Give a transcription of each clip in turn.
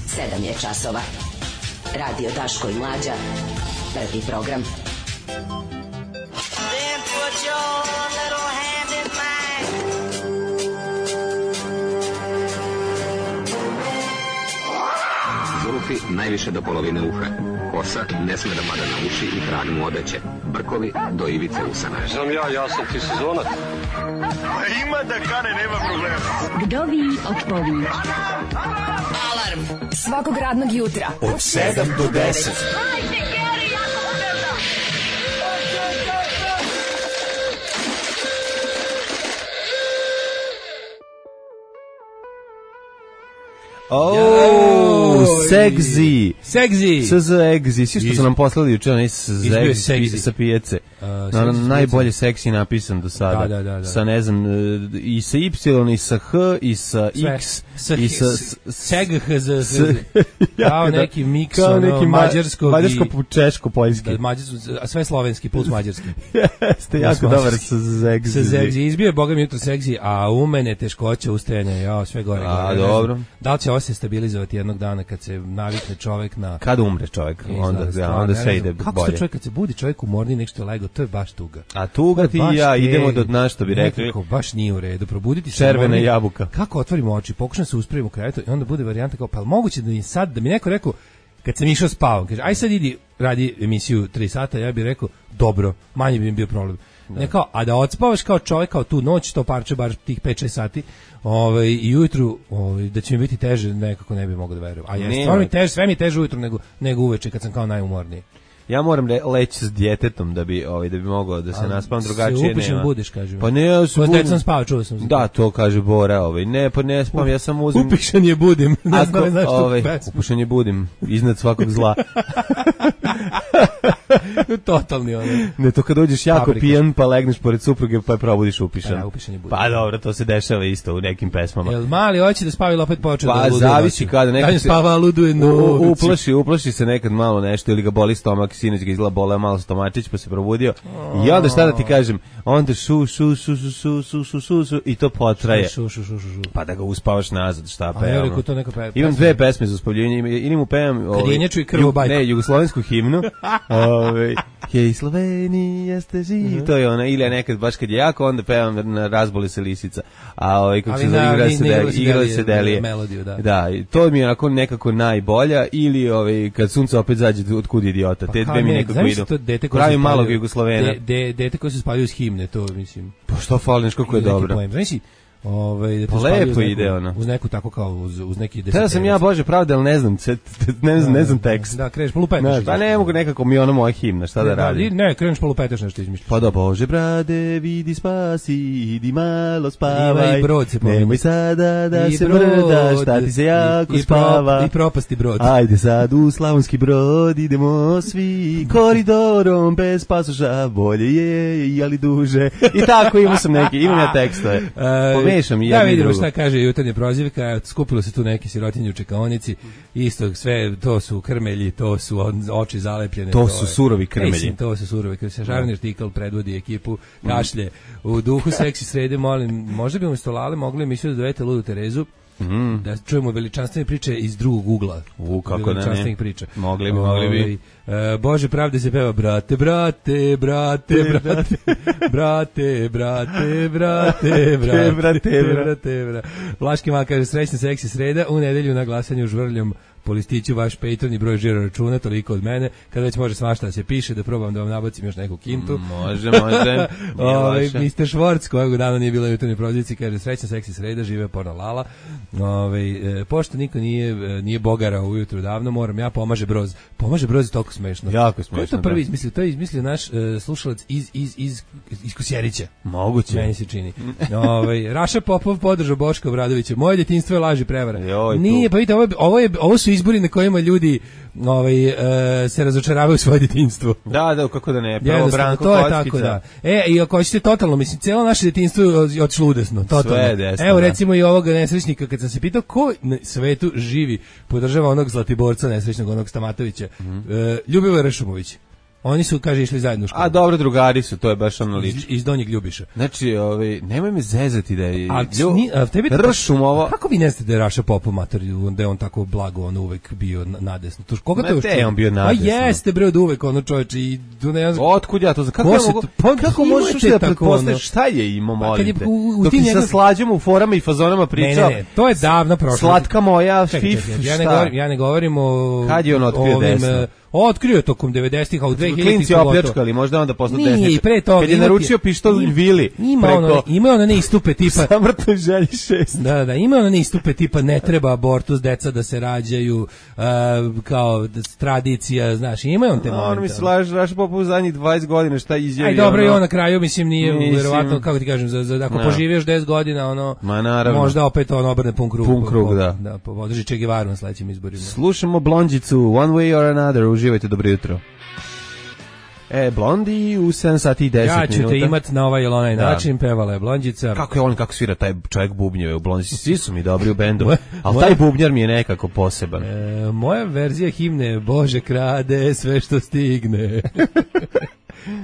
7 je časova. Radio Daško i Mlađa. Prvi program. Then put your little hand in mine. Zulufi najviše do polovine uha. Kosa ne sme da mada na uši i trag mu odeće. Brkovi do ivice usana. Znam ja sam ti sezonac. Ima da kane, nema problema. Vdovi odpovi. Alarm Svakog radnog jutra od 7 do 10. Segzi. Segzi. Svi što su nam poslali juče, onaj segzi sa pijace. Najbolje seksi napisan do sada. Da. Sa, ne znam, i sa Y, i sa H, i sa X, i sa... Segh. Kao neki miks, mađarskog i... Mađarsko-češko-poljski. A sve slovenski, plus mađarski. Jeste jako dobar sa segzi. Sa segzi. Izbio je, boga mi jutro segzi, a u mene teškoće ustajanja, sve gore. Dobro. Da li će ovo se stabilizovati jednog dana kad se navikne čovjek na... Kad umre čovjek, onda sve ide bolje. Kako se čovjek, kad se budi čovjek umorni nešto je lego, to je baš tuga. A tuga ti i ja idemo do dna, što bi rekli. Nekako baš nije u redu, probuditi se. Červena jabuka. Kako otvorimo oči, pokušam se uspraviti u krevetu i onda bude varijanta kao, pa moguće da da mi neko rekao, kad sam išao spavam, kaže, aj sad idi, radi emisiju 3 sata, ja bih rekao, dobro, manje bi mi bio problem. Ne kao, a da odspavaš kao čovjek, kao tu noć, to parče bar tih 5-6 sati, i ujutru, da će mi biti teže, nekako ne bi mogao da verujem. A je, sve mi je teže ujutru nego uveče kad sam kao najumorniji. Ja moram leći s djetetom da bi mogao da se naspavam, drugačije nema. Se upišen budiš, kaže. Pa ne, ja se budim. Sam spavao, čuo sam. Da, to kaže Bora, ne, pa ne spavam, ja sam uzim. Upišen je budim. Ne znam, znaš tu pesmu. Upišen je budim, iznad svakog zla. Totalni ono. Ne, to kad dođeš jako pijan, pa legneš pored supruge, pa je probudiš upišen. Pa upišen je budim. Pa dobro, to se dešava isto u nekim pesmama. Jel mali hoće da spava ili opet počeo da luduje? Pa zavisi kada nekad. Kad spava, luduje. Uplaši se nekad malo nešto ili ga boli stomak, sinoć ga izgleda boleo malo stomačić, pa se probudio. I onda šta da ti kažem, onda šu i to potraje. Pa da ga uspavaš nazad, šta pevamo. Imam 2 pesme za uspavljivanje, ili mu pevam Kadjenječu i Krvobajku. Ne, jugoslovensku himnu. Hej Slovenija ste živ, to je ona, ili nekad baš kad je jako, onda pevam na Razboli se lisica. A kako se zove, igrali se delije. Da, to mi je onako nekako najbolja, ili kad sunce opet zađe od kud idiota. Te dve mi nekako idu. Pravim malog Jugoslovena. Dete koji se spavljaju s himne, to mislim. Pa što fali, nešto kako je dobro. Pa lepo ide ono. Uz neku tako kao uz neki deset. Tada sam ja, Bože pravde, ali ne znam tekst. Da, kreneš polupetaš. Pa ne mogu nekako mi ono moja himna, šta da radim. Ne, kreneš polupetaš nešto izmišljaš. Pa da, Bože brade, vidi spasi, idi malo spavaj. Nemoj sada da se mrdaš, šta ti se jako spava. I propasti Brod. Ajde sad u Slavonski Brod, idemo svi koridorom bez pasoša, bolje je, ali duže. I tako imam ja tekstove. Da, vidimo šta kaže jutarnja prozivka, skupilo se tu neki sirotinje u čekaonici, isto sve, to su krmelji, to su oči zalepljene. To su surovi krmelji. To su surovi krmelji. Žarni artikl predvodi ekipu, kašlje. U duhu seksi srede, molim, možda bi umjesto Lale mogli emisiju da dovete Ludu Terezu, da čujemo veličanstvene priče iz drugog ugla. Kako da ne. Priča. Mogli bi. Bože pravde se peva brate. Vlaški mal kaže srećna seksi sreda, u nedelju na glasanju žvrljom po listiću vaš Patreon i broj žiro računa, toliko od mene, kada već može svašta da se piše, da probam da vam nabacim još neku kintu. Može. Mr. Švorc, kojeg dana nije bilo u jutarnjoj prozivci, kaže srećna seksi sreda, žive porno Lala. Pošto niko nije bogara ujutru davno, moram ja, pomaže Broz je toliko smešno. Jako smešno. Ko je to prvi izmislio? To je izmislio naš slušalac iz Kosjerića. Moguće. Meni se čini. Raša Popov podržao Boška Obradovića. Moje detinjstvo je laž i prevara. Nije, pa vidite, ovo su izbori na kojima ljudi se razočaravaju u svoje detinjstvo. Da, kako da ne. Pravo Branko to je tako, da. I ako hoćete totalno, mislim, cijelo naše detinjstvo je otišlo udesno. Totalno. Sve desno. Evo, recimo i ovog nesrećnika, kad sam se pitao ko na svetu živi, podržava onog Zlatiborca nesrećnog, onog Stamatovića, Ljubivoja Rešumović. Oni su, kaže, išli zajedno u školu. A dobro, drugari su, to je baš ono lično. Iz Donjeg Ljubiša. Znači, nemoj me zezati da je... Ršumovo... Kako vi ne znate da je Raša Popov mater, da je on tako blago, on uvek bio nadesno? Koga to još čuo? On bio nadesno. A jeste, bre, od uvek, ono čoveče, i... Otkud ja to znam? Kako možeš da pretpostaviš šta je imao, molim te? Dok ti sa slađom u forama i fazonama pričao... Ne, to je davno prošlo. Slatka moja, fif, šta? Ja ne govorim o... Kad je on otkrio desno? Otkrio tokom 90-ih, a u 2000-ih klinci opljačkali, možda onda posle desničar. Nije, i pre toga. Kad je naručio pištolj Vili. Ima ono ne istupe tipa... Samrtnoj želji 6. Da, ima ono ne istupe tipa ne treba abortus, deca da se rađaju, kao tradicija, znaš, ima on te momente. On mi se Raša Popov u zadnjih 20 godina, šta izjavio. Aj dobro, i on na kraju, mislim, nije verovatno, kako ti kažem, ako poživiješ 10 godina, ono, možda opet on obrne pun krug, da, podrži Che Guevaru na sledećim izborima. Slušamo Blondjicu, One Way or Another, uživajte, dobro jutro. Blondi u 7 sati i 10 minuta. Ja ću te imat na ovaj ili onaj način, pevala je Blondjica. Kako je on, kako svira taj čovjek bubnjeve u Blondjici, svi su mi dobri u bendu, ali taj bubnjar mi je nekako poseban. Moja verzija himne, Bože krade sve što stigne.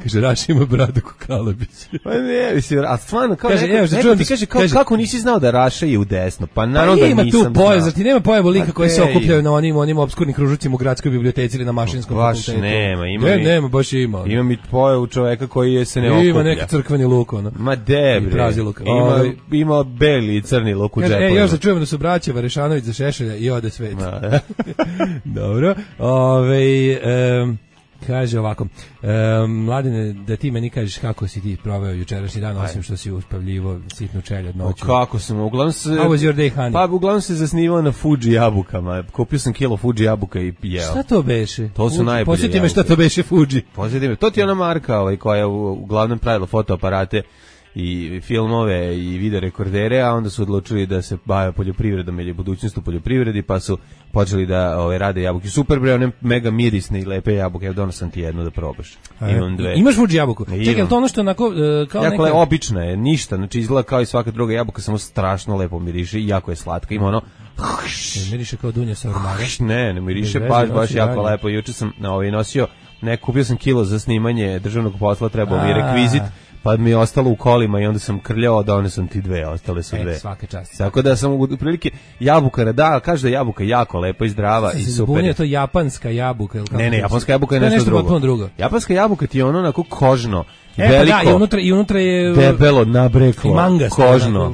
Kaže, Raša ima bradu ko Kalabić. Pa ne, mislim, a stvarno, kao neko ti kaže, kako nisi znao da Raša je u desno? Pa naravno da nisam znao. Ima tu pojav, zar ti nema pojavu lika koji se okupljaju na onim obskurnim kružucima u gradskoj biblioteci ili na mašinskom fakultetu? Baš nema, baš ima. Ima mi pojavu čoveka koji se ne okuplja. Ima neki crkveni luk, ono. Ma debre. Ima beli i crni luk u džepovima. Još da čujemo da su braća Varešanović za Šešelja i ode svet. Dobro. Kaže ovako, Mladene, da ti meni kažeš kako si ti proveo jučerašnji dan, osim što si uspavljivo sitnu čeljad noću. Kako sam, uglavnom se... How was your day, honey? Pa uglavnom se zasnivao na Fuji jabukama. Kupio sam kilo Fuji jabuka i jeo. Šta to beše? To su najbolje jabuke. Posjeti me šta to beše Fuji. Posjeti me, to ti je ona marka koja je uglavnom pravila fotoaparate i filmove i video rekordere, a onda su odlučili da se bave poljoprivredom ili budućnost u poljoprivredi, pa su počeli da rade jabuke. Super bre, one mega mirisne i lepe jabuke. Evo donosam ti jednu da probaš. Imam dve. Imaš Fuji jabuku? Čekaj, to ono što onako kao jako neka... obična je, ništa, znači izgleda kao i svaka druga jabuka, samo strašno lepo miriše i jako je slatka. Ima ono miriše kao dunja sa ormara. Ne miriše, baš jako lepo. Juče sam nosio, kupio sam kilo za snimanje državnog posla, trebao mi je rekvizit. Pa mi je ostalo u kolima i onda sam krljao, donesam ti dve, ostale su dve. Svaka čast. Tako da sam u prilike jabuka, da, kaže da je jabuka jako lepa i zdrava i super. Je to japanska jabuka ili kako? Ne, japanska jabuka je nešto drugo. Japanska jabuka ti je ono onako kožno. Veliko, da, i unutra je debelo, nabreklo, kožno,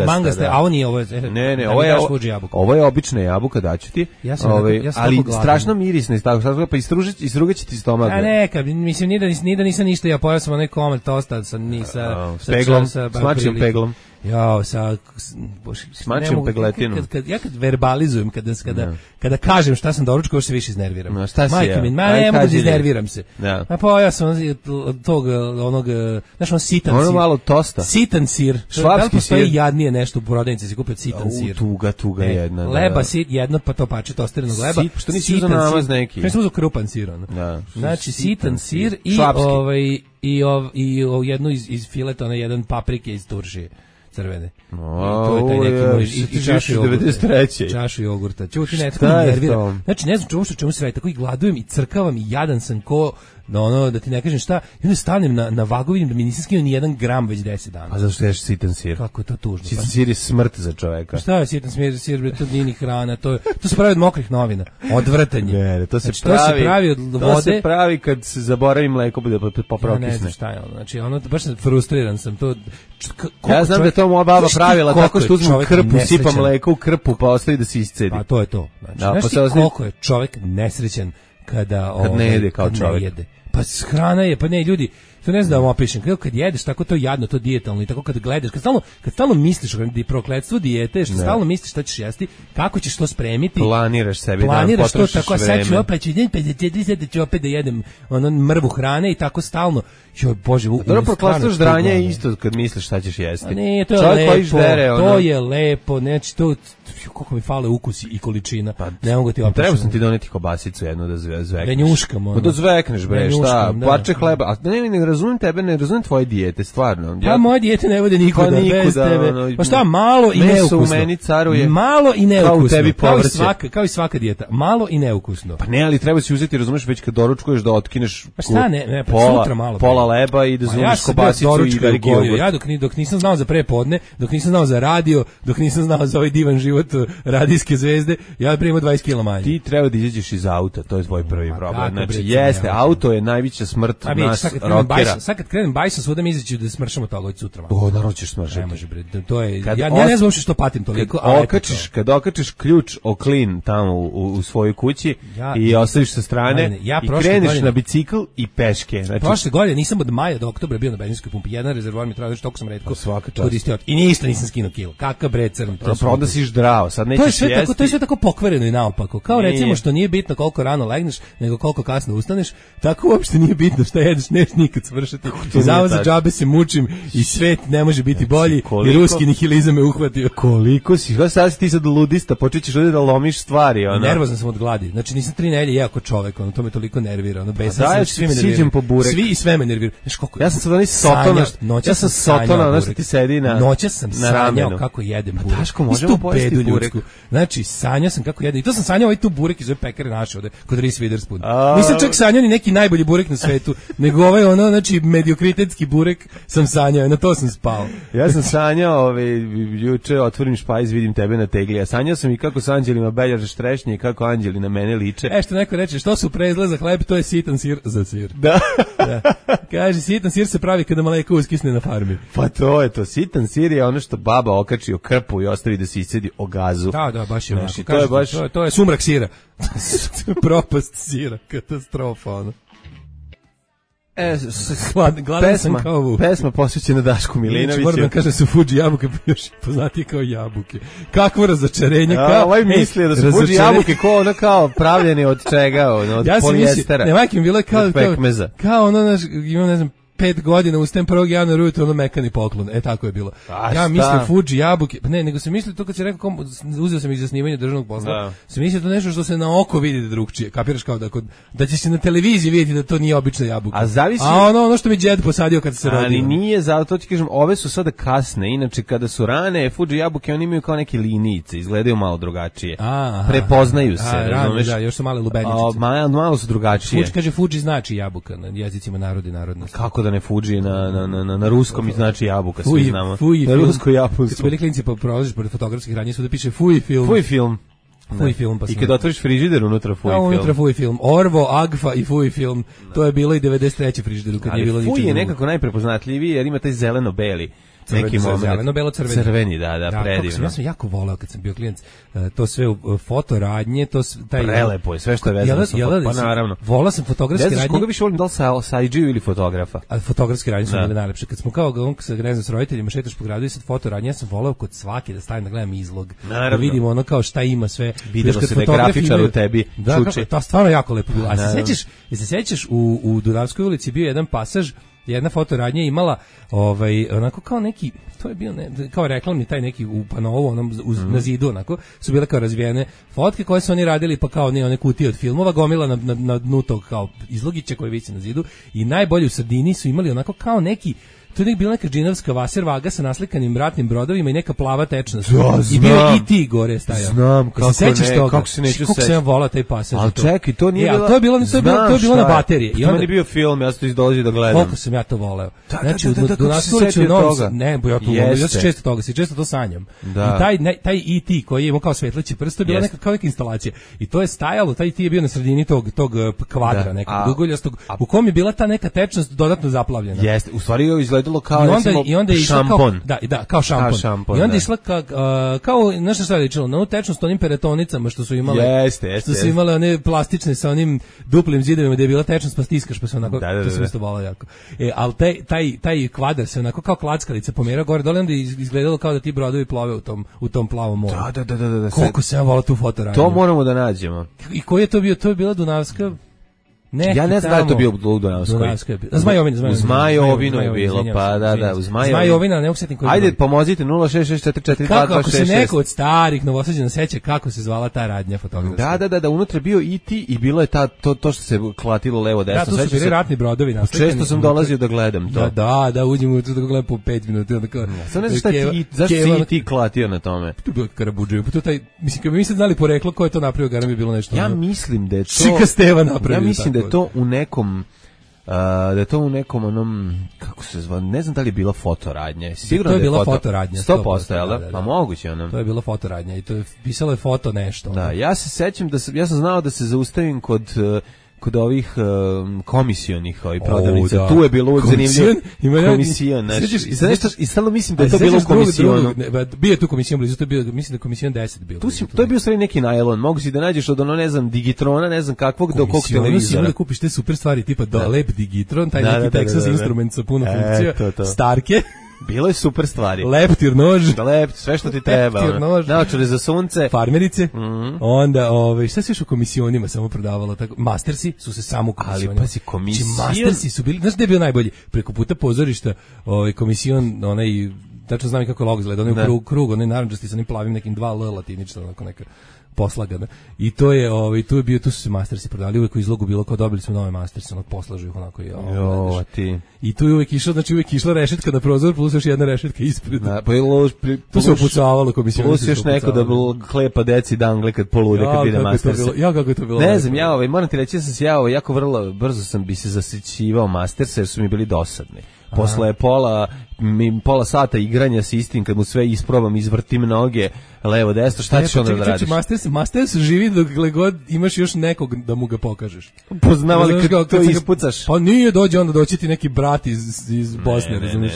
mangaste, a on nije ovo. Ne, ovo je obična jabuka, daću ti. Ali strašno mirisna i tako, pa istrugaće ti stomak. A neka, mislim, ni da nisam ništa, ja pojao sam onaj komad tosta sa peglom, smačim peglom. Ja, smačim pegletinu. Kad verbalizujem, kada kažem šta sam doručkao, se više iznerviram. No, šta si ne mogu da iznerviram se. Pa ja sam tog onog, znaš, on sitan sir. Ono malo tosta. Sitan sir. Švapski sir. Postoji jadnije nešto u prodavnici, se kupio sitan sir. Tuga jedna. Leba, jedno pa to pače tosterenog leba. Što nisi uzao namaz neki? Ja sam uzao krupan sir. Znači, sitan sir i jednu iz fileta, jedan paprike iz Turšije. Crvene. To je taj neki moj i čašu jogurta. Čuti ne tako nervira. Znači ne znam čemu se radi, tako i gladujem i crkavam i jadan sam ko da ti ne kažem šta, i onda stanem na vagu, vidim da mi nisam skinuo ni 1 gram već 10 dana. A zašto ješ sitan sir? Kako je to tužno. Sitan sir je smrt za čoveka. Šta je sitan sir, to nije ni hrana, to se pravi od mokrih novina. Odvrtanje. Ne, to se pravi od vode. To se pravi kad se zaboravi mleko, bude poprokisne. Ne znam šta je ono, znači baš frustriran sam to. Ja znam da je to moja baba pravila tako što uzmem krpu, sipam mleko u krpu pa ostavi da se iscedi. Pa to je to. Znači, koliko je čovjek nesrećan kad ne jede kao čovjek. Pa hrana je, pa ne, ljudi, to ne znam da vam opišem, kad jedeš tako to jadno, to dijetalno i tako kad gledaš, kad stalno misliš o prokletstvu dijete, što stalno misliš šta ćeš jesti, kako ćeš to spremiti, planiraš sebi, planiraš to tako, a sad ću opet, ću opet da jedem mrvu hrane i tako stalno, joj Bože, dobro, prokletstvo ždranja je isto kad misliš šta ćeš jesti. Ne, to je lepo, znači to, koliko mi fale ukusi i količina, ne mogu ti opišem. Treba sam ti doneti kobasicu jednu da zvekneš. Da njuškam, da zvekneš, bre, šta, parče hleba, a ne razumem tebe, ne razumem tvoje dijete, stvarno. Pa moje dijete ne vode nikuda bez tebe. Pa šta, malo i neukusno. Meso u meni caruje. Malo i neukusno. Kao u tebi povrće. Kao i svaka dijeta. Malo i neukusno. Pa ne, ali treba si uzeti, razumeš, već kad doručkuješ da otkineš pa šta ne, pola, malo pola leba i da zuniš kobasicu i veliki jogurt. Ja dok nisam znao za prepodne, dok nisam znao za radio, dok nisam znao za ovaj divan život radijske zvezde, ja primam 20 kg manje. Ti treba da izađeš iz auta, to je tvoj prvi problem. Znači, jeste, auto je najveća smrt nas rokera. Sad kad krenem bajsom, svuda mi izaći da smršam od toga od sutra. Naravno ćeš smršati. Ne može, bre, to je, ja ne znam što patim toliko. Kad okačiš ključ o klin tamo u svojoj kući i ostaviš sa strane i kreneš na bicikl i peške. Znači, prošle godine nisam od maja do oktobra bio na benzinskoj pumpi. Jedan rezervoar mi traži, znači toliko sam retko koristio. I ništa nisam skinuo kilo. Kakav bre crn. Onda si zdravo, sad nećeš jesti. To je sve tako pokvareno i naopako. Kao recimo što nije bitno koliko rano legneš, nego koliko kasno ustaneš, tako uopšte nije bitno šta jedeš, neš nikad svršati. I zavod za džabe se mučim i svet ne može biti bolji i ruski nihilizam me uhvatio. Koliko si, sad si ti sad ludista, počećeš ovdje da lomiš stvari. Nervozan sam od gladi. Znači nisam 3 nedelje jeo kao čovek, to me toliko nervira. Siđem po burek. Svi i sve me nervira. Ja sam sad onaj sotona, ja sam sotona, ono što ti sedi na ramenu. Noća sam sanjao kako jedem burek. Daško, možemo pojesti burek. Znači, sanjao sam kako jedem. I to sam sanjao ovaj tu burek iz ove pekare naše ovde, kod Reese Witherspoon. Nisam čak sanjao ni neki najbolji burek na svetu, nego ovaj znači mediokritetski burek sam sanjao, na to sam spao. Ja sam sanjao, juče otvorim špajz, vidim tebe na tegli. Ja sanjao sam i kako s anđelima beljaže štrešnje i kako anđeli na mene liče. Što neko reče, što su prezle za hleb, to je sitan sir za sir. Da. Kaže, sitan sir se pravi kada mleko uskisne na farmi. Pa to je to, sitan sir je ono što baba okači o krpu i ostavi da se iscedi o gazu. Da, baš je onako. To je sumrak sira. Propast sira, katastrofa, ono. Gladan sam kao vuk. Pesma posvećena Dašku Milinoviću. Moram da kažem su Fuji jabuke, još poznati kao jabuke. Kakvo razočarenje. Ovaj mislio da su Fuji jabuke kao pravljeni od čega, od polijestera. Ne, majke mi bilo kao ono, ima ne znam, 5 godina ustajem 1. januara ujutro ono mekani poklon. Tako je bilo. Ja mislim Fuji jabuke, pa ne, nego sam mislio to kad si rekao, uzeo sam ih za snimanje državnog posla, sam mislio to nešto što se na oko vidi drugčije. Kapiraš kao da će se na televiziji vidjeti da to nije obična jabuka. A ono što mi džed posadio kad se rodio. Ali nije, zato ti kažem, ove su sada kasne, inače kada su rane Fuji jabuke, oni imaju kao neke linijice, izgledaju malo drugačije. Prepoznaju se, razumeš? Da, još su male lubeničice. Malo su drugačije. Kaže Fuji znači jabuka na jezicima narodi narodnosti. Kako da ne Fuji na ruskom i znači jabuka, svi znamo. Na rusko jabuku. Kad bili klinci prolaziš pored fotografskih radnji, svuda piše Fuji film. Fuji film. Fuji film, pa i kad otvoriš frižider, unutra Fuji film. Unutra Fuji film. Orvo, Agfa i Fuji film. To je bilo i 93. frižideru, kad nije bilo ničeg. Ali Fuji je nekako najprepoznatljiviji, jer ima taj zeleno-beli. Neki moment. Zeleno-belo-crveni. Crveni, da, predivno. Ja sam jako voleo kad sam bio klijent, to sve fotoradnje, to taj prelepo je, sve što je vezano sa pa naravno. Voleo sam fotografske radnje. Koga više volim, da li sa IG-u ili fotografa? A fotografske radnje su bile najlepše. Kad smo kao s roditeljima šetaš po gradu i sad fotoradnje, ja sam voleo kod svake da stavim da gledam izlog. Da vidimo ono kao šta ima sve. Videlo se da je grafičar u tebi čuči. To stvarno jako lepo bilo. A se sećaš u Dunavskoj ulici bio jedan pasaž, jedna fotoradnja imala onako kao neki, to je bio kao reklamni taj neki u panovu na zidu, onako su bile kao razvijene fotke koje su oni radili, pa kao one kutije od filmova gomila na dnu tog kao izlogića koji visi na zidu, i najbolje u sredini su imali onako kao neki, to je bila neka džinovska vaser vaga sa naslikanim ratnim brodovima i neka plava tečnost. I bio i ti gore stajao. Znam, kako se neću sećati. Kako se ja volao taj pasaž. Ali čekaj, to nije bilo... To je bilo na baterije. To meni bio film, ja sam to izdolazio da gledam. Koliko sam ja to voleo. Znači, do nas ulici u Novom Sadu. Ne, ja se često toga, često to sanjam. I taj E.T. koji je imao kao svetleći prst, to je bila neka instalacija. I to je stajalo, taj E.T. je bio na sredini tog kvadra, nekog dugoljastog, u kom je bila ta neka tečnost dodatno zaplavljena. Jeste, u stvari je izgledalo kao šampon. Kao šampon. I onda je išla kao nešto šta je ličilo, na tečnost onim peretonicama što su imale. Što su imale one plastične sa onim duplim zidovima gdje je bila tečnost, pa stiskaš, pa se onako, to se isto volao jako. Ali taj kvadar se onako kao klackalica pomera gore dole, onda je izgledalo kao da ti brodovi plove u tom plavom moru. Da. Koliko se ja volao tu fotoradnju. To moramo da nađemo. I koji je to bio? To je bila Dunavska... Ja ne znam da li to bio u Dunavskoj. U Zmajovinu. U Zmajovinu je bilo, pa da, u Zmajovina, ne usetim koji. Ajde, pomozite 066442266. Kako ako se neko od starih Novosađana seća kako se zvala ta radnja fotografska? Da, unutra bio i ti i bilo je to što se klatilo levo desno. Da, to su bili ratni brodovi naslikani. Često sam dolazio da gledam to. Da, uđem u to da gledam po 5 minuta. Sad ne znam šta ti, zašto si ti klatio na tome? To je bilo Karabudžev, pa to taj, mislim, kad bi mi sad znali poreklo ko je to napravio, garam bi bilo nešto. Ja mislim da je to... Čika Steva napravio. Ja mislim da je to u nekom onom, kako se zva, ne znam da li je bila fotoradnja. Sigurno to je bila fotoradnja. 100%, jel da? Pa moguće ono. To je bila fotoradnja i to je pisalo je foto nešto. Da, ja se sećam ja sam znao da se zaustavim kod ovih komisionih prodavnica. Da. Tu je bilo zanimljivo. Komisijon, i stalno mislim da je to bilo komisijonu. Bio je tu komisijon blizu, to je bio, mislim da je komisijon 10 bilo. To je bio stvari neki najlon. Mogu si da nađeš od ne znam, Digitrona, ne znam kakvog, do kog televizora. Da kupiš te super stvari, tipa lep Digitron, taj neki Texas Instrument sa puno funkcija, Starke. Bilo je super stvari. Leptir nož. Sve što ti treba. Naočare za sunce. Farmerice. Onda, šta se još u komisionima samo prodavalo? Tako, Mastersi su se samo u komisionima. Ali pazi, komisijon. Mastersi su bili, znaš gde je bio najbolji? Preko puta pozorišta, komision, onaj, tačno znam i kako logo izgleda, onaj krug, onaj naranđasti sa onim plavim nekim 2L latinično, onako neka poslagana. I to je, tu su se Mastersi prodavali, uvek u izlogu bilo kao dobili smo nove Mastersi, onog poslažu ih onako i ti. I tu je uvek išla rešetka na prozor, plus još jedna rešetka ispred. Tu se upucavalo komisiju. Plus još neko da klepa deci dangle kad polude kad vide Mastersi. Kako je to bilo? Ne znam, moram ti reći da sam se jako vrlo brzo sam bi se zasićivao Mastersi jer su mi bili dosadni. Posle pola sata igranja s istim, kad mu sve isprobam, izvrtim noge, levo, desno, šta ćeš onda da radiš? Masters živi dokle god imaš još nekog da mu ga pokažeš. Poznavali kad to ispucaš? Pa nije doći ti neki brat iz Bosne, razumiješ?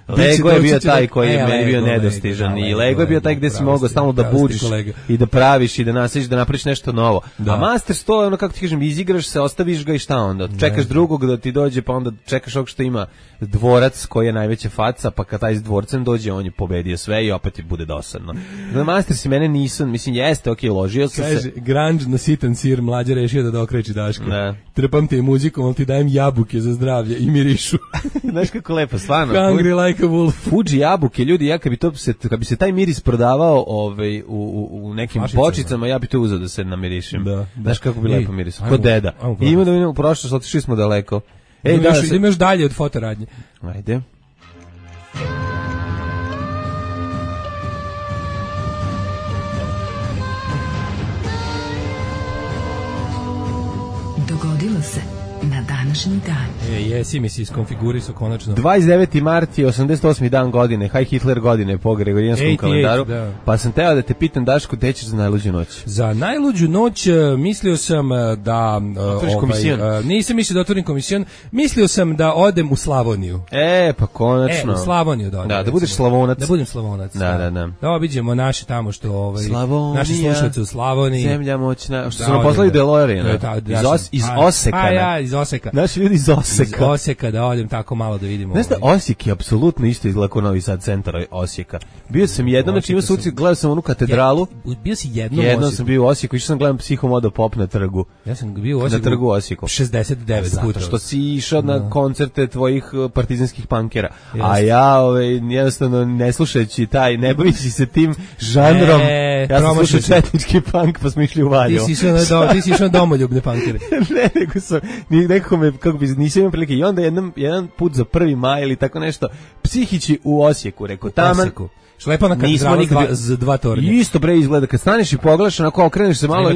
Lego je bio taj koji je meni bio nedostižan i Lego je bio taj gde si mogao stalno da budiš i da praviš i da nasliš, da napraviš nešto novo. A Masters to je ono, kako ti kažem, izigraš se, ostaviš ga i šta onda? Čekaš drugog da ti dođe, pa onda čekaš ovog što ima dvorac koji je najveća faca, pa kad taj s dvorcem dođe, on je pobedio sve i opet ti bude dosadno. Masters i mene nisu, mislim, jeste, okej, ložio sam se. Kaže, grunge na sitan sir, Mlađa rešio da okreći Daško. Trpam te muzikom, ali ti dajem jabuke za zdravlje i mirišu. Znaš kako lepo, stvarno. Hungry like a wolf. Fuji jabuke, ljudi, ja kad bi se taj miris prodavao u nekim bočicama, ja bi to uzeo da se namirišem. Znaš kako bi lepo miris, kod deda. I ima da vidimo u prošlost, otišli smo daleko. Idemo još dalje od fotoradnje. Ajde. Dogodilo se na današnji dan. Jesi mi si iskonfigurisao konačno. 29. mart je 88. dan godine, Heil Hitler godine po Gregorijanskom kalendaru. Da. Pa sam teo da te pitam, Daško, gde ćeš za najluđu noć? Za najluđu noć mislio sam da... nisam mislio da otvorim komisijon, mislio sam da odem u Slavoniju. Pa konačno. U Slavoniju da odem. Da budeš Slavonac. Da budem Slavonac. Da obiđemo naše tamo što... Slavonija, naši slušalci u Slavoniji. Zemlja moćna. Što su nam poslali DeLorean. Iz Oseka. Iz Oseka. Naši ljudi iz Oseka. Iz Oseka, da odem tako malo da vidimo. Znaš da Osijek je apsolutno isto izgleda kao Novi Sad centar Osijeka. Bio sam jednom, znači imao sam gledao sam onu katedralu. Bio si jednom sam bio u Osijeku, išao sam gledam Psihomodo Pop na trgu. Ja sam bio u Osijeku. Na trgu Osijeku. 69 puta. Što si išao na koncerte tvojih partizanskih punkera. A ja jednostavno ne slušajući ne bavići se tim žanrom. Ja sam slušao četnički punk, pa smo išli u Valjevo. Ti si išao na domoljubne punkere. Ne, nego sam, nekako me, kako bi, nisam imao prilike. I onda jedan put za 1. maj ili tako nešto, psihići u Osijeku, rekao, taman. Šlepa na katedralu z 2 tornje. Isto bre izgleda, kad staneš i pogledaš, onako okreneš se malo,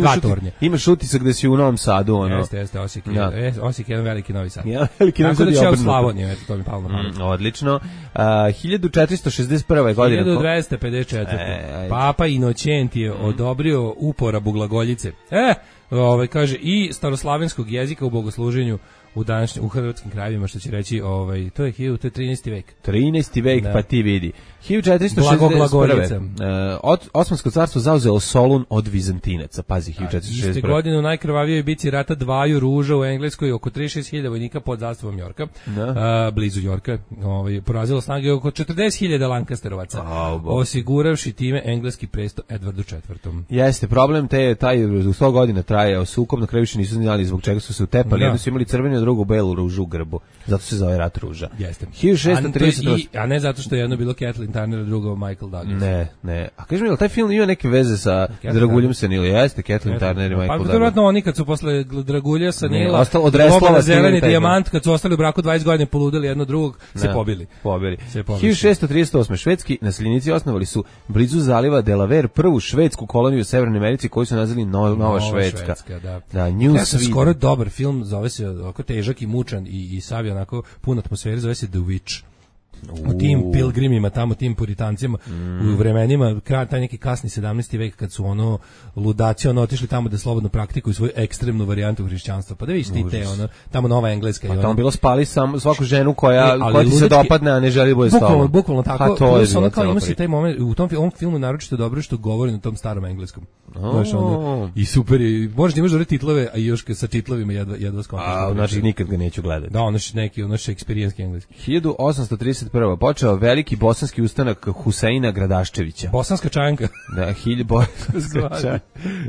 imaš utisak da si u Novom Sadu. Jeste, Osijek je jedan veliki Novi Sad. Veliki Novi Sad je obrnuto. Slavoniju, eto, to mi palo na pamet. Odlično. 1461. godine. 1254. Papa Inoćent je odobrio uporabu glagoljice. Kaže, i staroslavenskog jezika u bogosluženju u hrvatskim krajevima, što će reći, to je 13. vek. 13. vek, pa ti vidi. 1461. Osmansko carstvo zauzelo Solun od Vizantinaca, pazi, 1461. Iste godine u najkrvavijoj bici rata Dvaju ruža u Engleskoj oko 36.000 vojnika pod zastavom Jorka, blizu Jorka, porazilo snage oko 40.000 Lancasterovaca, osiguravši time engleski presto Edvardu IV. Jeste, problem taj u 100 godina traje, sukob na kraju više nisu znali zbog čega su se utepali, jedno su imali crvenu, a drugu belu ružu u grbu, zato se zove rat ruža. Jeste. 1630. A ne zato što je jedno bilo Kathleen Turner, a drugo Michael Douglas. Ne. A kaži mi, taj film ima neke veze sa Draguljem Sanila? Jeste, Kathleen Turner i Michael Douglas. Pa vjerovatno oni kad su posle Dragulja Sanila, Odreslava zeleni dijamant, kad su ostali u braku 20 godina poludeli jedno drugog, se pobili. 1638. Švedski naseljenici osnovali su blizu zaliva Delaware prvu švedsku koloniju u Severnoj Americi koju su nazvali Nova Švedska. Da, New Sweden. Skoro dobar film, zove se ovako težak i mučan i sav onako pun atmosfere, zove se The Witch. U tim pilgrimima, tamo tim puritancima, u vremenima, taj neki kasni 17. vek, kad su ludaci otišli tamo da slobodno praktikuju svoju ekstremnu varijantu hrišćanstva. Pa da vidiš ti te, Tamo Nova Engleska. Pa tamo bilo spali svaku ženu koja ti se dopadne, a ne želi bude s tobom. Bukvalno tako. Plus ima se taj moment, u tom filmu naročito dobro što govori na tom starom engleskom. I super je, možeš da imaš dobre titlove, a još sa titlovima jedva skontaš. Znači nikad ga neću gledati. Da, neki eksperijenski engleski. 1831. počeo veliki bosanski ustanak Huseina Gradaščevića. Bosanska čajanka. Da, bosanska čajanka.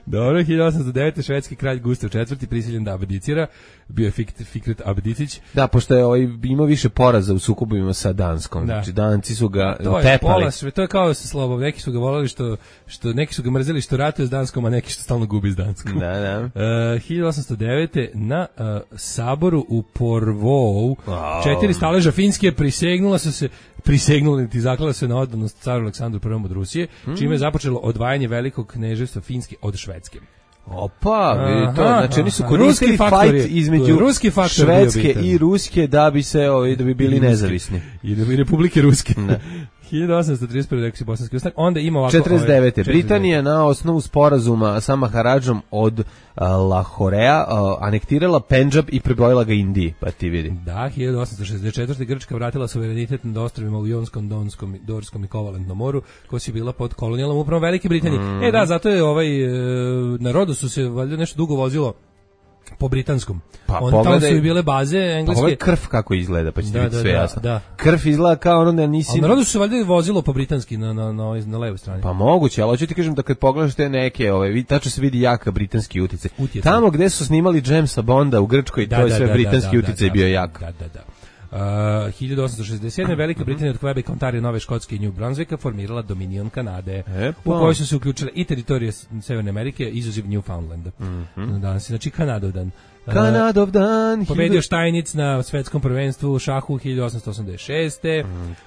Dobro, 1809. švedski kralj Gustav IV. Prisiljen da abdicira. Bio je Fikret Abdicić. Da, pošto je imao više poraza u sukobima sa Danskom. Znači, Danci su ga tepali. To je kao sa Slobom. Neki su ga volali neki su ga mrzeli što ratuje s Danskom, a neki što stalno gubi s Danskom. Da. 1809. na saboru u Porvoo 4 staleža Finske prisegnuli ti zaklala se na oddanost caru Aleksandru I od Rusije, čime je započelo odvajanje velikog kneževstva Finske od Švedske. Opa, vidi to, znači oni su koristili fight između Švedske i Ruske da bi bili nezavisni. I da bi Republike Ruske. 1831. rekao si bosanski ustanak, onda ima ovako... 49. Britanija na osnovu sporazuma sa Maharadžom od Lahorea anektirala Pendžab i pribojila ga Indiji, pa ti vidi. Da, 1864. Grčka vratila suverenitet nad ostrvima u Jonskom, Dorskom i Kovalentnom moru, koja su bila pod kolonijalnom upravom Velike Britanije. Da, zato je na Rodosu se valjda nešto dugo vozilo po britanskom. Tamo su i bile baze engleske. Pa ovo je krv kako izgleda, pa ćete vidjeti sve jasno. Da. Krv izgleda kao ono da nisi... Ali na Rodu su se valjda vozilo po britanski na levoj strani. Pa moguće, ali hoću ti kažem da kad pogledaš te neke, tačno se vidi jaka britanski uticaj. Tamo gde su snimali Jamesa Bonda u Grčkoj, to je sve britanski uticaj bio jak. Da. 1867. Velika Britanija od Quebec, Ontario, Nove Škotske i New Brunswicka formirala Dominion Kanade, u kojoj su se uključile i teritorije Severne Amerike, izuziv Newfoundlanda. Danas je, znači, Kanadovdan. Pobedio Štajnic na svetskom prvenstvu u šahu 1886.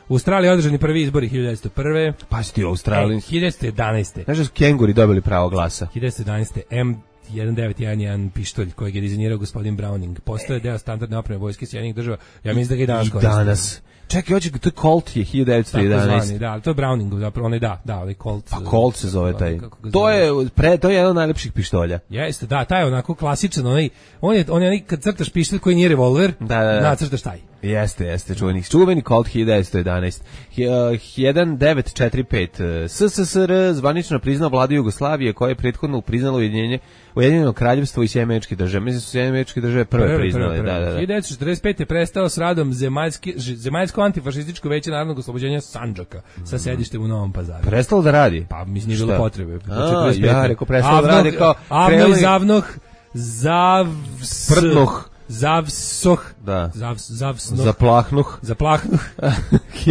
U Australiji održani prvi izbori 1901. Pa si ti u Australiji? 1911. Znaš da su kenguri dobili pravo glasa? 1911. M1911 pištolj kojeg je dizajnirao gospodin Browning. Postoje deo standardne opreme vojske Sjedinjenih Država. Ja mislim da ga i danas koriste. Danas. Čekaj, to je Colt je 1911. Da, to je Browning, zapravo onaj onaj Colt. Pa Colt se zove taj. To je jedan od najlepših pištolja. Jeste, da, taj je onako klasičan, on je kad crtaš pištolj koji nije revolver, nacrtaš taj. Jeste, čuveni Colt 1911. 1945. SSSR zvanično priznao vladu Jugoslavije koja je prethodno priznalo Ujedinjeno kraljevstvo i Sjedinjene Američke Države. Mislim su Sjedinjene Američke Države prve priznale. Da. 1945. je prestao s radom Zemaljsko antifašističko veće narodnog oslobođenja Sandžaka sa sedištem u Novom Pazaru. Prestalo da radi? Pa mislim nije bilo potrebe. Ja rekao prestalo da radi kao... Avno i zavnoh, Prdnoh. Zavsoh, Zaplahnuh,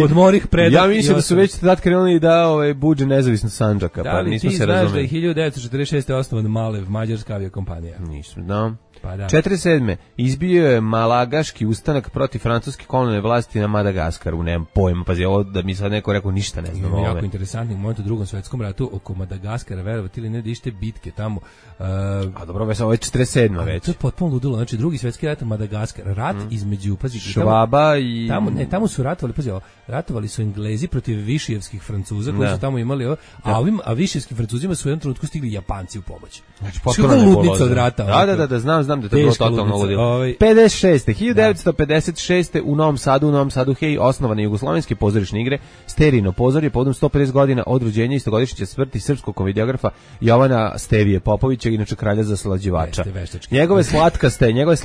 odmorih predah. Ja mislim da su već tad krenuli da buđe nezavisno Sandžaka, pa nismo se razumeli. Da li ti znaš da je 1946. osnovan Malev, mađarska aviokompanija? Nisam znao. Pa da. 47. izbio je malagaški ustanak protiv francuske kolonijalne vlasti na Madagaskaru. Nemam pojma, pazi, ovo da mi sad neko rekao ništa ne znam. Jako interesantni moment u Drugom svetskom ratu oko Madagaskara, verovati ili ne, da ište bitke tamo. A dobro, ovo je 47. već. To je potpuno ludilo, znači Drugi svetski Svjetski rat, Madagaskar, rat između, pazi, Švaba i... Tamo su ratovali, pazi, ratovali su Englezi protiv višijevskih Francuza, koji su tamo imali, a višijevskim Francuzima su u jednom trenutku stigli Japanci u pomoć. Znači, potpuno ludnica od rata. Da, znam da je to bilo totalno ludilo. 1956. u Novom Sadu, hej, osnovane jugoslovenske pozorišne igre, Sterijino pozorje, povodom 150 godina od rođenja istogodišnjice smrti srpskog komediografa Jovana Stevije Popovića, inače kralja zaslađivača. Njegove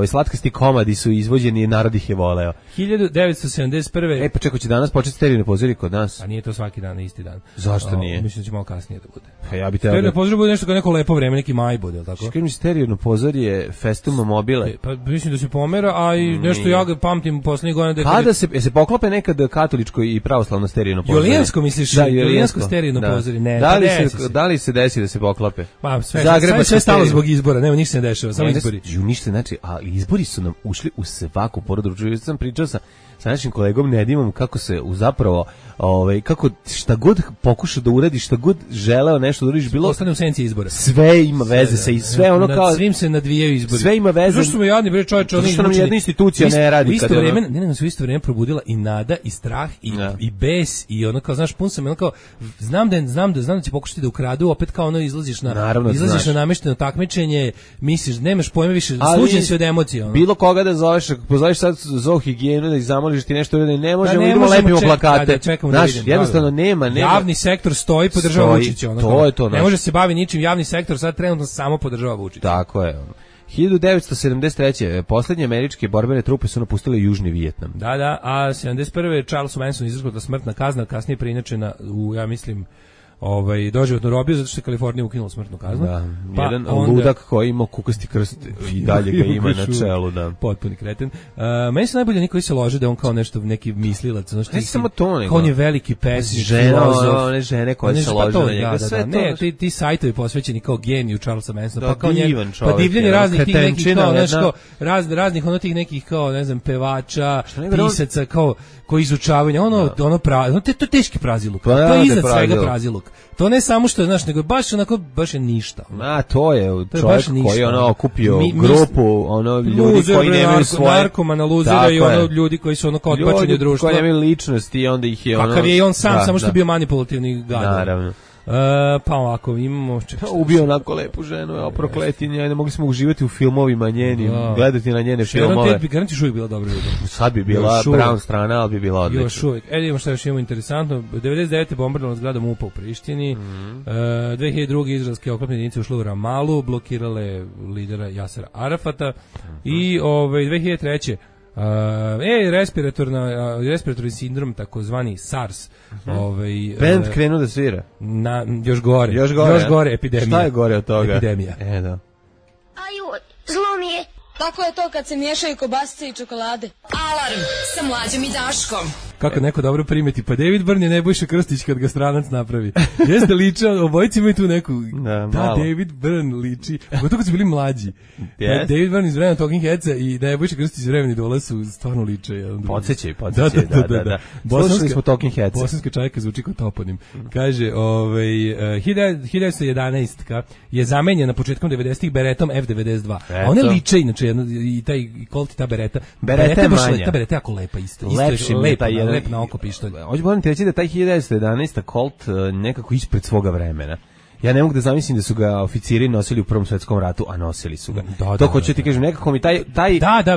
slatkasti komadi su izvođeni, narod ih je voleo. 1971. Pa čeko će danas početi Sterijino pozorje kod nas. A nije to svaki dan, isti dan. Zašto nije? Mislim da će malo kasnije da bude. Pa ja bi teo Sterijino pozorje bude nešto kao neko lepo vreme, neki maj bude, ili tako? Škaj mi Sterijino pozorje Festum Mobile. Pa mislim da se pomera, a i nešto ja ga pamtim poslednjih godina. Kada se poklope nekad katoličko i pravoslavno Sterijino pozorje? Julijansko misliš? Da, Julijansko Sterijino pozorje. Ne, da li se desi da se poklope? Pa sve stalo zbog izbora, nema ništa se ne dešava, samo izbori. Ništa, znači, a izbori su nam ušli u svaku porodicu. Ja sam pričao sa našim kolegom Nedimom kako se zapravo kako šta god pokuša da uradi, šta god želeo nešto da uradiš, bilo ostane u senci izbora. Sve ima veze sa sve ono kao svim se nadvijaju izbori. Sve ima veze. Zašto smo jadni bre čoveče, oni što nam jedna institucija ne radi kada u isto vrijeme probudila i nada i strah i bes i ono kao znaš pun sam ono kao znam da će pokušati da ukradu, opet kao ono izlaziš na namešteno takmičenje, misliš nemaš pojma više, sluđen si od emocija ono. Bilo koga da zoveš, pozoveš sad ZOO higijenu da ih zamoliš ti nešto uradi, ne možemo, idemo lepimo plakate. Znaš, jednostavno nema. Javni sektor stoji, podržava Vučića. To je to. Ne može se bavi ničim, javni sektor sad trenutno samo podržava Vučića. Tako je. 1973. Poslednje američke borbene trupe su napustile Južni Vijetnam. Da, a 71. Charles Manson izreknuta smrtna kazna, kasnije preinačena u, ja mislim, doživotnu robiju, zato što je Kalifornija ukinula smrtnu kaznu. Da, jedan ludak koji ima kukasti krst i dalje ga ima na čelu. Da. Potpuni kreten. Meni se najbolje niko se lože da on kao nešto neki mislilac. Ne samo to, nego. On je veliki pesnik, one žene koje se lože na njega. Ne, ti sajtovi posvećeni kao geniju Charlesa Mansona. Pa kao pa divljanje raznih tih nekih kao, nešto, raznih ono tih nekih kao, ne znam, pevača, pisaca, kao koji izučavaju, to je teški praziluk. To je iznad svega praziluk. To ne samo što je, znaš, nego baš je ništa. To je čovjek koji je okupio grupu, ljudi koji nemaju svoje... Narkomana, luzera i ljudi koji su kao odbačeni u društvu. Ljudi koji nemaju ličnosti i onda ih je kakav je i on sam, samo što je bio manipulativni gad. Naravno. Pa ovako, imamo... Ubio onako lepu ženu, prokletinja, ne mogli smo uživati u filmovima njenim, gledati na njene filmove. Sharon Tate, garanti još uvijek bila dobra ljubav. Sad bi bila brown strana, ali bi bila odlična. Još uvijek. Idemo što još imamo interesantno. 99. bombardovana zgrada MUP-a u Prištini. 2002. izraelske oklopne jedinice ušle u Ramalu, blokirale lidera Jasera Arafata. I 2003. respiratorni sindrom, takozvani SARS. Band krenu da svira. Još gore, epidemija. Šta je gore od toga? Epidemija. Da. Aju, zlo mi je. Tako je to kad se miješaju kobasice i čokolade. Alarm sa Mlađom i Daškom. Kako neko dobro primeti, pa David Byrne je Nebojša Krstić kad ga stranac napravi. Jeste liča, obojici imaju tu neku... Da, David Byrne liči. Gotovo kad su bili mlađi. Yes. David Byrne iz vremena Talking Headsa i Nebojša Krstić iz vremena Idola su stvarno liče. Podsećaj, da. Slušali smo Talking Headsa. Bosanska čajka zvuči kao toponim. Kaže, 1911 je zamenjena početkom 90-ih beretom F-92. A one liče, inače, i taj Colt i ta bereta. Bereta je manja. Ta bereta je jako lepa isto. Lepši mi je taj jedan. Lep na oko pištolj. Hoću moram ti reći da taj 1911 Colt nekako ispred svoga vremena. Ja ne mogu da zamislim da su ga oficiri nosili u Prvom svetskom ratu, a nosili su ga. To hoću ti kažem, nekako mi taj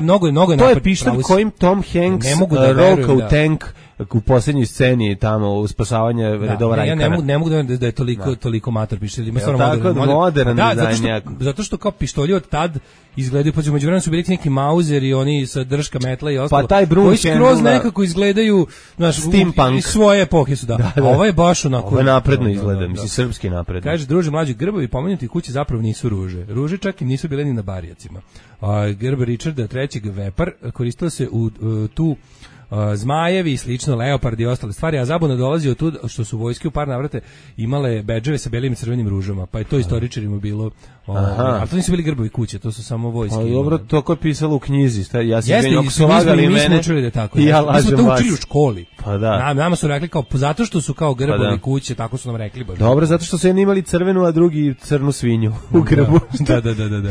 mnogo je napad. To je pištolj kojim Tom Hanks roka u tank u posljednjoj sceni tamo u spasavanje redova Rajkana. Ja ne mogu da je toliko mator pištolj. Ima stvarno modern dizajn. Zato što kao pištolji od tad izgledaju, pa među vremenu su bili neki Mauser i oni sa drška metla i ostalo. Pa taj koji skroz nekako izgledaju, znaš, steampunk. Svoje epohe su, da. A ovo je baš onako... Ovo je napredno izgleda, mislim, srpski napredno. Kaže, druže, mlađi, grbovi pomenuti kući zapravo nisu ruže. Ruže čak i nisu bile ni na barijacima. Grb Richarda III. Vepar koristila se u tu zmajevi i slično, leopardi i ostale stvari, a zabuna dolazi od tu što su vojske u par navrate imale bedževe sa belim i crvenim ružama, pa je to istoričarima bilo, a to nisu bili grbovi kuće, to su samo vojske. Ali dobro, to ko je pisalo u knjizi, ja se jeste, mi smo učili da je tako. Ja mi smo to učili u školi. Pa da. Nama su rekli kao, zato što su kao grbovi kuće, tako su nam rekli baš. Dobro, zato što su jedni imali crvenu, a drugi crnu svinju u grbu. Da.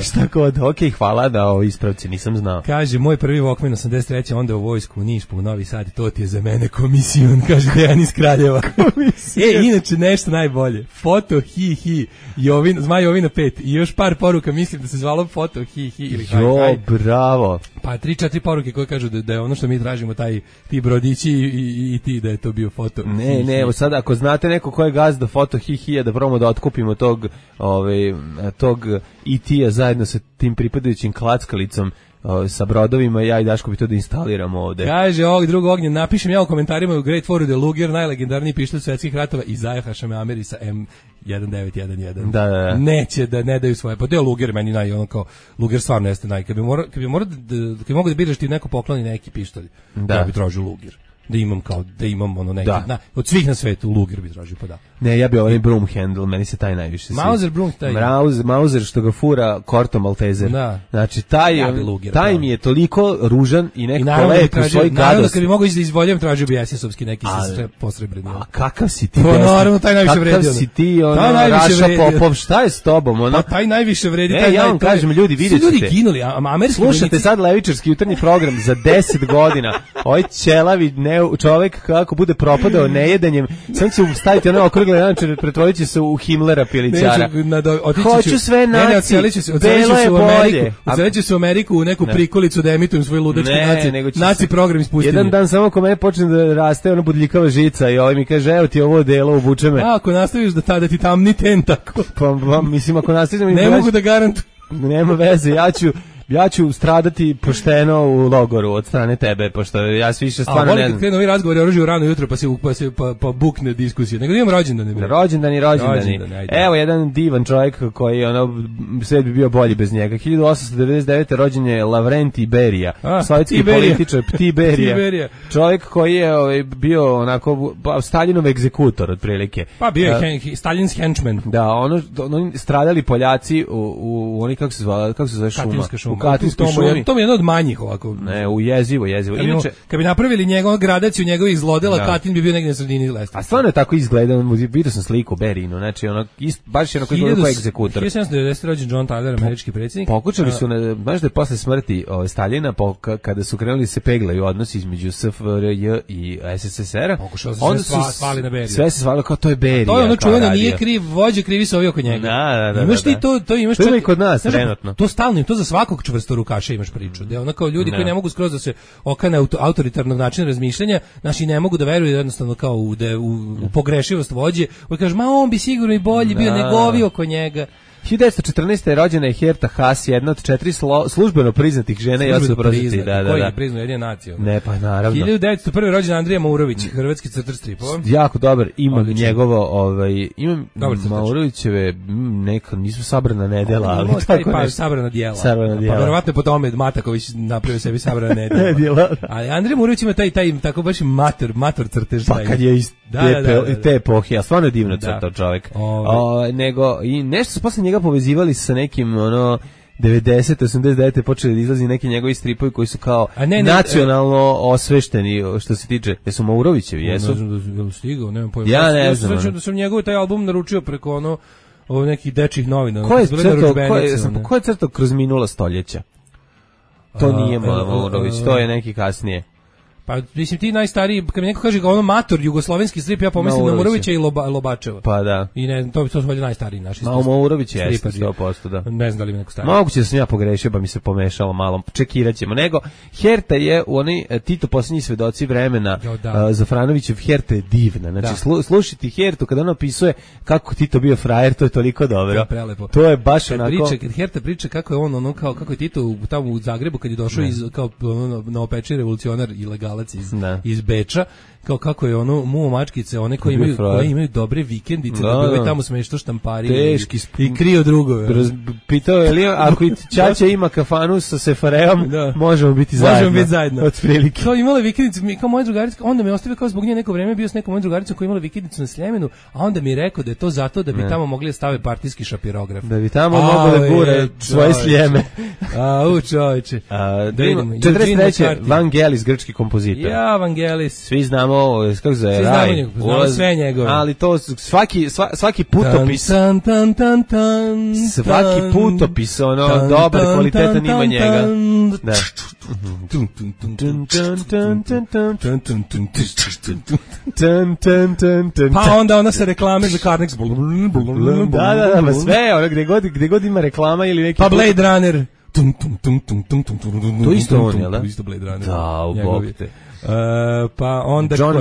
Šta kod? Okej, hvala da o ispravci, nisam znao. Kaže, moj prvi Walkman 83. onda u vojsku u Niš, po Novi Sad, to ti je za mene komisijon, kaže Dejan iz Kraljeva. Inače nešto najbolje. Foto hi, Zmaj Jovina 5 i još par poruka, mislim da se zvalo foto hi ili haj. Bravo. Pa 3-4 poruke koje kažu da je ono što mi tražimo, ti brodići i ti, da je to bio foto. Ne, evo sad ako znate neko ko je gazda foto hi, da probamo da otkupimo tog IT-a zajedno sa tim pripadajućim klackalicom sa brodovima, ja i Daško bi to da instaliramo ovde. Kaže ovog drugog Ognjen, napišem ja u komentarima u Great War de Luger, najlegendarniji pištolj svetskih ratova i zajehaša me Ameri sa M1911. Da. Neće da ne daju svoje, pa to je Luger meni ono kao, Luger stvarno jeste kad bi mogo da biraš ti neko pokloni neki pištolj, da bi tražio Luger. Da imam ono neki, od svih na svetu Luger bi tražio, pa da. Ne, ja bi ovaj broom handle, meni se taj najviše sviđa. Mauser broom, Mauser što ga fura Korto Maltezer. Da. Znači, taj mi je toliko ružan i nekako lep u svoj gadost. Naravno, kad bi mogo da izvoljam, tražio bi SS-ovski neki posrebreni. A kakav si ti? Pa naravno, taj najviše vredi. Kakav si ti, Raša Popov, šta je s tobom? Pa taj najviše vredi. Ja vam kažem, ljudi, vidjet ćete. Ljudi ginuli, američki slušate sad levičarski jutarnji program za 10 godina. Ovaj ćelavi čovek kako bude propadao nejedanjem, sam će staviti ono okrugle naočare, pretvorit će se u Himmlera pilićara. Hoću sve naci, belo je bolje. Odsjelit ću se u Ameriku u neku prikolicu da emitujem svoj ludački naci program ispustili. Jedan dan samo ko mene počne da raste ona budljikava žica i ovaj mi kaže, evo ti ovo delo, obuče me. Ako nastaviš da ti tamni tentakl. Pa mislim, ako nastavim... Ne mogu da garantujem. Nema veze, ja ću stradati pošteno u logoru od strane tebe, pošto ja se više stvarno ne znam. Kad krenu ovi razgovori oružju rano jutro, pa bukne diskusije. Nego imam rođendani. Rođendani. Evo jedan divan čovjek koji sve bi bio bolji bez njega. 1899. rođen je Lavrenti Berija, sovjetski političar Ptiberija. Čovjek koji je bio onako Staljinov egzekutor otprilike. Pa bio je Staljin's henchman. Da, oni stradali Poljaci u oni kako se zove šuma. U Katinskoj šumi. To mi je jedno od manjih ovako. Ne, jezivo. Inače, kad bi napravili njegovu gradaciju njegovih zlodela, Katin bi bio negdje na sredini lestvice. A stvarno je tako izgleda, vidio sam sliku Berinu, znači baš je onako izgleda kao egzekutor. 1790. rođen John Tyler, američki predsjednik. Pokušali su, znaš da je posle smrti Staljina, kada su krenuli se peglaju odnosi između SFRJ i SSSR-a, onda su svali na Beriju. Sve se svalo kao to je Berija. To je ono čuveno, nije kriv vođa, krivi su ovi oko njega. Da. Imaš ti to imaš čak i kod nas trenutno. To stalno, to za svakog čvrstorukaša imaš priču. Da ono kao ljudi koji ne mogu skroz da se okane autoritarnog načina razmišljanja, znači ne mogu da veruju jednostavno kao u pogrešivost vođe. On kaže, on bi sigurno i bolji bio nego ovi oko njega. 1914. je rođena je Herta Haas, jedna od 4 službeno priznatih žena i osobroziti. Koji je priznao jedina nacija? Ne, pa naravno. 1901. rođen Andrija Maurović, hrvatski crtar stripova. Jako dobar, imam njegovo, imam Maurovićeve, neka, nisu sabrana nedela, ali tako pa, nešto. sabrana dijela. Pa verovatno po tome Mataković napravio sebi sabrana nedela. Ali Andrija Maurović ima taj tako baš mator crtež. Pa kad je iz te epohe, a stvarno je divno crtao čovjek. Nego, i nešto su posle njega povezivali sa nekim 90, 89 počeli da izlazi neki njegovi stripovi koji su kao nacionalno osvešteni što se tiče. Jesu Maurovićevi, jesu? Ne znam da je stigao, nemam pojma. Ja ne znam. Da sam njegov taj album naručio preko nekih dečjih novina. Ko je crtao kroz minula stoljeća? To nije Maurović, to je neki kasnije. Pa mislim ti najstariji, kad mi neko kaže mator jugoslovenski strip, ja pomislim na Maurovića i Lobačeva. Pa da. I ne, to su valjda najstariji naši. Maurović je 100%, da. Ne znam da li mi neko stariji. Moguće da sam ja pogrešio, pa mi se pomešalo malo. Čekiraćemo. Nego Herta je u Tito posljednji svedoci vremena. Zafranovićev Herta je divna. Znači slušati Hertu kada on opisuje kako Tito bio frajer, to je toliko dobro. To je baš onako. Kad Herta priča kako je on kako je Tito tamo u Zagrebu kad je došao iz kao novopečeni revolucionar ilegal intelektualac iz Beča, kao kako je ono muo mačkice, one koji imaju dobre vikendice, da bi ovaj tamo smešno štamparili i krio drugove. Pitao je li ako i ćaća ima kafanu sa Sefareom, možemo biti zajedno. Otprilike. Kao imala vikendice, kao moja drugarica, onda me ostavio kao zbog nje neko vreme bio s nekom mojom drugaricom koja imala vikendicu na Sljemenu, a onda mi je rekao da je to zato da bi tamo mogli da stave partijski šapirograf. Da bi tamo mogli da gure svoje Sljeme. Čoveče. 43. Vangelis, grčki kompozitor. Ja, Vangelis. Svi znamo, kako se Raj. Znamo sve njegove. Ali to svaki putopis. Svaki putopis, ono, dobar, kvalitetan ima njega. Da. Pa onda ona se reklame za Carnex. Da, sve, ono, gde god ima reklama ili neki... Pa Blade Runner. To isto on, jel da? To isto Blade Runner. Da, u bok te. Pa onda John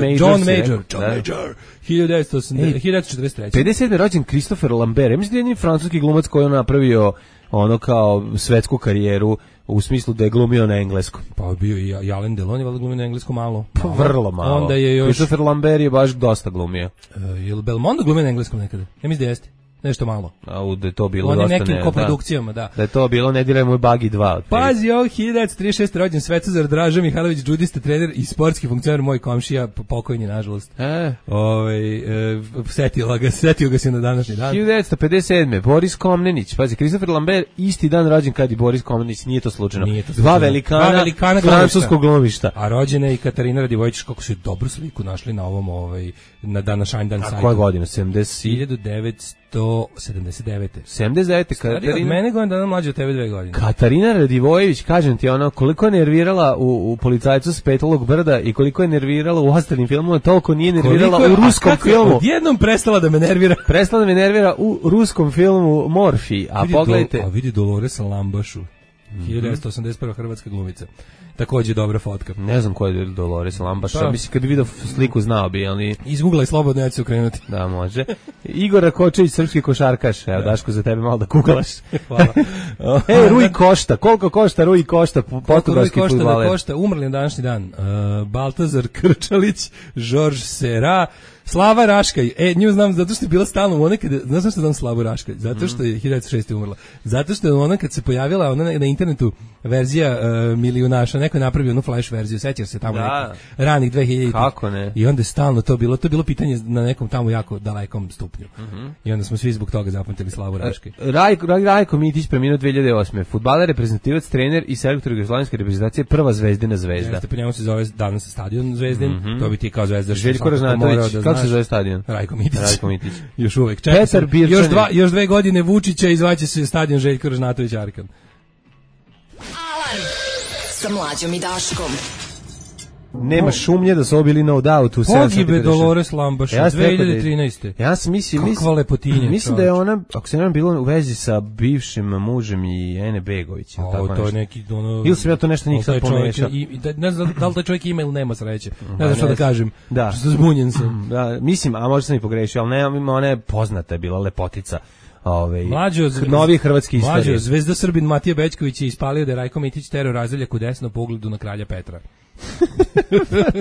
Major 1943. 57. rođen Christopher Lambert. Ja mislim da je jedini francuski glumac koji je napravio ono kao svetsku karijeru u smislu da je glumio na engleskom. Pa bio i Alain Delon je glumio na engleskom malo. Vrlo malo. Onda je još Christopher Lambert je baš dosta glumio. Je li Belmondo glumio na engleskom nekada? Ja mislim da jeste. Nešto malo. Da je to bilo dosta nekim koprodukcijama, da. Da je to bilo Ne diraj moj Bagi 2. Pazi, ovo 1936. rođen Svetozar Draža Mihajlović, džudista, trener i sportski funkcioner, moj komšija, pokojni, nažalost. Setio ga se na današnji dan. 1957. Boris Komnenić. Pazi, Christopher Lambert isti dan rođen kad i Boris Komnenić, nije to slučajno. Dva velikana francuskog glumišta. A rođena je i Katarina Radivojević, kako su dobru sliku našli na ovom, na današnji dan sajtu. A koje godine? 1979. 79. Katarina. Od mene godin dana mlađe od tebe 2 godine. Katarina Radivojević, kažem ti, ono, koliko je nervirala u Policajcu s Petlog brda i koliko je nervirala u ostalim filmovima, toliko nije nervirala u ruskom filmu. Odjednom prestala da me nervira. Prestala da me nervira u ruskom filmu Morfi. A pogledajte. Vidi Dolores Lambašu. 1981. hrvatska glumica. Takođe dobra fotka. Ne znam ko je Dolores Lambaša. Mislim, kad bi vidio sliku znao bi, ali... Izguglaj slobodno, ja ću se okrenuti. Da, može. Igor Rakočević, srpski košarkaš. Evo, Daško, za tebe malo da kuglaš. Hvala. Rui Košta. Koliko košta Rui Košta, portugalski fudbaler? Košta, umrli na današnji dan. Baltazar Krčalić, Žorž Sera, Slava Raškaj. Nju znam zato što je bila stalno ona kada, znaš zašto znam Slavu Raškaj? Zato što je 1906. umrla. Zato što je ona kad se pojavila ona na internetu verzija Milijunaša, neko je napravio onu flash verziju, sećaš se tamo nekih ranih 2000. Kako ne? I onda je stalno to bilo pitanje na nekom tamo jako dalekom stupnju. I onda smo svi zbog toga zapamtili Slavu Raškaj. Rajko Mitić preminuo 2008. Fudbaler, reprezentativac, trener i selektor jugoslovenske reprezentacije, prva Zvezdina zvezda. Jeste, po njemu se zove danas stadion Zvezdin, to bi ti kao Zvezda. Željko Ražnatović, kako se zove stadion? Rajko Mitić. Još uvek. Petar Birčanin. Još 2 godine Vučića i zvaće se stadion Željko Ražnatović Arkan. Alarm sa Mlađom i Daškom. Nema šumnje da su obili No Doubt u 7. Pogibe Dolores Lambaša, 2013. Ja sam kakva lepotinja. Mislim da je ona, ako se nema bilo u vezi sa bivšim mužem i Ene Begović. To je neki ono... Ili sam ja to nešto njih sad pomešao. Ne znam da li taj čovjek ima ili nema sreće. Ne znam što da kažem. Da. Što zbunjen sam. Da, mislim, a možda sam i pogrešio, ali nema, ona je poznata, je bila lepotica. Novi hrvatski istorije. Mlađo, zvezda Srbin Matija Bećković je ispalio da je Rajko Mitić terao razdeljak u desno pogledu na kralja Petra.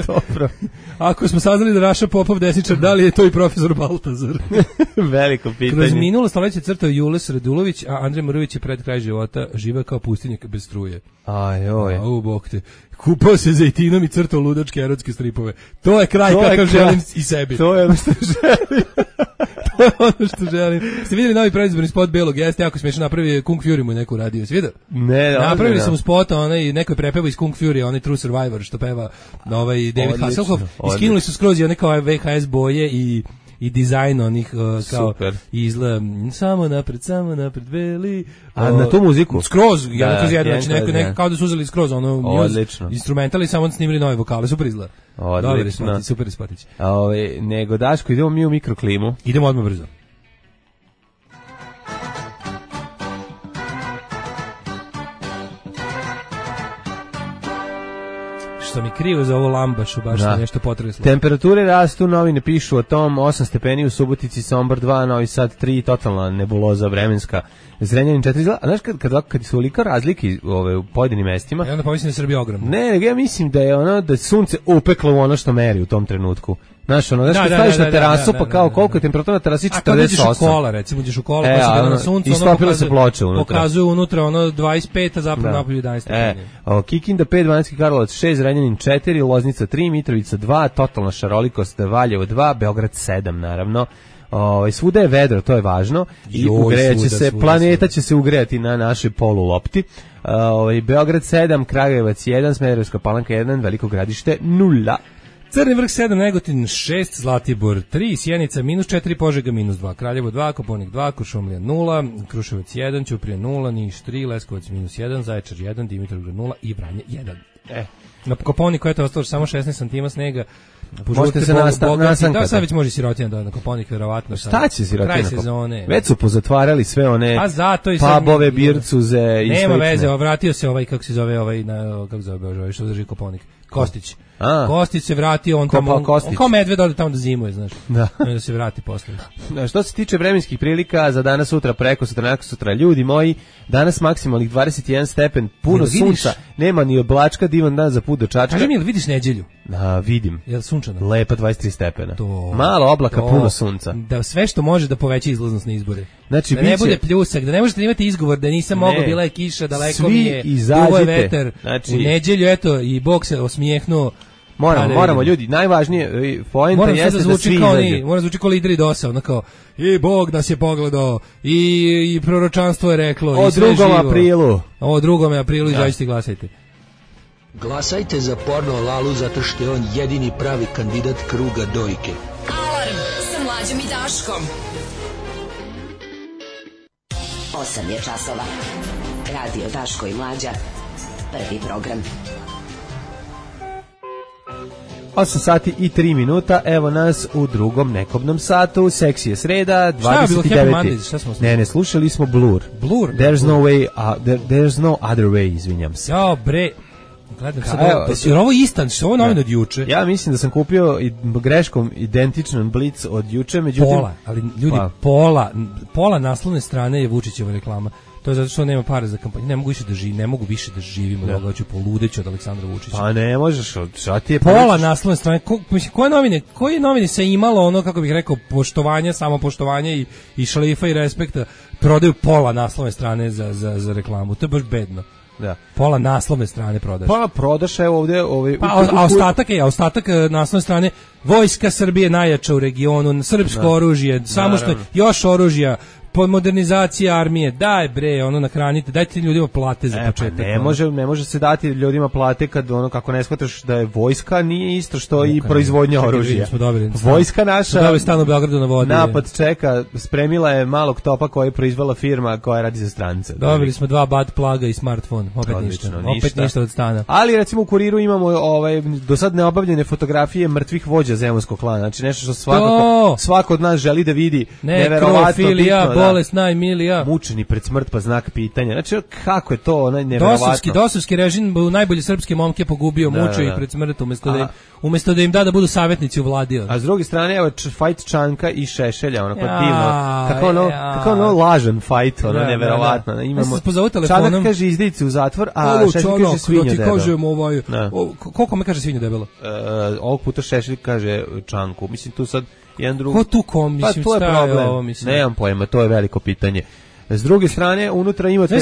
Dobro. Ako smo saznali da Raša Popov desničar, da li je to i profesor Baltazar? Veliko pitanje. Kroz minulo stoljeće crtao Jules Radulović, a Andrej Morović je pred kraj života živeo kao pustinjak bez struje. Ajoj. U bok te. Kupao se zejtinom i crtao ludačke erotske stripove. To je kraj kakav želim i sebi. To je ono što želim. To je ono što želim. Ste vidjeli novi predizborni spot Belog? Jeste jako smiješno, napravio Kung Fury mu neku radio. Ste vidio? Ne, napravili su mu spot, neko je prepevao iz Kung Fury, onaj True Survivor što peva David Hasselhoff. Iskinuli su skroz i one kao VHS boje i dizajn onih kao izgleda samo napred veli. A na tu muziku? Skroz, neko kao da su uzeli skroz ono instrumentali, samo snimili nove vokale, super izgleda. Odlično. Super spatić. Nego Daško, idemo mi u mikroklimu. Idemo odmah brzo. što mi krivo za ovo lambašu, baš da. Nešto potreslo. Temperature rastu, novine pišu o tom, 8 stepeni u Subotici, Sombor 2, Novi Sad 3, totalna nebuloza vremenska, Zrenjanin 4, a znaš kad su olika razlike u pojedinim mestima? I onda pomislim da je Srbija ogromna. Ne, ja mislim da je ono, da sunce upeklo u ono što meri u tom trenutku. Znaš, ono, kad staviš na terasu, pa kao koliko je temperatura na terasi, 48. A kad uđeš u kola, recimo, uđeš u kola, pa se gleda na suncu, istopila se ploča unutra. Pokazuju unutra ono 25, a zapravo napolju 11. Kikinda 5, Banatski Karlovac 6, Zrenjanin 4, Loznica 3, Mitrovica 2, totalna šarolikost, Valjevo 2, Beograd 7, naravno. Svuda je vedro, to je važno. I ugrejaće se, planeta će se ugrejati na našoj polulopti. Beograd 7, Kragujevac 1, Smederevska Palanka 1, Veliko Gradište 0. Crni vrh 7, Negotin 6, Zlatibor 3, Sjenica -4, Požega -2, Kraljevo 2, Koponik 2, Kuršumlija 0, Kruševac 1, Ćuprija 0, Niš 3, Leskovac -1, Zaječar 1, Dimitrovgrad 0 i Vranje 1. Na Koponiku je to ostalo samo 16 cm snega. Možete se nasanka. Da, sad već može sirotina da na Koponik, verovatno. Šta će sirotina? Kraj sezone. Već su pozatvarali sve one pubove, bircuze i sve. Nema veze, vratio se ovaj, kako se zove, kako se zove, što drži Koponik. Kostić. Kostić se vratio, on tamo, on kao medved ode tamo da zimuje, znaš. Da se vrati posle. Što se tiče vremenskih prilika za danas, sutra, preko sutra, nakon sutra, ljudi moji, danas maksimalnih 21 stepen, puno sunca, nema ni oblačka, divan dan za put do Čačka. Kaži mi, jel vidiš neđelju? Vidim. Jel sunčano? Lepa 23 stepena. Malo oblaka, puno sunca. Da sve što može da poveća izlaznost na izbore. Znači, da ne bude pljusak, da ne možete imati izgovor da nisam mogao, bila je kiša, daleko mi je, dugo je vetar. Znači, u neđelju, eto, i Bog se osmijehnuo. Moramo ljudi, najvažnije poenta jeste da svi izađu. Mora zvuči kao lideri DOS-a, ono kao, i Bog nas je pogledao, i proročanstvo je reklo, o 2. aprilu. O 2. aprilu, izađite i glasajte. Glasajte za porno Lalu zato što je on jedini pravi kandidat kruga dojke. Alarm sa Mlađom i Daškom. 8 je časova. Radio Daško i Mlađa. Prvi program. 8 sati i 3 minuta, evo nas u drugom nekobnom satu, seksi je sreda, 29. Ne, slušali smo Blur. There's no way, there's no other way, izvinjam se. Jao, bre, gledam sad ovo, ovo istan, što ovo novin od juče? Ja mislim da sam kupio greškom identičan Blitz od juče, međutim... Pola naslovne strane je Vučićeva reklama. To je zato što nema para za kampanju. Ne mogu više da živim od ovoga, hoću poludeći od Aleksandra Vučića. Pa ne možeš, šta ti je... Pola naslovne strane, koje novine se imalo ono, kako bih rekao, poštovanja, samopoštovanja i šalifa i respekta, prodaju pola naslovne strane za reklamu. To je baš bedno. Da. Pola naslovne strane prodaš. Pa prodaš je ovdje... ostatak naslovne strane, Vojska Srbije najjača u regionu, srpsko oružje, samo što još oružja, modernizacija armije, daj bre, ono nahranite, dajte ljudima plate za početak. Ne može se dati ljudima plate kad ono, kako ne shvataš da je vojska nije isto što i proizvodnja oružja. Vojska naša stan u Beogradu na vodi. Napad čeka, spremila je malog topa koji je proizvela firma koja radi za strance. Dobili smo 2 bad plaga i smartfon, opet ništa od stana. Ali recimo u Kuriru imamo do sad neobavljene fotografije mrtvih vođa zemunskog klana, znači nešto što svako od nas želi da vidi. Neverovatno bitno. Bolest najmilija. Mučeni pred smrt pa znak pitanja. Znači, kako je to neverovatno? Dosovski režim u najbolje srpske momke pogubio, mučio ih pred smrt umjesto da im da budu savjetnici u vladi. A s druge strane, evo, fight Čanka i Šešelja, onako divno. Kako ono lažan fight, ono neverovatno. Imamo Čanak kaže izdici u zatvor, a Šešelj kaže svinja debelo. Koliko me kaže svinja debelo? Ovog puta Šešelj kaže Čanku. Mislim, tu sad jedan drugi. Ko tu kom, mislim, to je problem. Nemam pojma, to je veliko pitanje. S druge strane, unutra imate...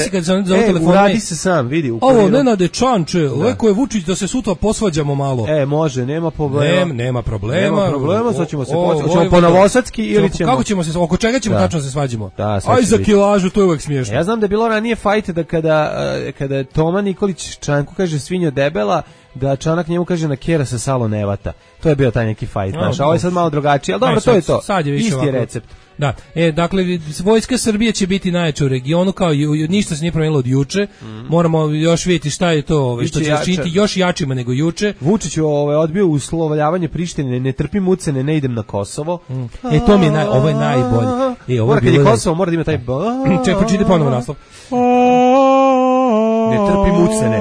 uradi se sam, vidi. Ovo, Nenade Čanče, leko je Vučić da se sutra posvađamo malo. Može, nema problema. Nema problema, sad ćemo se posvađati. Hoćemo po novosadski ili ćemo... Kako ćemo se, oko čega ćemo tačno se svađimo? Aj za kilažu, to je uvek smiješno. Ja znam da je bilo ranije fajt da kada Toma Nikolić Čanku kaže svinja debela, da Čanak njemu kaže na kjera se salo ne vata. To je bio taj neki fajt naš. A ovo je sad malo drugačije, ali dobro, to je to. Isti je recept. Da, dakle, Vojska Srbije će biti najjača u regionu, kao ništa se nije promijenilo od juče. Moramo još vidjeti šta je to, što će nas činiti još jačima nego juče. Vučić odbio uslovljavanje Prištine, ne trpim ucene, ne idem na Kosovo. To mi je ovo je najbolje. Mora kad je Kosovo, mora da ima taj... Ček, pročiti ponovo naslov. Ne trpim ucene,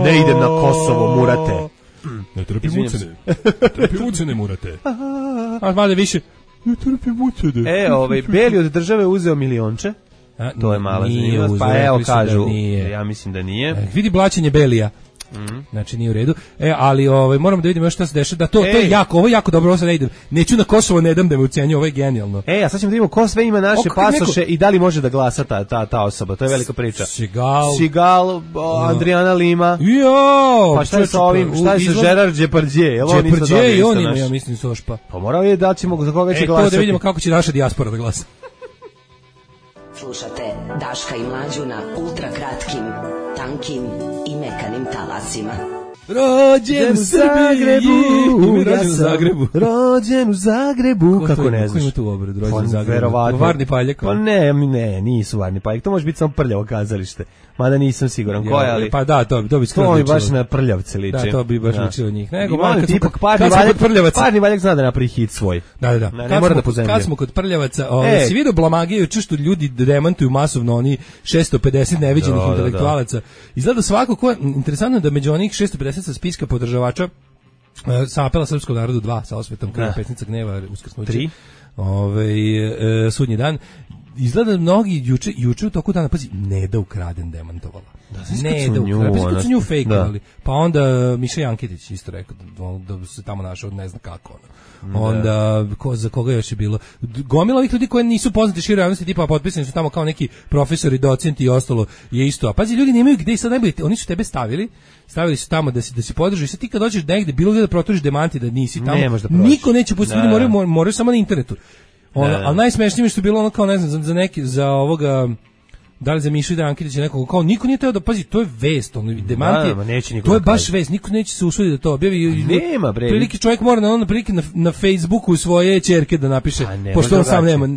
ne idem na Kosovo, Murate. Ne trpim ucene. Ne trpim ucene, Murate. A malo više. Ne trpim ucene. Beli od države uzeo milionče. To je mala zanimljivost. Pa evo kažu, ja mislim da nije. Vidi blaćenje Belija. Znači nije u redu. Ali moramo da vidimo još šta se dešava. Da to je jako, ovo je jako dobro, ovo sad ne idem. Neću na Kosovo, ne dam da me ucenju, ovo je genijalno. A sad ćemo da vidimo ko sve ima naše pasoše i da li može da glasa ta osoba. To je velika priča. Sigal, Adriana Lima. Pa šta je sa ovim? Šta je sa Gerard Depardieu? Depardieu i on ima, ja mislim, sošpa. Pa morao je da ćemo za koga će glasati. To da vidimo kako će naša dijaspora da glasa. Slušate Daška i Mlađu na ultra kratkim, tankim i mekanim talasima. Rođen u Zagrebu, rođen u Zagrebu, kako ne znaš? Ko ima tu obrad, rođen u Zagrebu? Varni Paljak? Pa ne, nisu Varni Paljak, to može biti samo Prljavo kazalište, mada nisam siguran ko je, ali... Pa da, to bi skoro ličilo. To mi baš na Prljavce liči. Da, to bi baš ličilo njih. Nego, Parni Valjak zna da napravi hit svoj. Da. Ne mora da pozemlja. Kad smo kod Prljavaca, si vidio blamagiju, što ljudi demantuju masovno oni 650 neviđenih intelektualaca. Izgleda svako ko je, interesantno da među onih 650 sa spiska podržavača sa apela srpskog narodu 2 sa osvetom kraja Pesnica gneva uskrsnuće 3 sudnji dan, izgleda mnogi juče u toku dana, pazi, Neda ukraden demantovala. Neda ukraden, kad su nju fejkovali. Pa onda Miša Janketić isto rekao da se tamo našao, ne zna kako onda za koga još je bilo gomila ovih ljudi koji nisu poznati široj javnosti, tipa potpisani su tamo kao neki profesori, docenti i ostalo je isto. A pazi, ljudi nemaju gde i sad najbolje, oni su tebe stavili su tamo da se podrži. Sad ti kad dođeš negde, bilo gde da proturiš demanti da nisi tamo, niko neće pustiti, ljudi moraju samo na internetu. Ali najsmešnije mi što je bilo ono kao, ne znam, za ovoga, da li za Mišu Janketića nekog, kao niko nije teo da, pazi, to je vest, demant je, to je baš vest, niko neće se usuditi da to objavi. Nema, bre. Prilike čovjek mora na prilike na Facebooku svoje ćerke da napiše,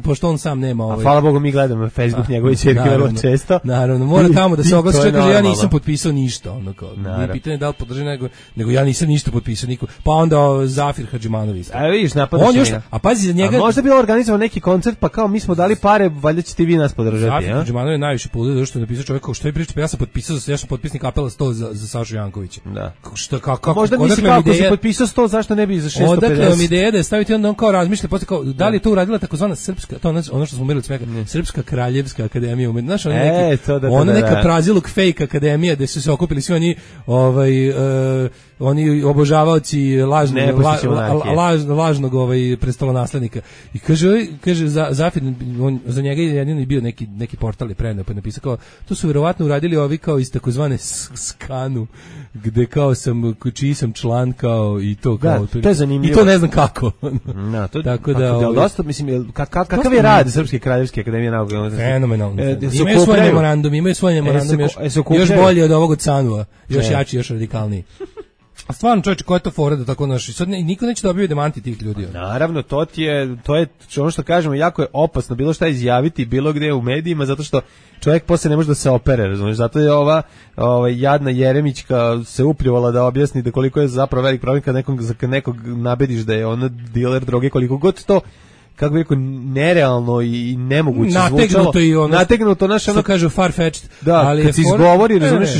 pošto on sam nema. A hvala Bogu mi gledamo na Facebook njegove ćerke vrlo često. Naravno, mora tamo da se oglasi, čovjek kaže ja nisam potpisao ništa, ono kao, nije pitanje da li podrži nego ja nisam ništa potpisao niko. Pa onda Zafir Hadžimanović. A vidiš, napadaš njega. A pazi za njega. Možda bi organizovao neki koncert, pa kao mi smo dali pare, valjda ćete vi nas podržati, Zafir Hadžimanović najviše poludio što je napisao čovjek kao što je pričao, ja sam potpisnik apela 100 za Sašu Jankovića. Da. Kako možda misli kako si potpisao 100, zašto ne bi za 650? Odakle vam ideja da je staviti onda on kao razmišlja, posle kao da li je to uradila takozvana srpska, to ono što smo merili smeka, Srpska kraljevska akademija umetnosti, znaš, ona neka praziluk fake akademija gde su se okupili svi oni oni obožavaoci lažnog prestolonaslednika. I kaže Zafir, za njega je jedini bio neki portal je preneo, pa je napisao kao, to su verovatno uradili ovi kao iz takozvane skanu, gde kao čiji sam član kao i to kao. To je zanimljivo. I to ne znam kako. Tako da dosta, mislim, kakav je rad Srpske kraljevske akademije nauka? Fenomenalno. Imaju svoj memorandum još bolji od ovog od Sanua, još jači, još radikalniji. A stvarno, čovječe, koja je to fora da tako naši? Sad niko neće dobiti demanti tih ljudi. Naravno, to je ono što kažemo, jako je opasno bilo šta izjaviti bilo gde u medijima, zato što čovjek posle ne može da se opere, razumiješ? Zato je ova jadna Jeremićka se upljivala da objasni da koliko je zapravo velik problem kad nekog nabediš da je ono diler droge, koliko god to, kako bi rekao, nerealno i nemoguće zvučalo. Nategnuto naše ono, kažu far-fetched. Da, ali kad se izgovori, razumiješ,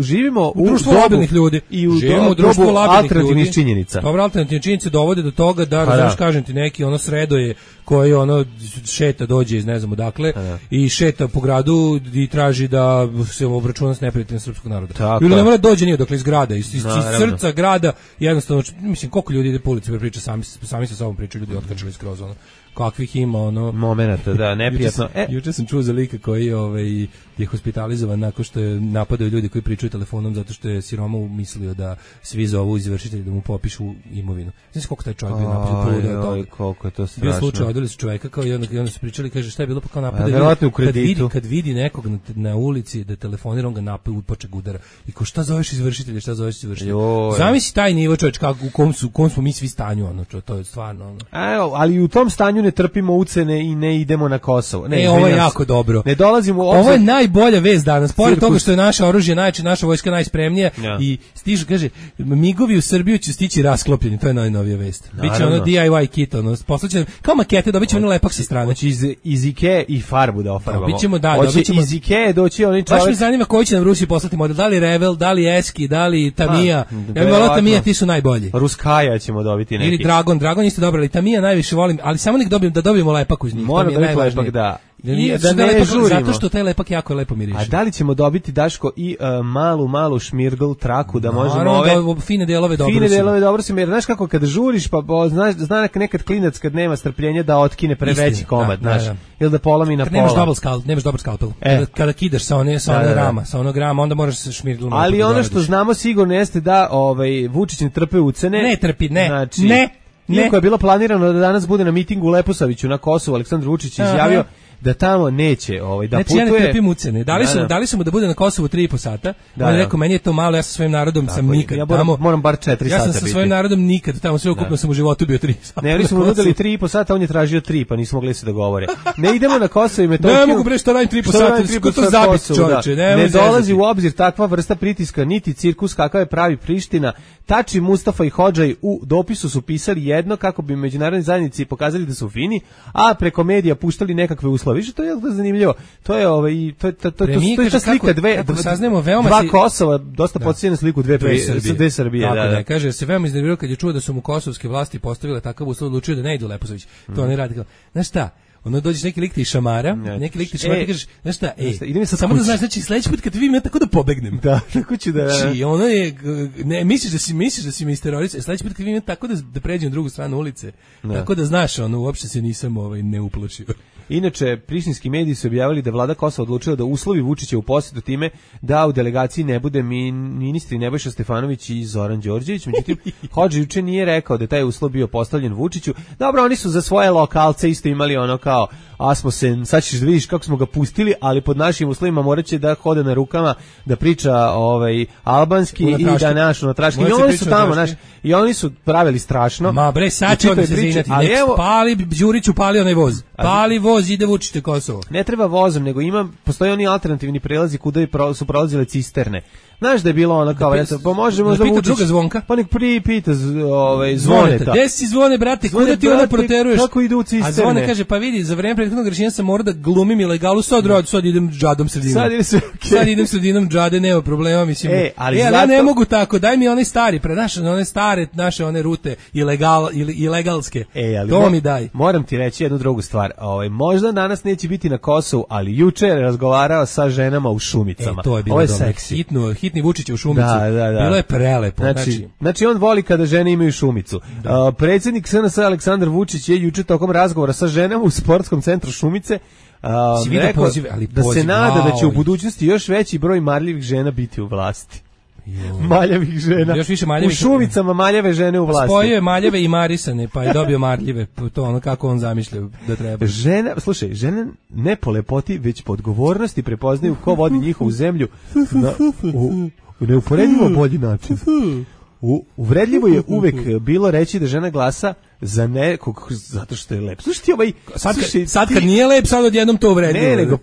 živimo u društvu labilnih ljudi. I u društvu alternativnih činjenica. Dobro, alternativne činjenice dovode do toga da, znaš, kažem ti, neki ono sredoje koji ono šeta dođe iz ne znam odakle i šeta po gradu i traži da se obračuna s neprijateljem srpskog naroda. Ili ne mora dođe nije dokle iz grada, iz srca grada, jednostavno, mislim, koliko ljudi ide po ulici priča, sami sa sobom pričaju, ljudi otkačili skroz ono. Kakvih ima ono momenata, da, neprijatno. Juče sam čuo za lika koji je hospitalizovan nakon što je napadaju ljudi koji pričaju telefonom zato što je siroma mislio da svi zovu izvršitelji da mu popišu imovinu. Znaš koliko taj čovjek bio napadao? Koliko je to strašno. Bio slučaj, odveli su čovjeka kao i onda su pričali, kaže šta je bilo, pa kao napadaju. Kad vidi nekog na ulici da telefonira, on ga napada, upoče udara. I kao šta zoveš izvršitelja, šta zoveš izvršitelja? Zamisli taj nivo, čovječ, u kom smo mi svi stanju, ono, to je stvarno ono. Ali u tom stanju zemlju, ne trpimo ucene i ne idemo na Kosovo. Ne, ovo je jako dobro. Ne dolazimo u obzir. Ovo je najbolja vest danas. Pored toga što je naše oružje najjače, naša vojska najspremnija i stižu, kaže, migovi u Srbiju će stići rasklopljeni. To je najnovija vest. Biće ono DIY kit, ono, poslaće kao makete, dobit ćemo lepak sa strane. Hoće iz Ikea i farbu da ofarbamo. Hoće iz Ikea doći oni čovjek. Baš me zanima koji će nam Rusi poslati model. Da li Revel, da li Eski, da li Tamiya. Ja bih volao Tamiya, ti su najbolji. Ruskaja ćemo dobiti neki. Ili Dragon isto dobro, ali Tamiya najviše volim, ali samo nek dobijemo lepak uz njih. Mora dobiti lepak, da. Da ne žurimo. Zato što taj lepak jako lepo miriše. A da li ćemo dobiti, Daško, i malu šmirgl traku da možemo ove fine delove dobro. Fine delove dobro se, jer znaš kako kad žuriš, pa zna nekad klinac kad nema strpljenja da otkine preveći komad, znaš, ili da polomi na pola. Nemaš dobar skalpel. Kada kidaš sa onog rama, onda moraš se šmirglom. Ali ono što znamo sigurno jeste da Vučić ne trpe ucene. Ne trpi, znači, Iako je bilo planirano da danas bude na mitingu u Leposaviću na Kosovu, Aleksandar Vučić izjavio da tamo neće da znači, putuje. Ja ne trpim ucene. Dali su mu da bude na Kosovu 3,5 sata. On je rekao, meni je to malo, ja sa svojim narodom sam nikad tamo. Moram bar 4 sata biti. Ja sam sa svojim narodom nikad tamo, sve ukupno sam u životu bio 3 sata. Ne, oni su mu nudili 3,5 sata, on je tražio 3, pa nismo mogli se dogovore. Ne idemo na Kosovo i Metohiju. Ne mogu bre što radim 3,5 sata, ko to zabiti čoveče. Ne dolazi u obzir takva vrsta pritiska, niti cirkus kakav je pravi Priština. Tači, Mustafa i Hodžaj u dopisu su pisali jedno kako bi međunarodni zajednici pokazali da su fini, a preko medija puštali nekakve uslove. Više to je zanimljivo. To je ta slika dva Kosova, dosta podsjeća na sliku dve Srbije. Da. Kaže, se veoma iznervirao kad je čuo da su mu kosovske vlasti postavile takav uslov, odlučio da ne ide u Leposavić. To ne radi. Znaš šta? Ono dođeš neki lik ti šamara, ti kažeš, znaš šta, samo da znaš, znači sledeći put kad te vidim ja tako da pobegnem. Da, tako ću da. Znači, ono je, ne, misliš da si mi isterorisao, sledeći put kad vidim ja tako da pređem na drugu stranu ulice, tako da znaš, ono, uopšte se nisam ne upločio. Inače, prištinski mediji su objavili da vlada Kosova odlučila da uslovi Vučića u posjetu time da u delegaciji ne bude ministri Nebojša Stefanović i Zoran Đorđević. Međutim, Hodža juče nije rekao da taj uslov bio postavljen Vučiću. Dobro, oni su za svoje lokalce isto imali ono kao Asmussen, sad ćeš da vidiš kako smo ga pustili, ali pod našim uslovima moraće da hode na rukama, da priča albanski i da naš unatraški. I oni su tamo, i oni su pravili strašno. Ma bre, sad će oni se zinati. Pali, Đuriću pali onaj voz. Pali voz, ide Vučić Kosovo. Ne treba vozom, nego postoji oni alternativni prelazi kuda su prolazile cisterne. Znaš da je bilo ono kao, pa može možda Vučić. Druga Zvonka. Pa nek pita Zvoneta. Gde si Zvone, brate, kuda ti ono proteruješ? Kako idu u cisterne? A Zvone kaže, pa vidi, za vreme prethodnog rešenja sam morao da glumim ilegalu, sad idem džadom sredinom. Sad idem sredinom džade, nema problema, mislim. Ali ja ne mogu tako, daj mi one stari, one stare naše one rute ilegalske. To mi daj. Moram ti reći jednu drugu stvar. Možda danas neće biti na Kosovu, ali juče je razgovarao sa ženama u Šumicama. To je bilo seksi. Hitni Vučić u Šumicu. Da. Bilo je prelepo. Znači on voli kada žene imaju Šumicu. Predsjednik SNS Aleksandar Vučić je juče tokom razgovora sa ženama u sportskom centru Šumice rekao da se nada da će u budućnosti još veći broj marljivih žena biti u vlasti. Maljavih žena. Još više maljavih. U Šumicama maljave žene u vlasti. Spojio je maljave i marisane, pa je dobio marljive. To ono kako on zamišlja da treba. Žene ne po lepoti, već po odgovornosti prepoznaju ko vodi njihovu zemlju u neuporedivo bolji način. Uvredljivo je uvek bilo reći da žena glasa za nekog zato što je lep. Slušaj ti sad kad nije lep, sad odjednom to uvredljivo. Ne, nego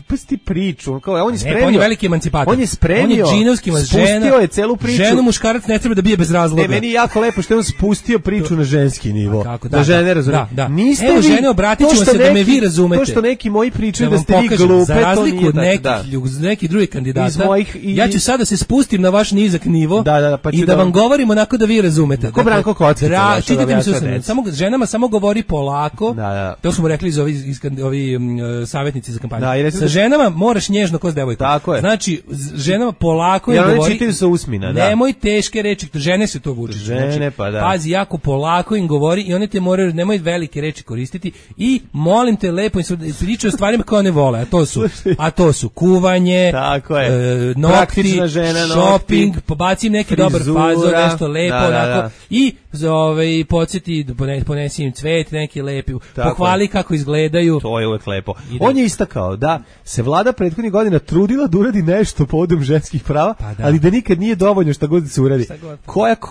pusti priču. On je spremio. On je veliki emancipator. On je spremio. On je džinovski spustio je celu priču. Ženu muškarac ne treba da bije bez razloga. Ne, meni je jako lepo što je on spustio priču na ženski nivo. Da žene razumeju. Niste vi, žene, obratit ćemo se da me vi razumete. To što neki moji pričaju da ste vi glupe, za razliku od nekih drugih kandidata, ja ću sada se spustim na vaš nizak nivo i da vam govorim onako da vi razumete. Ko Branko Kockica. Ženama samo govori polako. To smo rekli iz ovi savjetnici za kampanju. Sa ženama moraš nježno ko s devojkom. Znači, ženama polako im govori. Čitaju sa usmina, nemoj teške reči, žene se to vuče. Žene, pa da. Pazi, jako polako im govori i oni te moraju, nemoj velike reči koristiti i molim te lepo pričaju o stvarima koje one vole, a to su kuvanje, nokti, shopping, pobacim neki dobar fazor, nešto lepo, onako, i podsjeti, da ponesi im cvet, neki lepi, pohvali kako izgledaju. To je uvek lepo. On je istakao da se vlada prethodnih godina trudila da uradi nešto povodom ženskih prava, ali da nikad nije dovoljno šta god da se uradi.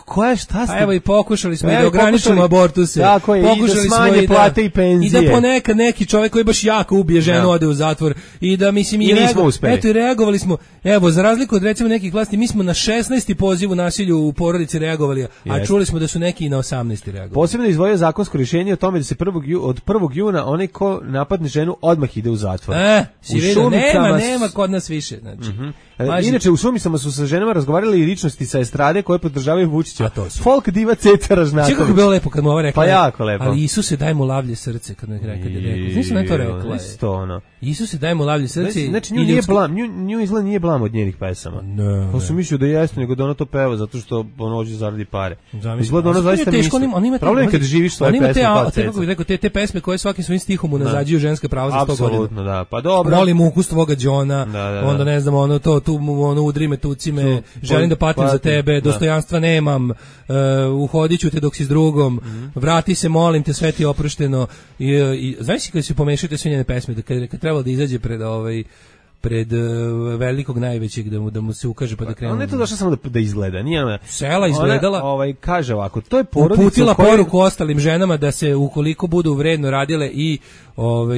Koja šta ste? Pa evo i pokušali smo i da ograničimo abortuse. Tako je, pokušali i da smanje plate i penzije. I da ponekad neki čovjek koji baš jako ubije ženu ode u zatvor i da mislim i nismo uspeli. Eto i reagovali smo. Evo za razliku od recimo nekih vlasti, mi smo na 16. poziv u nasilju u porodici reagovali, a čuli smo da su neki i na 18. reagovali. Posebno izdvojio zakonsko rješenje o tome da se od 1. juna onaj ko napadne ženu odmah ide u zatvor. Si vidio, nema kod nas više, znači. Inače u Šumicama su sa ženama razgovarali i ličnosti sa estrade koje podržavaju Vučića. Folk diva Ceca Ražnatović. Kako je bilo lepo kad mu ova rekla. Pa jako lepo. Ali Isuse daj mu lavlje srce kad je rekao. Nisam na to rekla. Isto ono. Isuse daj mu lavlje srce. Znači nju nije blam, nju izgleda nije blam od njenih pesama. Pa su mislio da jeste, nego da ona to peva zato što ono hoće zaradi pare. Izgleda ona zaista misli. Problem je kad živiš svoje pesme pa Ceca. Kako bih rekao, te pesme koje svakim svojim stihom unazađuju ženska prava za 100 godina. Apsolutno, da. Pa dobro. Volim ukus tvoga đona, onda ne znam, ono to tu ono udri me, tuci me, želim da patim za tebe, dostojanstva nemam, uhodiću te dok si s drugom, vrati se, molim te, sve ti je oprošteno. I znaš kada se pomešate sve njene pesme, kad trebalo da izađe pred velikog najvećeg da mu se ukaže pa da krene. On je to došao samo da izgleda, nije ona. Sela izgledala. Kaže ovako, to je porodica uputila poruku ostalim ženama da se ukoliko budu vredno radile i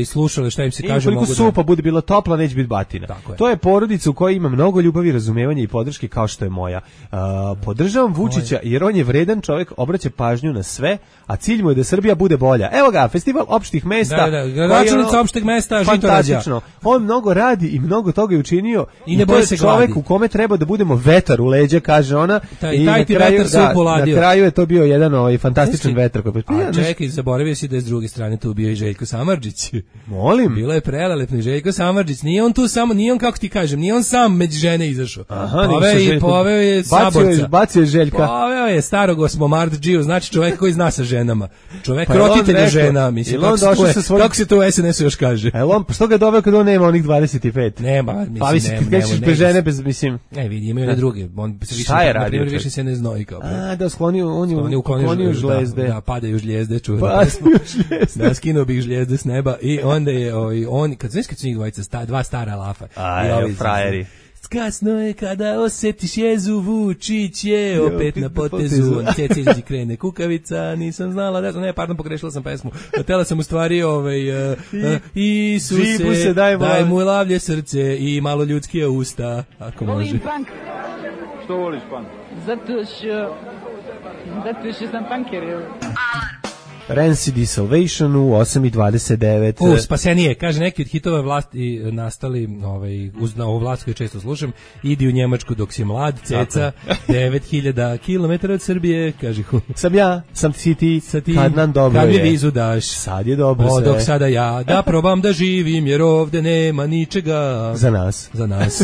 slušale šta im se kaže, mogu da. Supa bude bila topla, neće biti batina. To je porodica u kojoj ima mnogo ljubavi, razumevanja i podrške kao što je moja. Podržavam Vučića jer on je vredan čovjek, obraća pažnju na sve, a cilj mu je da Srbija bude bolja. Evo ga, festival opštih mesta. Gradonačelnica opšteg mesta Žitorađa. On mnogo radi i mnogo toga je učinio i ne boji se čovjek u kome treba da budemo vetar u leđa, kaže ona. Taj ti vetar se upoladio. Na kraju je to bio jedan fantastičan vetar. Čekaj, zaboravio si da je s druge strane tu bio i Željko Samardžić. Molim. Bilo je prelelepni Željko Samardžić. Nije on tu samo, nije on kako ti kažem, nije on sam među žene izašao. Poveo je saborca. Bacio je Željka. Poveo je starog osmomardžiju, znači čovjek koji zna sa ženama. Čovjek roditelj žena, mislim. Kako se to u SNS-u još kaže? Što ga doveo kad on nema onih 25? Nema, mislim. Pa mislim, kad kažeš bez žene, bez, mislim. Ne, vidi, imaju na druge. On se više, na primjer, više se ne znoji kao. Da, on je uklonio žljezde. Da, padaju žljezde, čuveno. Da, skinuo bih žljezde s neba i onda je, kad su njih dvojica, dva stara lafa. Frajeri. Kasno je kada osjetiš jezu, Vučić je opet na potezu, on ceci krene kukavica, nisam znala, pogrešila sam pesmu, htjela sam u stvari Isuse, daj mu lavlje srce i malo ljudskije usta, ako može. Volim punk. Što voliš punk? Zato što sam punker. Rancid Salvation u 8:29. Spasenije, kaže, neki od hitova vlasti nastali uz ovu vlast koju često slušam, idi u Njemačku dok si mlad, ceca, 9000 km od Srbije, kaže sam ti, kad nam dobro kad je. Kad mi vizu daš, sad je dobro sve. Dok sada ja da probam da živim, jer ovde nema ničega. Za nas.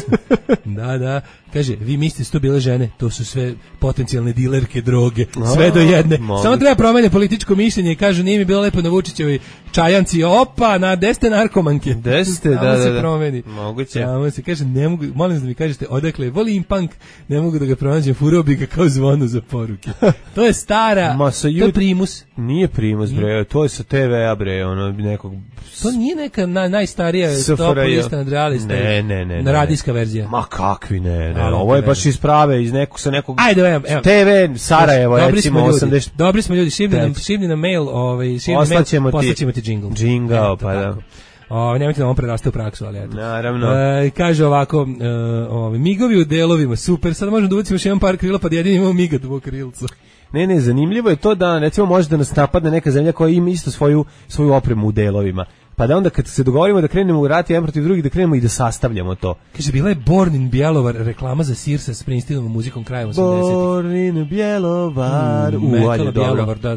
Da. Kaže, vi mislite su to bile žene, to su sve potencijalne dilerke droge, sve do jedne. Samo treba promeniti političko mišljenje i kažu, nije mi bilo lepo na Vučićevoj čajanci, opa, na 10 narkomanke. 10, da. Se promeni. Moguće. Samo se kaže, ne mogu, molim da mi kažete, odakle, volim punk, ne mogu da ga pronađem, furao bi ga kao zvono za poruke. To je stara, to je primus. Nije primus, bre, to je sa TV-a, bre, nekog... To nije neka najstarija top lista nadrealista. Ne. Radijska verzija. Ma kakvi ne. Ovo je baš iz prave, sa nekog Ajde, evo. TV Sarajevo, recimo 80. Dobri smo ljudi, šibni nam mail, poslaćemo ti džingl. Džingao, pa da. Nemojte da on preraste u praksu, ali eto. Naravno. Kaže ovako, migovi u delovima, super, sad možemo da ubacimo još jedan par krila, pa da jedin imamo migat u krilcu. Ne, zanimljivo je to da, recimo, može da nas napadne neka zemlja koja ima isto svoju opremu u delovima. Pa da onda kad se dogovorimo da krenemo u rat jedan protiv drugih, da krenemo i da sastavljamo to. Kaže, bila je Born in Bjelovar, reklama za sir sa Springsteenovom muzikom krajem 80-ih. Born in Bjelovar. Mekala Bjelovar, da.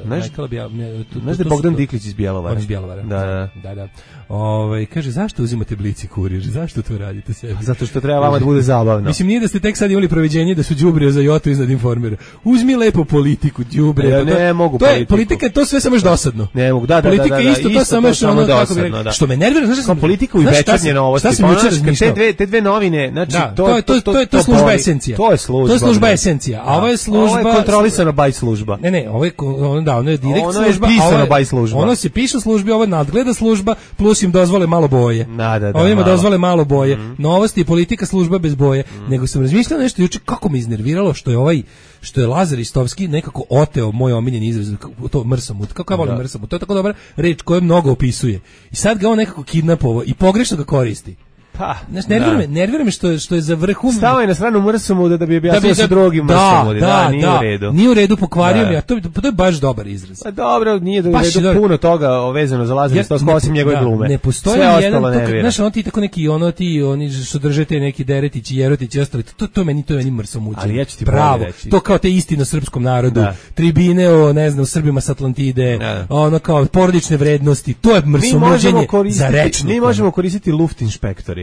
Znaš da je Bogdan Diklić iz Bjelovara? On iz Bjelovara. Da. Kaže, zašto uzimate Blic i Kurir? Zašto to radite sebi? Zato što treba vama da bude zabavno. Mislim, nije da ste tek sad imali proviđenje da su đubre za Jotu iznad Informera. Uzmi lepo politiku, đubre. Ja ne mogu politiku. Politika je to sve samo još dosadno. Ne mogu, da. Politika je isto to samo to samo dosadno, da. Što me nervira, znaš, politika u večernje novosti. Te dve novine, znači to je služba esencija. To je služba. To je služba esencija, a ovo je služba. Ovo je kontrolisana by služba. Ne, ovo je direkt služba. Ono je pisano by služba. Ono se piše u službi, ovo nadgleda služba, plus im dozvole malo boje. Ovo im dozvole malo boje. Novosti i politika služba bez boje. Nego sam razmišljao nešto juče kako me iznerviralo što je Lazar Istovski nekako oteo moj omiljeni izraz, to mrsamut. Kako ja volim mrsamut? To je tako dobra reč koja mnogo opisuje. I sad ga on nekako kidnapovao i pogrešno ga koristi. Pa, nervira me što je za vrhu. Stao je na stranu mrsamuda da bi objasnio sa drugim mrsamudima. Nije u redu. Nije u redu, pokvario mi, a to je baš dobar izraz. Pa dobro, nije u redu puno toga vezano za Lazara Istovskog osim njegove glume. Ne postoji jedan, znaš, ono ti tako neki, oni što držete neki Deretići, Jerotići i ostali, to meni mrsamuđe. Ali ja ću ti pravo, to kao te istine na srpskom narodu, tribine o, ne znam, Srbima s Atlantide, ono kao porodične vrednosti, to je mrsamuđenje za rečnik. Mi možemo koristiti Luftinšpektori.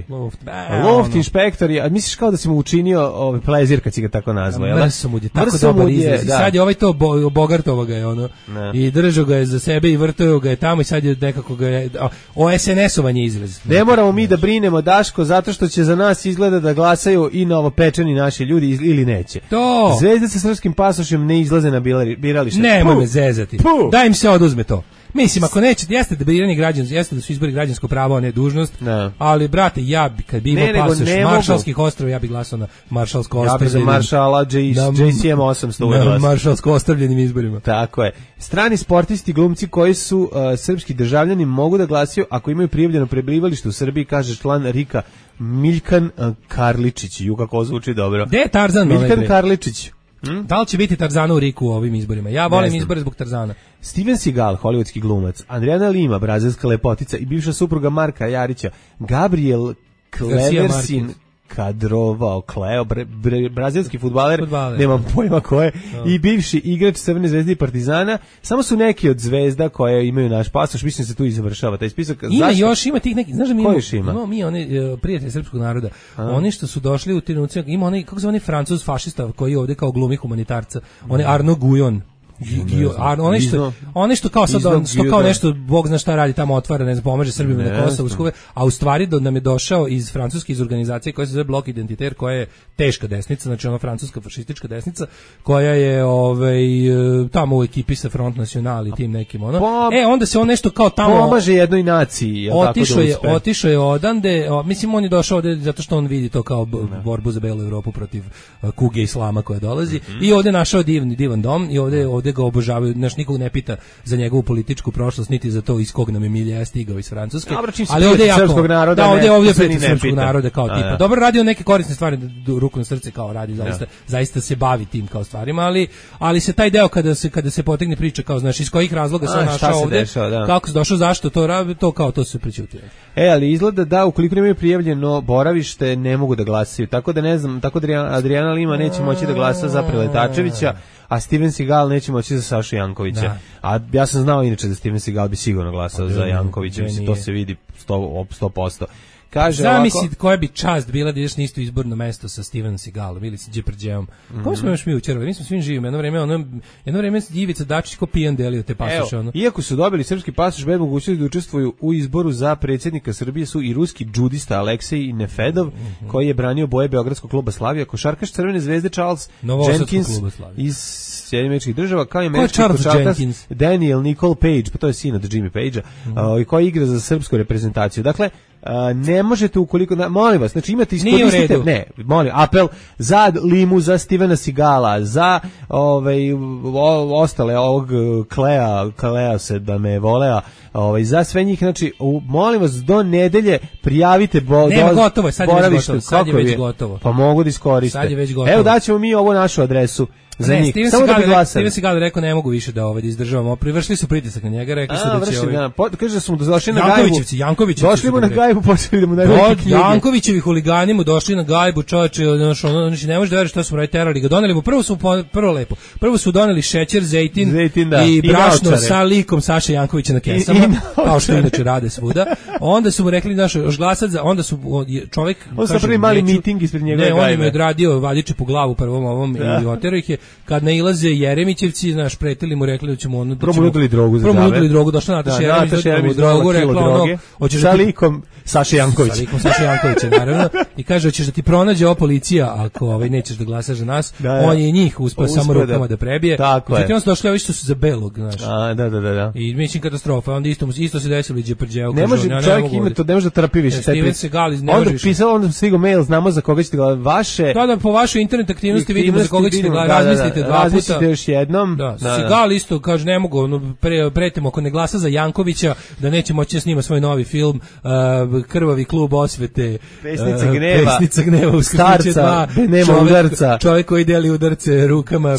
Luft inšpektori, a misliš kao da si mu učinio plezir kad si ga tako nazvao, jel? Mrsamud je tako dobar izraz. I sad je ovaj to Bogartovo ga je ono. I držao ga je za sebe i vrtao ga je tamo i sad je nekako ga je SNS-ovanje izraz. Ne moramo mi da brinemo, Daško, zato što će za nas izgleda da glasaju i novopečeni naši ljudi ili neće. To. Zvezde sa srpskim pasošem ne izlaze na biralište. Nemoj me zezati. Da im se oduzme to. Mislim, ako nećete, jeste da biranje građansko, jeste da su izbori građansko pravo, a ne dužnost, ali, brate, ja bi, kad bi imao pasoš Maršalskih ostrava, ja bi glasao na Maršalsko ostrava. Ja bi za Maršala JCM 800 na Maršalsko ostavljenim izborima. Tako je. Strani sportisti, glumci koji su srpski državljani mogu da glasaju ako imaju prijavljeno prebivalište u Srbiji, kaže član RIK-a Miljkan Karličić. Ju, kako zvuči dobro. Gde je Tarzan? Miljkan Karličić. Da li će biti Tarzana u Riku u ovim izborima? Ja volim izbore zbog Tarzana. Steven Seagal, hollywoodski glumac, Adriana Lima, brazilska lepotica i bivša supruga Marka Jarića, Gabriel Cleversin kadrovao brazilski fudbaler, nemam pojma ko je, i bivši igrač Crvene zvezde i Partizana, samo su neki od zvezda koje imaju naš pasoš, mislim se tu i završava taj spisak. Ima tih neki, znaš da mi imamo oni prijatelji srpskog naroda, oni što su došli u trenucima, ima oni, kako se oni Francuz fašista koji ovde kao glumi humanitarca, oni Arno Guyon, oni što kao sad što kao nešto bog zna šta radi tamo, otvara, ne znam, pomaže Srbima na Kosovu, a u stvari nam je došao iz francuske organizacije koja se zove Blok Identitaire, koja je teška desnica, znači ona francuska fašistička desnica, koja je tamo u ekipi sa Front National i tim nekim onda se on nešto kao tamo pomaže jednoj naciji, otišao je odande, mislim on je došao ovde zato što on vidi to kao borbu za belu Evropu protiv kuge islama koja dolazi i ovde našao divan dom i ovde ga obožavaju, znaš, nikog ne pita za njegovu političku prošlost, niti za to iz kog nam je milija stigao iz Francuske. Ali ovdje je srpskog naroda, ovdje prijatelj srpskog naroda kao tipa. Dobro, radi on neke korisne stvari, ruku na srce kao radi, zaista se bavi tim kao stvarima, ali se taj deo kada se potegne priča kao, znaš, iz kojih razloga se našao ovdje, kako se došao, zašto to radi, to se prećutio. Ali izgleda da ukoliko nemaju prijavljeno boravište ne mogu da glasaju, tako da ne znam, tako da Adriana Lima neće moći da glasa za Preletačevića, a Steven Seagal neće moći za Sašu Jankovića. A ja sam znao inače da Steven Seagal bi sigurno glasao za Jankovića, mislim, to se vidi 100%. Zamisli koja bi čast bila da ideš na isto izborno mesto sa Steven Seagalom ili sa Đeprđeom. Kako smo još mi učerovali? Mi smo svim živimo. Jedno vreme Ivica Dačić ko pijan delio te pasoše. Iako su dobili srpski pasoš bez mogućnosti da učestvuju u izboru za predsjednika Srbije su i ruski džudista Aleksej Nefedov, koji je branio boje Beogradskog kluba Slavija, košarkaš Crvene zvezde Charles Jenkins iz Sjedinjenih Država, kao i američki košarkaš Daniel Nicole Page, pa to je sin od Jimmy Pagea, koji igra za srpsku reprezentaciju. Dakle, ne možete ukoliko, molim vas, znači imate iskoristite, apel za Limu, za Stevena Seagala, za ostale ovog Klea se da me volea, za sve njih, znači molim vas do nedelje prijavite gotovo, sad je već gotovo. Pa mogu da iskoriste. Evo daćemo mi ovu našu adresu. Steven Seagal rekao ne mogu više da izdržavamo. Privršili su pritisak na njega, rekli su da će kaže da su mu došli na gajbu. Jankovićevci. Došli mu na gajbu, počeli da mu najbolji knjige. Jankovićevi huligani mu došli na gajbu, čoveče, znači ne može da veruješ šta su radili, terali ga. Doneli mu prvo su doneli šećer, zejtin i brašno sa likom Saše Jankovića na kesama, kao što inače rade svuda. Onda su mu rekli još glasat za, onda su čovjek on sa prvi mali miting ispred njegove gajbe. On im je odradio valjiče po glavu prvom ovom i oterao ih je. kad nailaze Jeremićevci, znaš, pretili mu, rekli da ćemo ono... Promutili drogu za džabe. Promutili drogu, došla Nataša Jeremić, drogu, rekla ono... Sa likom Saše Jankovića. Sa likom Saše Jankovića, naravno. I kaže, hoćeš da ti pronađe ova policija ako nećeš da glasaš za nas. On je njih uspeo samo rukama da prebije. Međutim, on su došli ovi što su za belog, znaš. Da. I mislim katastrofa, onda isto se desilo i Đeprđeo. Ne može čovjek ima to, ne može da trpi više. Onda pisao, onda stigo mail, znamo za koga ćete gledati vaše. Da, po vašoj internet aktivnosti vidimo za koga ćete gledati, razmislite dva puta. Razmislite još jednom. Sigal isto, kaže, ne mogu, pretimo, ako ne glasa za Jankovića, da neće moći da snima svoj novi film, Krvavi klub osvete, Pesnica gneva, starca, nema udarca. Čovjek koji deli udarce rukama,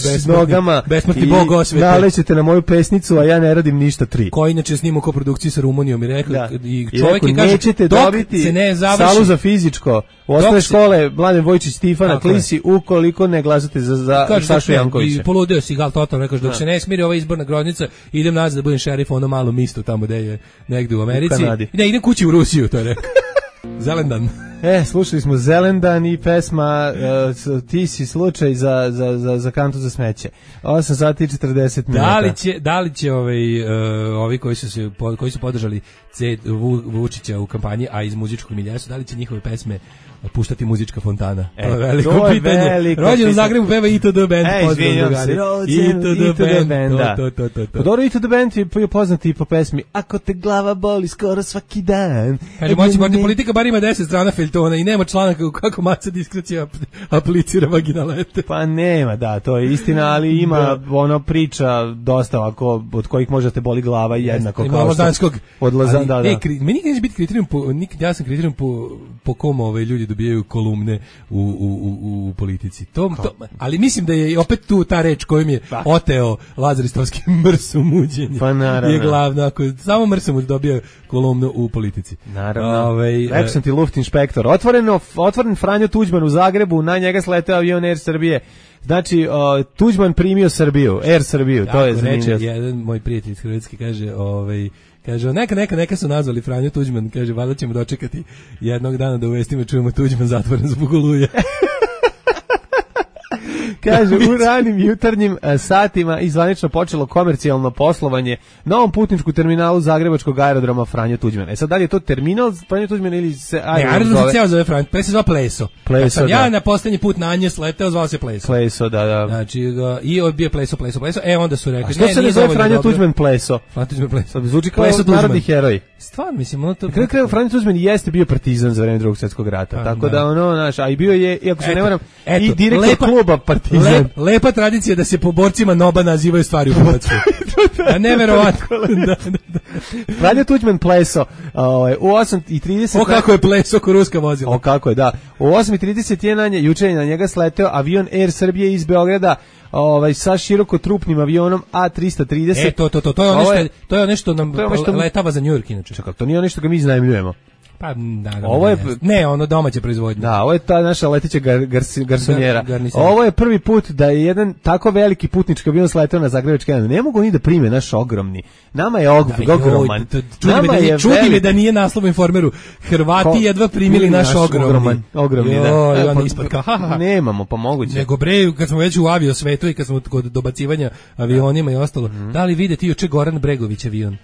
besmrtni bog osvete. Nalećete na moju pesnicu, a ja ne radim ništa 3. Koji inače snima koprodukciju sa Rumunijom i rekao, i čovjek je kaže, nećete dobiti salu za fizičko u osnovne škole Mladen Vojčić Stifana Klisi ukoliko ne glasate za Sašu Jankovića. I poludeo si Gal totalno, rekao, dok se ne smiri ova izborna groznica, idem nazad da budem šerif ono malo misto tamo gde je negde u Americi. Ne, idem kući u Rusiju, to je rekao. Zelendan. Slušali smo Zelendan i pesma Ti si slučaj za kantu za smeće. 8 sati i 40 minuta. Da li će ovi koji su podržali Vučića u kampanji, a iz muzičkog milija su, da li će njihove pesme puštati muzička fontana? To je veliko pitanje. Rođen u Zagrebu peva ITD Band. Izvinjam se. ITD Band, da. Dobro, ITD Band je poznati i po pesmi Ako te glava boli skoro svaki dan. Kaže, moći politika bar ima 10 strana feljtona i nema članaka kako maca diskrecija aplicira vaginalete. Pa nema, da, to je istina, ali ima ono priča dosta ovako, od kojih možete boli glava jednako kao što odlaza, da. Meni neće biti kriterijum, ja sam kriterijum po kom ljudi dobijaju kolumne u politici. Ali mislim da je opet tu ta reč kojom je oteo Lazar Istovski mrsomuđenje. Pa naravno. Je glavno, ako samo mrsomuđ dobija kolumnu u politici. Naravno. Rekao sam ti Luft inšpektor. Otvoren Franjo Tuđman u Zagrebu, na njega sleteo avion Air Srbije. Znači, Tuđman primio Srbiju, Air Srbiju, to je zanimljivo. Reče, jedan moj prijatelj iz Hrvatske kaže, kaže, neka su nazvali Franjo Tuđman, kaže, valjda ćemo dočekati jednog dana da u vestima čujemo Tuđman zatvoren zbog oluje. Kaže, u ranim jutarnjim satima izvanično počelo komercijalno poslovanje na ovom putničku terminalu Zagrebačkog aerodroma Franjo Tuđman. Sad, da li je to terminal Franjo Tuđman ili se aerodrom se ceo zove Franjo, pre se zove Pleso. Pleso, ja na poslednji put na nje sleteo, zvao se Pleso. Pleso, da. Znači, i bio Pleso. Onda su rekli, što se ne zove Franjo Tuđman Pleso? Franjo Tuđman Pleso. Zvuči kao narodni heroj. Stvarno, mislim, ono to... Na kraju Franjo Tuđman jeste bio partizan za vreme Drugog svjetskog rata, tako da ono, znaš, a i bio je, iako se ne varam, i direktor kluba Partizan. Lepa tradicija da se po borcima NOB-a nazivaju stvari u Hrvatskoj. Neverovatno. Franjo Tuđman Pleso u 8:30. O kako je Pleso ko ruska vozila. O kako je, da. U 8:31 juče na njega sleteo avion Air Srbije iz Beograda sa širokotrupnim avionom A330. To je nešto nam letava za New York inače. Čekaj, to nije ono što ga mi iznajmljujemo. Pa da, ovo je ono domaće proizvodnje. Da, ovo je ta naša leteća garsonjera. Ovo je prvi put da je jedan tako veliki putnički avion sletao na zagrebački aerodrom. Ne mogu oni da prime naš ogromni. Nama je ogroman. Čudi me da nije naslov u Informeru. Hrvati jedva primili naš ogromni. Ogromni, da. Nemamo, pa moguće. Nego bre, kad smo već u avio svetu i kad smo kod dobacivanja avionima i ostalo, da li vide ti juče Goran Bregović avion?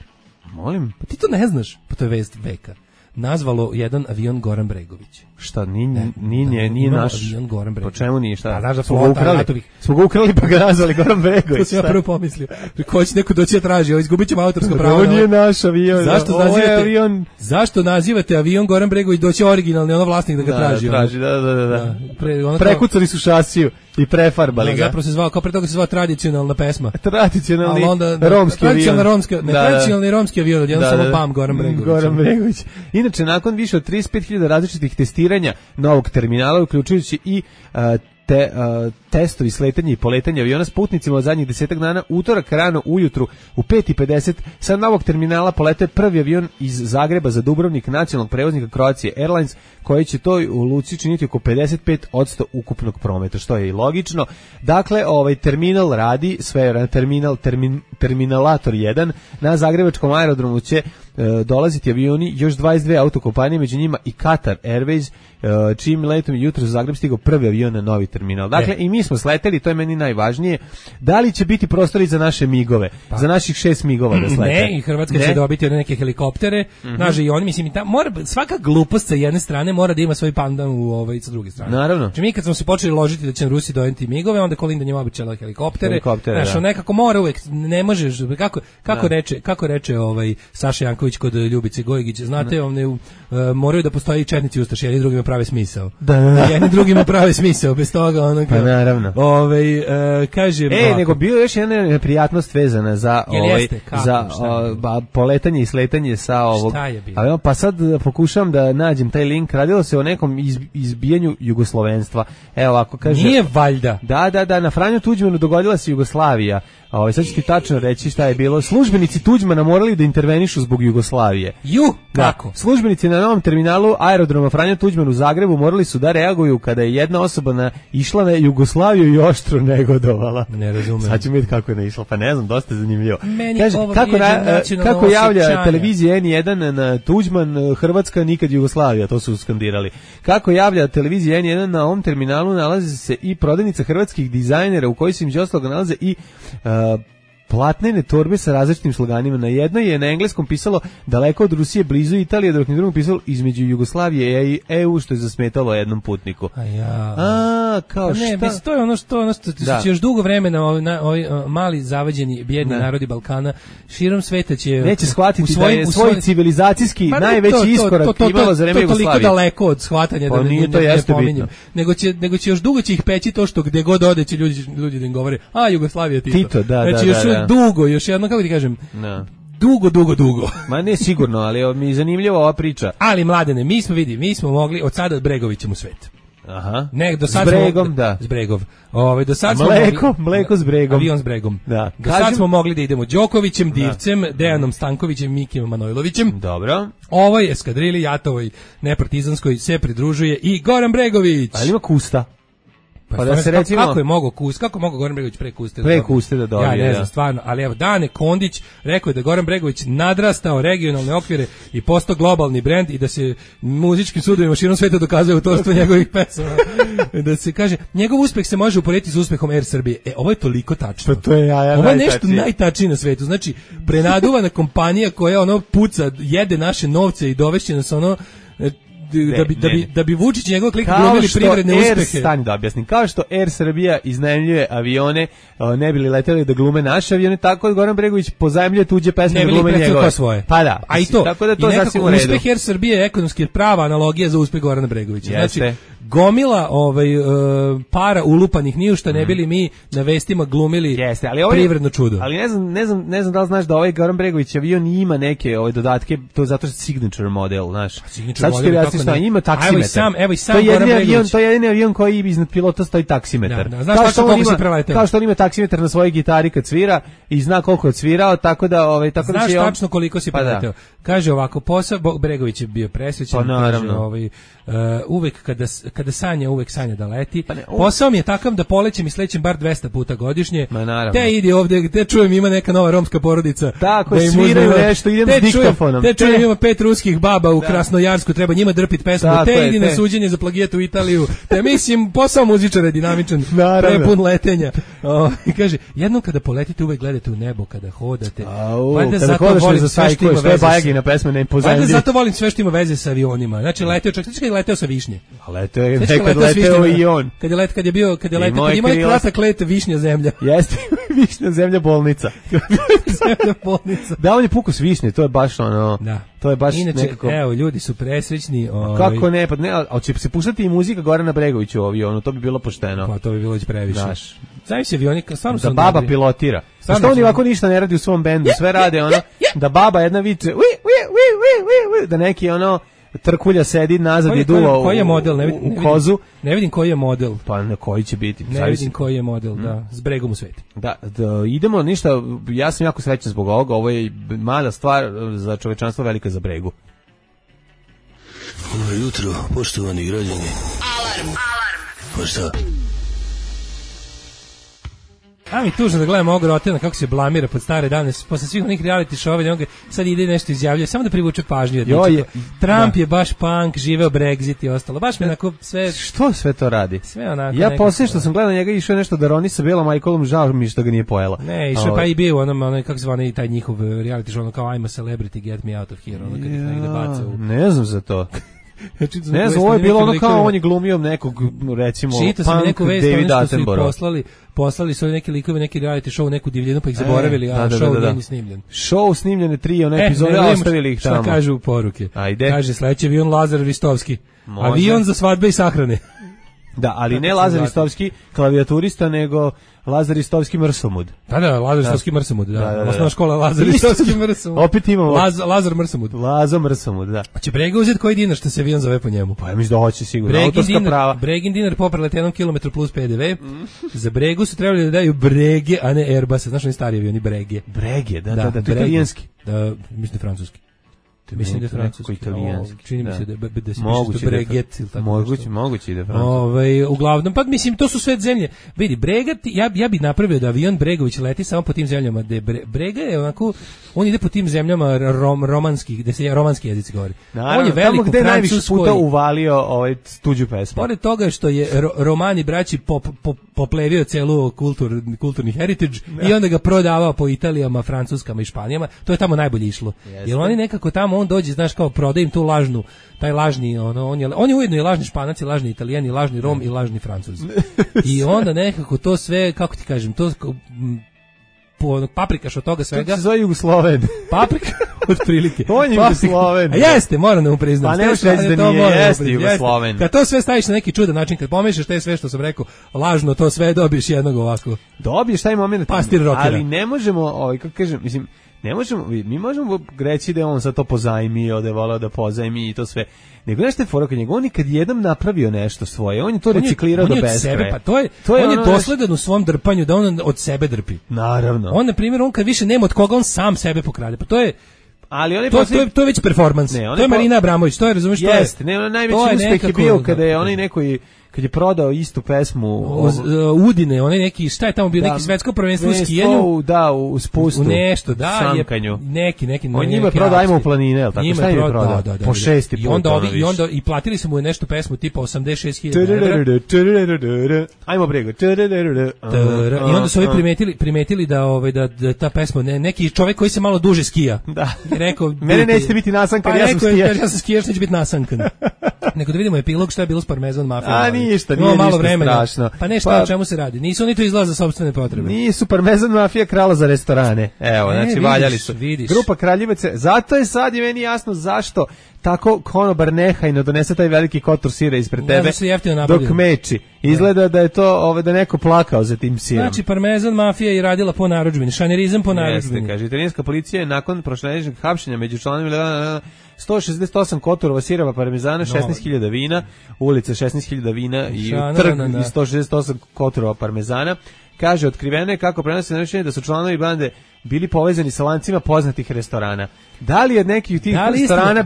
Molim. Pa ti to ne znaš, pa to je vest veka. Nazvalo jedan avion Goran Bregović. Šta, nije naš avion Goran Bregović. Po čemu nije, šta? Pa znaš da smo ga ukrali pa ga nazvali Goran Bregović. To sam ja prvo pomislio. Ko će neko doći da traži, izgubit ćemo autorsko pravo. Ovo nije naš avion. Zašto nazivate avion Goran Bregović, doći originalni, ono vlasnik da ga traži. Da. Prekucali su šasiju i prefarbali ga. Zapravo se zvao, kao pre toga se zvao tradicionalna pesma. Tradicionalni romski avion. Tradicionalni romski avion, odjednom samo pam Goran Bregović. Inače, nakon više od 35.000 različitih testiranja novog terminala, uključujući i testovi sletanja i poletanja aviona s putnicima od zadnjih 10 dana, utorak rano ujutru u 5:50 sa novog terminala polete prvi avion iz Zagreba za Dubrovnik nacionalnog prevoznika Croatia Airlines, koji će to u luci činiti oko 55% ukupnog prometa, što je i logično. Dakle, terminal radi, sve terminalator 1 na zagrebačkom aerodromu će dolaziti avioni, još 22 autokompanije, među njima i Qatar Airways, čijim letom je jutro u Zagreb stigao prvi avion na novi terminal. Dakle, i mi smo sleteli, to je meni najvažnije. Da li će biti prostori za naše migove, za naših 6 migova da slete? Ne, i Hrvatska će dobiti neke helikoptere, znaš, i oni, mislim, svaka glupost sa jedne strane mora da ima svoj pandan sa druge strane. Naravno. Znači, mi kad smo se počeli ložiti da će Rusi doneti migove, onda Kolinda njima običala helikoptere. Znaš, nekako mora uvek, ne možeš, kako reče Saša Janković kod Ljubice Gojgić, znate, moraju da postoji četnici ustaši, jedni drugima prave smisao. Jedni drugima prave smisao, bez toga ono pa naravno. Kažem, nego bilo još jedna neprijatnost vezana za poletanje i sletanje sa ovog. Pa sad pokušavam da nađem taj link. Radilo se o nekom izbijanju jugoslovenstva. Evo ovako kaže. Nije valjda. Da, na Franju Tuđmanu dogodila se Jugoslavija. Sad ću ti tačno reći šta je bilo. Službenici Tuđmana morali da intervenišu zbog Jugoslavije. Kako? Službenici na novom terminalu aerodroma Franja Tuđman u Zagrebu morali su da reaguju kada je jedna osoba išla na Jugoslaviju i oštro negodovala. Ne razumem. Sad ću vidjeti kako je naišla, pa ne znam, dosta je zanimljivo. Kaže, kako javlja televizija N1 na Tuđman, Hrvatska nikad Jugoslavija, to su skandirali. Kako javlja televizija N1 na ovom terminalu nalazi se i prodavnica hrvatskih dizajnera u kojoj se između ostalog nalaze i platnene torbe sa različitim sloganima. Na jednoj je na engleskom pisalo daleko od Rusije, blizu Italije, dok na drugom pisalo između Jugoslavije i EU, što je zasmetalo jednom putniku. Kao šta? Ne, to je ono što će još dugo vremena ovi mali zavađeni bjedni narodi Balkana širom sveta će neće shvatiti da je svoj civilizacijski najveći iskorak imalo za vreme Jugoslavije. To toliko daleko od shvatanja da ne pominjem. Nego će još dugo će ih peći to što gde god ode će ljudi da im govore Jugoslavija Tito. Znači još dugo, još jedno, kako ti kažem, dugo. Ma ne sigurno, ali mi je zanimljiva ova priča. Ali Mladene, mi smo mogli od sada Bregovićem u svet. Aha. S Bregom, da. S Bregov. Do sad mleko s Bregom. Avion s Bregom. Da. Do sad smo mogli da idemo Đokovićem, Divcem, Dejanom Stankovićem, Mikim Manojlovićem. Dobro. Ovoj eskadrili Jatovoj nepartizanskoj se pridružuje i Goran Bregović. Ali ima Kusta. Pa da se recimo kako je mogao Goran Bregović pre Kuste da dobije. Ja ne znam stvarno, ali evo Dane Kondić rekao je da Goran Bregović nadrastao regionalne okvire i postao globalni brend i da se muzičkim sudovima širom sveta dokazuje autorstvo njegovih pesama. Da se kaže, njegov uspeh se može uporediti s uspehom Air Srbije. Ovo je toliko tačno. Pa to je ovo je nešto najtačnije na svetu. Znači, prenaduvana kompanija koja puca, jede naše novce i dovešće nas da bi Vučić i njegov klik glumili privredne uspehe. Stani da objasnim. Kao što Air Srbija iznajmljuje avione, ne bili leteli da glume naše avione, tako Goran Bregović pozajmljuje tuđe pesme da glume njegove. Svoje. Pa da. A i to. Tako da to nekako uspeh Air Srbije je ekonomski prava analogija za uspeh Gorana Bregovića. Znači, gomila para ulupanih ni u šta ne bili mi na vestima glumili privredno čudo. Ali ne znam da li znaš da ovaj Goran Bregović avion ima neke dodatke, to je zato što signature model, znaš. Sad ću ti objasniti šta ima taksimetar. Evo i sam Goran Bregović. To je jedini avion koji iznad pilota stoji taksimetar. Znaš kako se preleteo? Kao što on ima taksimetar na svojoj gitari kad svira i zna koliko je odsvirao, tako da znaš tačno koliko si preleteo. Kaže ovako, posao Bregović je bio presrećan, kaže uvek kada sanja, uvek sanja da leti. Posao mi je takav da polećem i slećem bar 200 puta godišnje. Te ide ovde, te čujem ima neka nova romska porodica. Tako, da sviraju nešto, idem s diktafonom. Te čujem ima 5 ruskih baba u Krasnojarsku, treba njima drpit pesmu. Te idi na suđenje za plagijat u Italiju. Te mislim, posao muzičara je dinamičan, prepun letenja. Kaže, jednom kada poletite uvek gledate u nebo, kada hodate. Kada hodeš za sajkuješ, to je Bajagina pesma, ne pozajemlji. Valjda zato volim sve što ima veze sa avionima. Znači, leteo sa Višnje. Leteo je nekad leteo i on. Kad ima kratak let Višnja zemlja. Jeste, Višnja zemlja bolnica. Da, on je pukao s Višnje, to je baš ono. Da. To je baš inače, nekako. Evo, ljudi su presrećni. Kako ne, pa ne, ali će se puštati i muzika Gorana Bregovića u avionu, to bi bilo pošteno. Pa to bi bilo već previše. Znaš se avioni, stvarno su da baba pilotira. Što oni ovako ništa ne radi u svom bendu, sve rade ono, da baba jedna viče, da neki ono trkulja sedi nazad i duva u kozu. Ne vidim koji je model. Pa na koji će biti. Ne vidim koji je model, da, s Bregom u svetu. Da, idemo ništa, ja sam jako srećan zbog ovoga, ovo je mala stvar za čovečanstvo, velika za Bregu. Dobro jutro, poštovani građani. Alarm. Pa šta? A mi tužno da gledam ovog Rotena kako se blamira pod stare dane, posle svih onih reality show-ova, sad ide nešto izjavljuje, samo da privuče pažnju. Trump je baš punk, živeo Brexit i ostalo. Baš mi onako sve... Što sve to radi? Sve onako... Ja poslije što sam gledao njega išao nešto da roni sa Belom Michaelom, žao mi što ga nije pojela. Ne, išao pa i bio ono kako zvani taj njihov reality show, ono kao I'm a celebrity, get me out of here, ono kad ih negde baca u... Ne znam za to. Ne znam, ovo je bilo ono kao on je glumio nekog, recimo, punk David Attenborough. Poslali su neki likovi, neki reality show, neku divljinu, pa ih zaboravili, a show nije snimljen. Show snimljene 3 one epizode, ostavili ih tamo. Šta kažu poruke? Ajde. Kaže, sledeći avion Lazar Ristovski. Avion za svadbe i sahrane. Da, ali ne Lazar Ristovski klavijaturista, nego Lazar Ristovski Mrsamud. Da, Lazar Ristovski Mrsamud, da. Osnovna škola Lazar Ristovski Mrsamud. Opet imamo Lazar Mrsamud. Lazo Mrsamud, da. Će Brega uzeti koji dinar što se avion zove po njemu? Pa ja mislim da hoće sigurno. Autorska prava. Bregin dinar poprelet 1 kilometru plus PDV. Za Bregu su trebali da daju Brege, a ne Airbus. Znaš oni stari avioni Brege? Brege, da, to je italijanski. Da, mislim francuski. Mislim da je francuski, italijanski. Čini mi se da se piše Breget ili tako. Moguće da je francuski. Uglavnom, pa mislim, to su sve zemlje. Vidi, Bregat, ja bi napravio da avion Bregović leti samo po tim zemljama. Brega je onako, on ide po tim zemljama romanskih, gde se romanski jezici govori. On je veliko gde najviše puta uvalio tuđu pesmu. Pored toga što je romani braći poplevio celu kulturni heritage i onda ga prodavao po Italijama, Francuskama i Španijama, to je tamo najbolje išlo. Jer oni nekako tamo on dođe, znaš, kao prodaje im tu lažnu, taj lažni, on je ujedno i lažni Španac, i lažni Italijan, i lažni Rom, i lažni Francuz. I onda nekako to sve, kako ti kažem, to paprikaš od toga svega. To se zove Jugosloven. Paprika, otprilike. On je Jugosloven. A jeste, moram da mu priznam. Pa nemaš reći da nije, jeste Jugosloven. Kad to sve staviš na neki čudan način, kad pomešaš te sve što sam rekao, lažno, to sve dobiješ jednog ovako. Dobiješ taj moment. Pastir rockera. Ali ne možemo, kako kažem, mislim, mi možemo reći da je on sad to pozajmio, da je voleo da pozajmi i to sve. Nego nešto je fora kod njega, on je kad jednom napravio nešto svoje, on je to reciklirao do beskraja. Pa on je dosledan u svom drpanju, da on od sebe drpi. Naravno. On, na primjer, on kad više nema od koga, on sam sebe pokrade. Pa to je... Ali to je već performans. To je Marina Abramović, to je, razumiješ, to je... Jeste, najveći uspeh je bio kada je onaj neki... Kad je prodao istu pesmu Udine, onaj neki, šta je tamo bio, neki svetsko prvenstvo u skijanju, da, u spustu, u nešto, da, samkanju. Neki on njima prodao Ajmo u planine, el tako, šta je prodao? Po 6. put. I onda i platili su mu nešto pesmu tipa 86.000 €. Ajmo Brego. I onda su ovi primetili da ta pesma, neki čovjek koji se malo duže skija. Da. Rekao, mene nećete biti nasankan, ja sam skijaš. Ja sam skijaš, neće biti nasankan. Nego da vidimo epilog šta je bilo s Parmezan mafijom. Ništa, nije malo vremena. Strašno. Pa nešto, o čemu se radi? Nisu oni to izlaze za sopstvene potrebe. Nisu, Parmezan mafija krala za restorane. Evo, znači valjali su. Grupa Kraljevice, zato je sad i meni jasno zašto tako konobar nehajno donese taj veliki kotor sira ispred tebe dok meči. Izgleda da je to da neko plakao za tim sirom. Znači, Parmezan mafija je radila po narudžbini, šanerizam po narudžbini. Jeste, kaže, italijanska policija je nakon prošlogodišnjeg hapšenja među članovima 168 kotorova sirova parmezana, 16.000 vina, ulice 16.000 vina i trg i 168 kotorova parmezana. Kaže, otkriveno je kako prenose naručenje da su članovi bande bili povezani sa lancima poznatih restorana. Da li je neki od tih restorana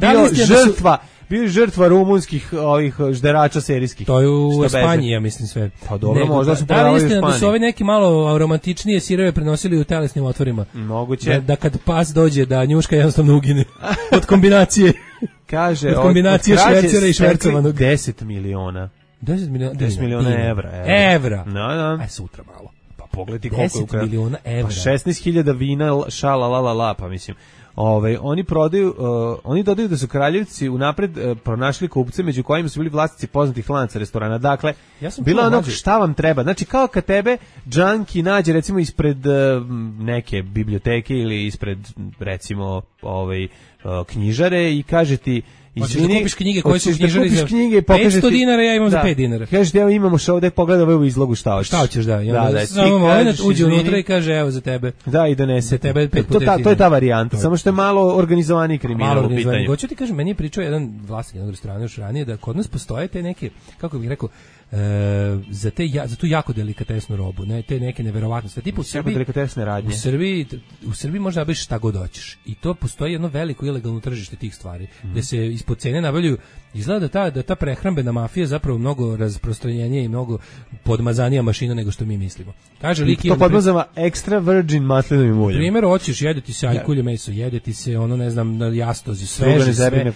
bio žrtva rumunskih žderača serijskih? To je u Španiji, ja mislim sve. Pa dobro, možda su prodavali u Španiji. Da su ove neki malo romantičnije sirove prenosili u telesnim otvorima? Moguće. Da kad pas dođe, da njuška jednostavno ugine od kombinacije. Kaže, od kombinacije švercera i švercovanog. 10 miliona. 10 miliona evra. Evra? No. Aj, sutra malo. Pa pogledaj koliko je 10 miliona evra. Pa 16.000 vina, šala, pa mislim. Oni prodaju, oni dodaju da su Kraljevci unapred pronašli kupce među kojima su bili vlasnici poznatih lanca restorana. Dakle, bilo ono šta vam treba. Znači, kao kad tebe džanki nađe recimo ispred neke biblioteke ili ispred recimo knjižare i kaže ti izvini, kupiš knjige koje su knjižari za 500 dinara, ja imam za 5 dinara. Kažeš, evo imamo što ovde, pogledaj ovu izlogu, šta hoćeš. Šta hoćeš, da. Samo moment, uđe unutra i kaže, evo za tebe. Da, i donese. Tebe 5 puta. To je ta varijanta, samo što je malo organizovani kriminal u pitanju. Hoću ti kažem, meni je pričao jedan vlasnik jednog restorana još ranije da kod nas postoje te neke, kako bih rekao, za tu jako delikatesnu robu, ne, te neke neverovatnosti. Tipa u Srbiji, delikatesne radnje. U Srbiji možda biš šta god hoćeš. I to postoji jedno veliko, ilegalno tržište tih stvari, gde se ispod cene nabavljaju. Izgleda da ta prehrambena mafija zapravo mnogo rasprostranjenije i mnogo podmazanija mašina nego što mi mislimo. Kaže lik to podmazava extra virgin maslinovim uljem. Primjer, hoćeš jedeti se ajkulje meso, jedeti se ono ne znam na jastozi, sveže sve.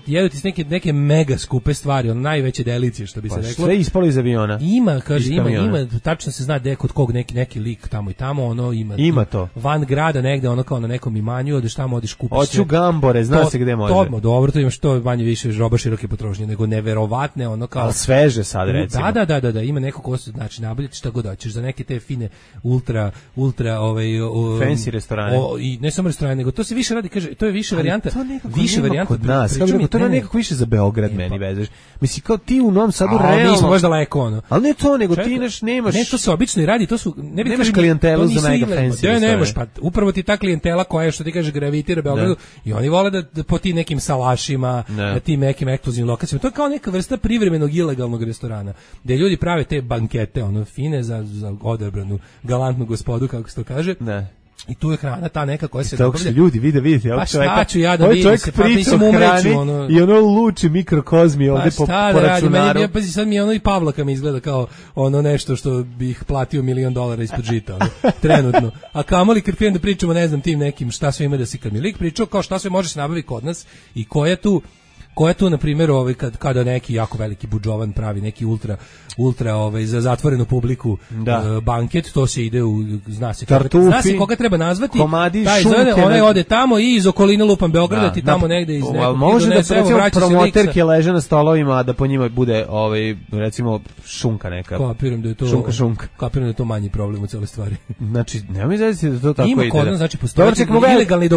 Jedeti se neke mega skupe stvari, ono najveće delicije što bi se reklo. Sve ispalo iz aviona. Ima, kaže, ima, tačno se zna kod kog neki lik tamo i tamo, ono ima to. Van grada negde, ono kao na nekom imanju, odeš tamo, odeš kupiš. Hoću gambore, zna se gde može. Dobro, to imaš to manje više roba široke potrošnje, nego neverovatne, ono kao. Al sveže sad recimo. Da, ima neko ko se znači nabavljati šta god hoćeš za neke te fine ultra fancy restorane. I ne samo restorane, nego to se više radi, kaže, to je više varijanta, više varijanta kod nas. To je nekako više za Beograd meni vezeš. Mislim kao ti u Novom Sadu realno. Mi smo možda daleko ono. Al ne to, nego ti nemaš. Ne, to se obično i radi, to su nemaš klijentelu za mega fancy. Ne, nemaš, pa upravo ti ta klijentela koja je, što ti kaže, gravitira Beogradu i oni vole da po ti nekim salašima, na tim nekim ekskluzivnim lokacijama. To je kao neka vrsta privremenog ilegalnog restorana, gde ljudi prave te bankete, ono, fine za odabranu galantnu gospodu, kako se to kaže. Ne. I tu je hrana ta neka koja se dobavlja. Ljudi, vidite, pa šta ću ja da vidim se, pa mislim umreću, ono. I ono luči mikrokozmi ovde po računaru. Ja pazi, sad mi ono i Pavlaka mi izgleda kao ono nešto što bih platio $1.000.000 ispod žita, ono, trenutno. A kamoli kad da pričamo, ne znam, tim nekim šta sve ima da se, kad mi lik pričao kao šta sve može se nabaviti kod nas i ko je tu na primjer kada neki jako veliki budžovan pravi neki ultra za zatvorenu publiku banket, to se ide u zna se koga treba nazvati, taj zove, onaj ode tamo i iz okoline lupam Beograda, ti tamo negde iz nekog može da recimo promoterke leže na stolovima, da po njima bude recimo šunka neka. Kapiram da je to kapiram da je to manji problem u celoj stvari. Znači nema izvesti da to tako ide. Ima kod nas, znači postoji ilegalni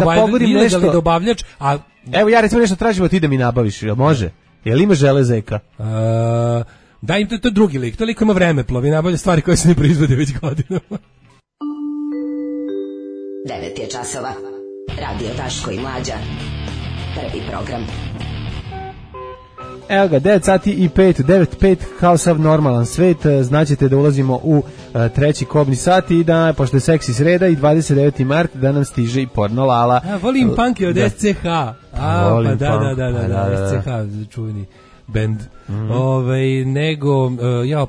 dobavljač, a evo ja recimo nešto tražim od ti da mi nabaviš, jel može? Jel ima železeka? Da, im to je drugi lik, to lik ima vremeplov i nabavlja stvari koje se ne proizvode već godinama. 9 je časova. Radio Daško i Mlađa. Prvi program. Evo ga, 9 sati i 9:05, kao sav normalan svet, znaćete da ulazimo u treći kobni sat i da, pošto je seksi sreda i 29. mart, da nam stiže i porno Lala. Volim punky od SCH. Pa da, SCH, čuveni band. Nego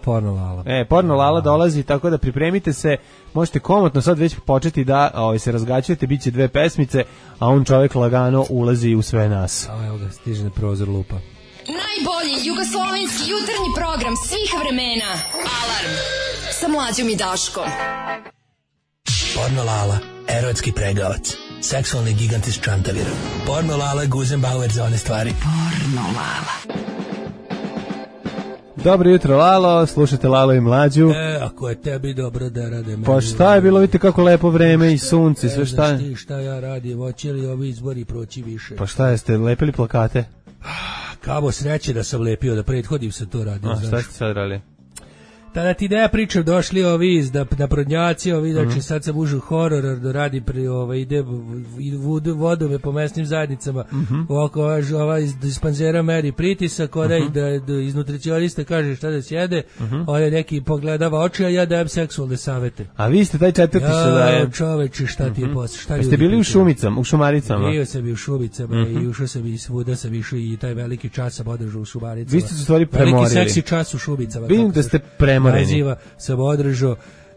porno Lala. Porno Lala dolazi, tako da pripremite se, možete komotno sad već početi da se razgaćujete, bit će 2 pesmice, a on čovjek lagano ulazi u sve nas. Evo ga, stiže na prozor lupa. Najbolji jugoslovenski jutarnji program svih vremena. Alarm sa Mlađom i Daškom. Porno Lala, erotski pregavac, seksualni gigant iz Čantavira. Porno Lala, Guzenbauer za one stvari. Porno Lala. Dobro jutro, Lalo, slušajte Lalo i Mlađu. Ako je tebi dobro da rade meni. Pa šta je bilo, vidite kako lepo vreme i sunce, sve šta je. Znaš ti šta ja radim, hoće li ovi izbori proći više? Pa šta jeste, lepili plakate? Kamo sreće da sam lepio, da prethodim se to radio. Šta ste sad radili? Tada ti ideja pričam, došli ovi da prodnjaci, ovi, znači sad sam ušao horor, da radi ide vodome po mesnim zajednicama, ovako ova iz dispanzera meri pritisak, da iz nutricionista kaže šta da sjede, ovaj neki pogledava oči, a ja dajem seksualne savete. A vi ste taj četvrti što daje? Čoveče, šta ti je posle? Pa ste bili u Šumicama, u Šumaricama? Bio sam i u Šumicama i ušao sam i svuda sam išao i taj veliki čas sam održao u Šumaricama. Vi ste se stvari premorili. Veliki seksi čas u Šumicama. Vidim da ste premorili. Sam održao,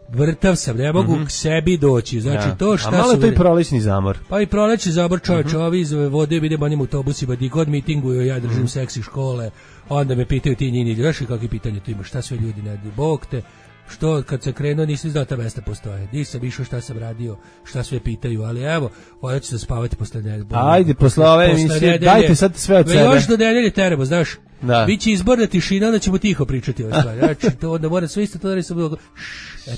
vrtav sam, ne mogu k sebi doći, znači to šta su... A malo to i prolećni zamor. Pa i prolećni zamor, čovječ, ovi iz vode, idem onim autobusima, di god mitinguju, ja držim seksi škole, onda me pitaju ti njini, znaš kakve pitanje tu imaš, šta sve ljudi ne radi, Bog te, što kad se krenuo nisi znao ta mesta postoje, di sam išao, šta sam radio, šta sve pitaju, ali evo, hoću se spavati posle nedelje. Ajde, posle ove emisije, dajte sad sve od sebe. Još do nedelje teramo, znaš. Biće izborna tišina, onda ćemo tiho pričati ove stvari. Znači, to onda mora sve isto to da li sam bilo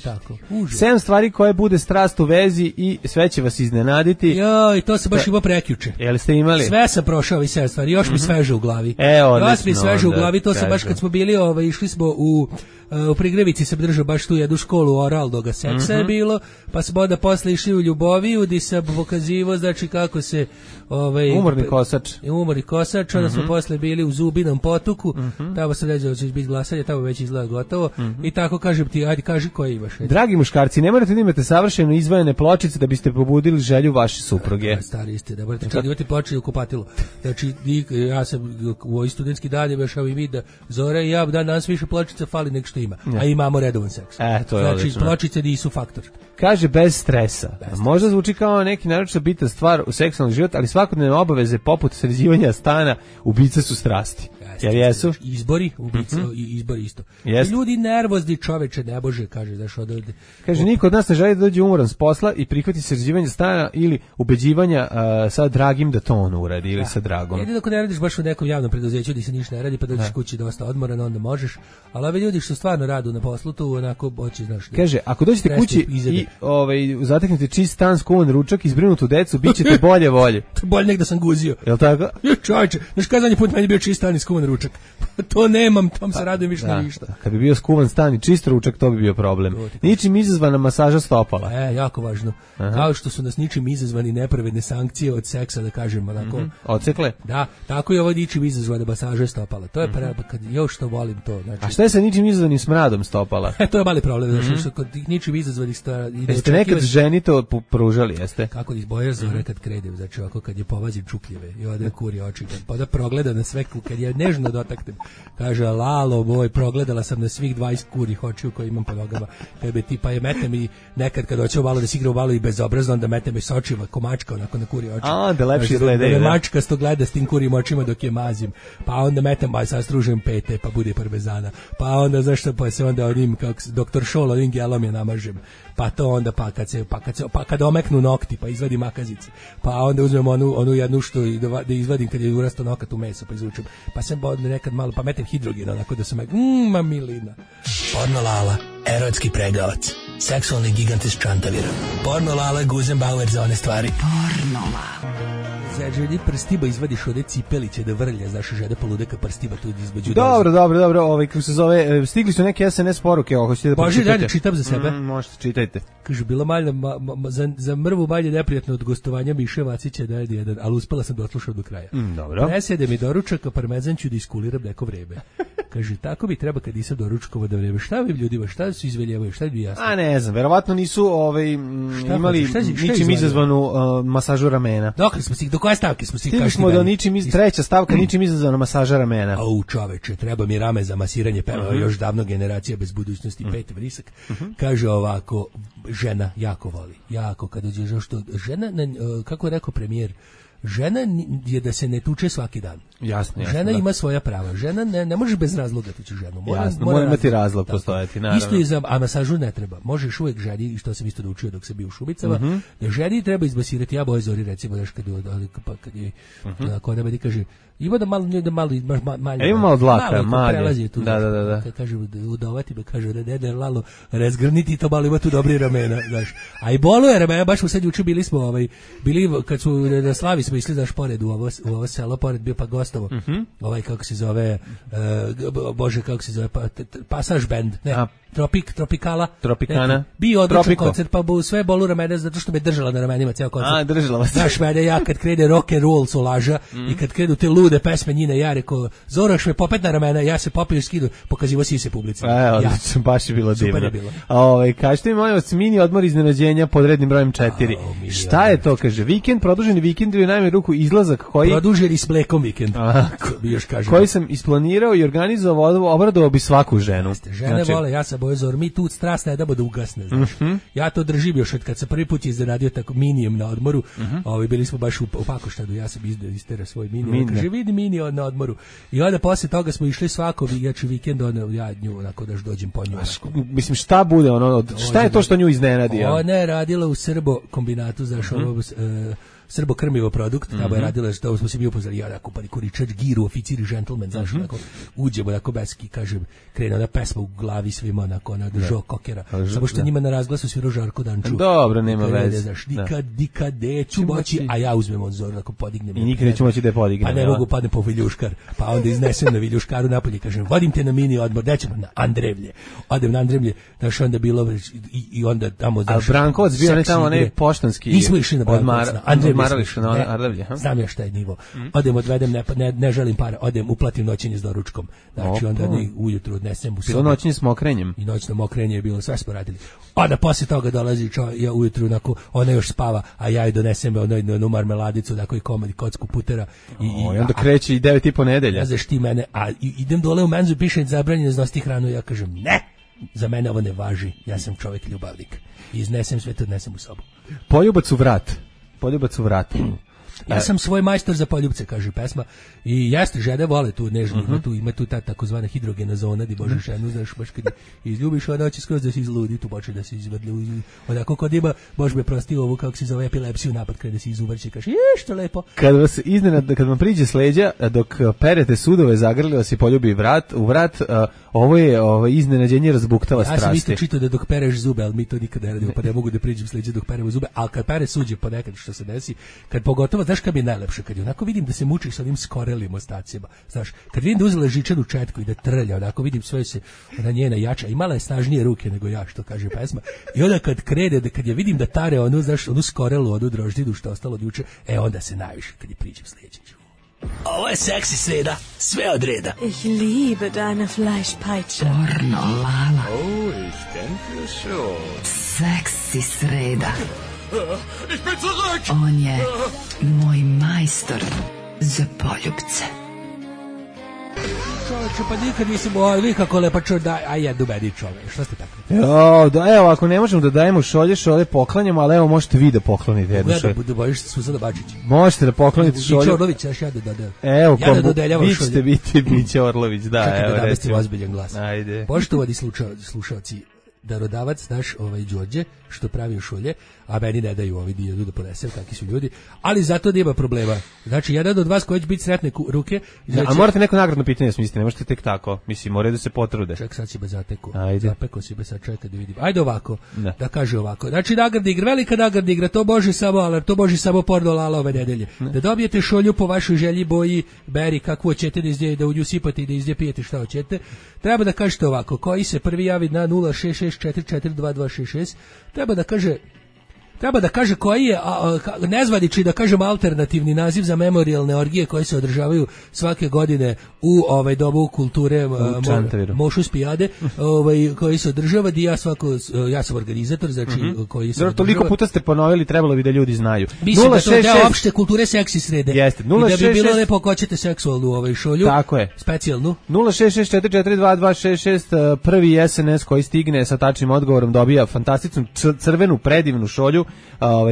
tako. 7 stvari koje bude strast u vezi i sve će vas iznenaditi. Joj, to sam baš imao prekjuče. Jel ste imali? Sve sam prošao i 7 stvari, još mi sveže u glavi. Odlično. Još mi sveže u glavi, to sam baš kad smo bili, išli smo u u Prigrevici sam držao baš tu jednu školu oralnoga seksa je bilo, pa smo onda posle išli u Ljuboviju, gdje sam pokazivo, znači kako se umorni kosač, onda smo posle bili u Zubinom potuku, tamo sam ređao da će biti glasanje, tamo već izgleda gotovo, i tako kažem ti, ajde kaži koje imaš. Dragi muškarci, ne morate da imate savršeno izvojene pločice da biste pobudili želju vaše supruge. Stari ste, da morate čak imati pločice u kupatilu. Znači, ja sam u ovoj studentski dan je vešao i da Zora i ja danas više pločica fali nek što ima, a imamo redovan seks. To je znači, pločice nisu faktor. Kaže bez stresa. Možda zvuči kao neki naročito bitan stvar u seksualnom životu, ali svakodnevne obaveze poput sređivanja stana ubice su strasti. Jer jesu? Izbori, ubice, izbori isto. Ljudi nervozni, čoveče, ne bože, kaže, znaš, odavde. Kaže, niko od nas ne želi da dođe umoran s posla i prihvati sređivanje stana ili ubeđivanja sa dragim da to on uradi ili sa dragom. Jedino ako ne radiš baš u nekom javnom preduzeću gdje se ništa ne radi, pa dođeš kući dosta odmoran, onda možeš, ali ovi ljudi što stvarno radu na poslu, tu onako hoće, znaš. Kaže, ako dođete kući i zateknete čist stan, skuvan ručak, izbrinutu decu, bit ćete bolje volje. Bolje nek da sam guzio. Jel' tako? Čovječe, znaš kada zadnji put meni bio čist stan i skuvan ručak? To nemam, tom se radujem više na ništa. Kad bi bio skuvan stan i čist ručak, to bi bio problem. Ničim izazvana masaža stopala. Jako važno. Kao što su nas ničim izazvani nepravedne sankcije od seksa, da kažem, onako. Odsekle? Da, tako je ovo ničim izazvana masaža stopala. To je kad još što volim to. Znači, a šta je sa ničim izazvanim smradom stopala? To je mali problem, znači što kod tih ničim izazvanih jeste nekad ženi to pružali, jeste? Kako izboja Zore kad krede, znači ovako kad je povazim čukljeve i ode kuri oči, pa da progleda na sve, kad je nežno dotaknem, kaže, lalo moj, progledala sam na svih 20 kurih očiju koje imam po nogama, tebe ti, pa je metem i nekad kad hoćemo malo da se igra u malo i bezobrazno, onda metem i s očima, ko mačka onako na kuri oči. Da lepše izgledaju. Da mačka sto gleda s tim kurim očima dok je mazim, pa onda metem, pa sad stružem pete, pa bude parmezana, pa onda, znaš što, pa se onda onim, kako doktor Šol, onim gelom je namažem, pa to onda, pa kad omeknu nokti, pa izvadim makazice, pa onda uzmem onu jednu što da izvadim kad je urasto nokat u meso, pa izvučem, pa sam nekad malo, pa metem hidrogen, onako da sam mamilina. Porno Lala, erotski pregavac, seksualni gigant iz Čantavira. Porno Lala, Guzenbauer za one stvari. Porno Lala. Žedi prstiba izvadiš ode cipeliće da vrlja, znaš, žede poludeka prstiba tu između. Dobro, kako se zove, stigli su neke SMS poruke, hoćete da pročitate? Bože, čitam za sebe. Možete, čitajte. Kaže, bilo malje, za mrvu malje neprijatno od gostovanja Miše Vacića da je jedan, ali uspela sam da odslušao do kraja. Dobro. Ne sede mi doručak, a parmezan ću da iskuliram neko vreme. Kaže, tako bi treba kad nisam doručkovo da vreme. Šta vi ljudima, šta su izveljavaju, šta bi jasno? A ne znam, verovatno nisu imali ničim izazvanu masažu ramena. Do koje stavke smo stigli smo do treća stavka, ničim izazvana masaža ramena. Čoveče, treba mi rame za masiranje, peva još davno generacija bez budućnosti, pet vrisak. Kaže ovako, žena jako voli, jako kad dođe što žena, kako je rekao premijer, žena je da se ne tuče svaki dan. Jasno. Žena ima svoja prava. Žena ne može bez razloga tući ženu. Mora imati razlog postojati, naravno. Isto je a masažu ne treba. Možeš uvek ženi, što sam isto naučio dok sam bio u Šubicama, da ženi treba izmasirati. Ja boje Zori, recimo, daš kad je kod meni kaže, ima da malo ima malo dlaka, malje. Prelazi tu. Da. Kad kaže udovati me, kaže ne lalo razgrniti to malo, ima tu dobri ramena, znaš. A i boluje ramena, baš u sad juče bili kad su na Slavi smo išli, znaš, pored u ovo selo, pored bio pa Gostovo. Kako se zove, kako se zove, Pasaž band, ne, Tropikana. Bio odličan koncert, pa sve bolu ramena, zato što me držala na ramenima ceo koncert. Držala vas. Znaš, mene, ja kad krene rock and roll su laža i kad krenu te lude pesme njine, ja rekao, Zoraš me popet na ramena, ja se popio skidu, pokazivo si se publici. Odlično, baš je bilo divno. Kažete mi, molim vas, mini odmor iznenađenja pod rednim brojem 4. Šta je to, kaže, vikend, produženi vikend ili u najmanju ruku izlazak koji... Produženi s mlekom vikend. Koji sam isplanirao i organizovao, obradovao bi svaku ženu. Žene vole, ja sam boje Zor, mi tu strast ne damo da ugasne, znaš. Ja to držim još od kad sam prvi put izradio tako minijem na odmoru, bili smo baš u Pakoštadu, ja sam istera svoj minijem, kaže vidi mini na odmoru. I onda posle toga smo išli svako vikend, ja nju onako daš dođem po nju. Mislim, šta bude šta je to što nju iznenadi? Ona je radila u Srbo kombinatu, znaš, srbokrmivo produkt, tamo je radila, što smo se mi upoznali, ja tako Kuričač, Giru, oficir i džentlmen, znaš, onako, uđemo, onako, beski, kažem, krene ona pesma u glavi svima, onako, ona držao kokera, samo što njima na razglasu svirao Žarko Danču. Dobro, nema veze. Znaš, nikad neću moći, a ja uzmem od zora, onako, podignem. I nikad neću moći da je podignem. Pa ne mogu, padnem po Viljuškar, pa onda iznesem na Viljuškaru napolje, kažem, vodim te na mini odmor, nećemo na Andrevlje. Odem na Andrevlje, znaš, onda bilo, i onda tamo, znaš, a Brankovac bio ne tamo, ne poštanski. Nismo išli na Brankovac, na Andrevlje. Ardavlje, znam ja šta je nivo. Odem, odvedem, ne želim para, odem, uplatim noćenje s doručkom. Znači, onda ujutru odnesem u sobu. Bilo noćenje s mokrenjem. I noćno mokrenje je bilo, sve smo radili. Onda posle toga dolazi ja ujutru, onako, ona još spava, a ja joj donesem onu marmeladicu, tako i komad i kocku putera. I onda kreće i 9,5 nedelja. Ja znaš ti mene, a idem dole u menzu, piše zabranjeno iznositi hranu, ja kažem, ne, za mene ovo ne važi, ja sam čovjek ljubavnik. I iznesem sve to, odnesem u sobu. Poljubac u vrat. Ja sam svoj majstor za poljubce, kaže pesma. I jeste, žene vole tu nežno, ima tu ta takozvana hidrogena zona, di možeš ženu, znaš, baš kad izljubiš, ona hoće skroz da se izludi, tu počne da se izvrli, onako kod ima, Bož me prosti ovu, kako se zove, epilepsiju, napad krene se izuvrći, kaže, što lepo. Kad vam priđe s leđa, dok perete sudove, zagrli vas i poljubi u vrat, ovo je iznenađenje razbuktala strasti. Ja sam isto čitao da dok pereš zube, ali mi to nikad ne radimo, pa ne mogu da priđem s leđa dok peremo zube, ali kad pere suđe ponekad što se desi, kad pogotovo, znaš kad mi je najlepše, kad je onako vidim da se mučiš sa onim skorelim ostacima, znaš, kad vidim da uzela žičanu četku i da trlja, onako vidim sve se, ona njena jača, imala je snažnije ruke nego ja, što kaže pesma, i onda kad krene, kad je vidim da tare onu, znaš, onu skorelu, onu droždinu što ostalo od juče, onda se najviše kad je priđem s leđa. Ovo je seksi sreda, sve od reda. Ich liebe deine Fleischpeitsche. Pornolala. Oh, ich denke schon. Seksi sreda. Ich bin zurück! On je moj majstor za poljubce. Čovječe, pa nikad nisam nikako lepa a jedu meni čove, što ste tako? Evo, ako ne možemo da dajemo šolje poklanjamo, ali evo možete vi da poklonite jednu šolju. Da bojiš se Suzana Bačić. Možete da poklonite šolju. Biće Orlović, ja da dodam. Evo, ja da dodeljavam šolje. Vi ćete biti Biće Orlović, da. Čekaj da namestim ozbiljan glas. Ajde. Poštovani slušalci, darodavac naš Đorđe što pravi šolje, a meni ne daju ovi dio da ponesem, kakvi su ljudi, ali zato nema problema. Znači, jedan od vas koji će biti sretne ruke... Znači, a morate neko nagradno pitanje smisliti, ne možete tek tako. Mislim, moraju da se potrude. Ček, sad si me zateku. Ajde. Zapeko si me sad, čekaj da vidim. Ajde ovako, da kaže ovako. Znači, nagradna igra, velika nagradna igra, to može samo alarm, to može samo Pornolala ove nedelje. Da dobijete šolju po vašoj želji, boji, beri, kakvu hoćete da u nju sipate i da iz nje pijete šta hoćete. Treba da kažete ovako, koji se prvi javi na 066442266, treba da kaže koji je nezvanični, da kažem, alternativni naziv za memorijalne orgije koje se održavaju svake godine u domu kulture Mošus Pijade, koji se održava, ja sam organizator, znači koji se održava. Toliko puta ste ponovili, trebalo bi da ljudi znaju. Mislim da to je deo opšte kulture seksi srede. Jeste. I da bi bilo lepo ako hoćete seksualnu šolju. Tako je. Specijalnu. 066442266, prvi SNS koji stigne sa tačnim odgovorom dobija fantastičnu crvenu predivnu šolju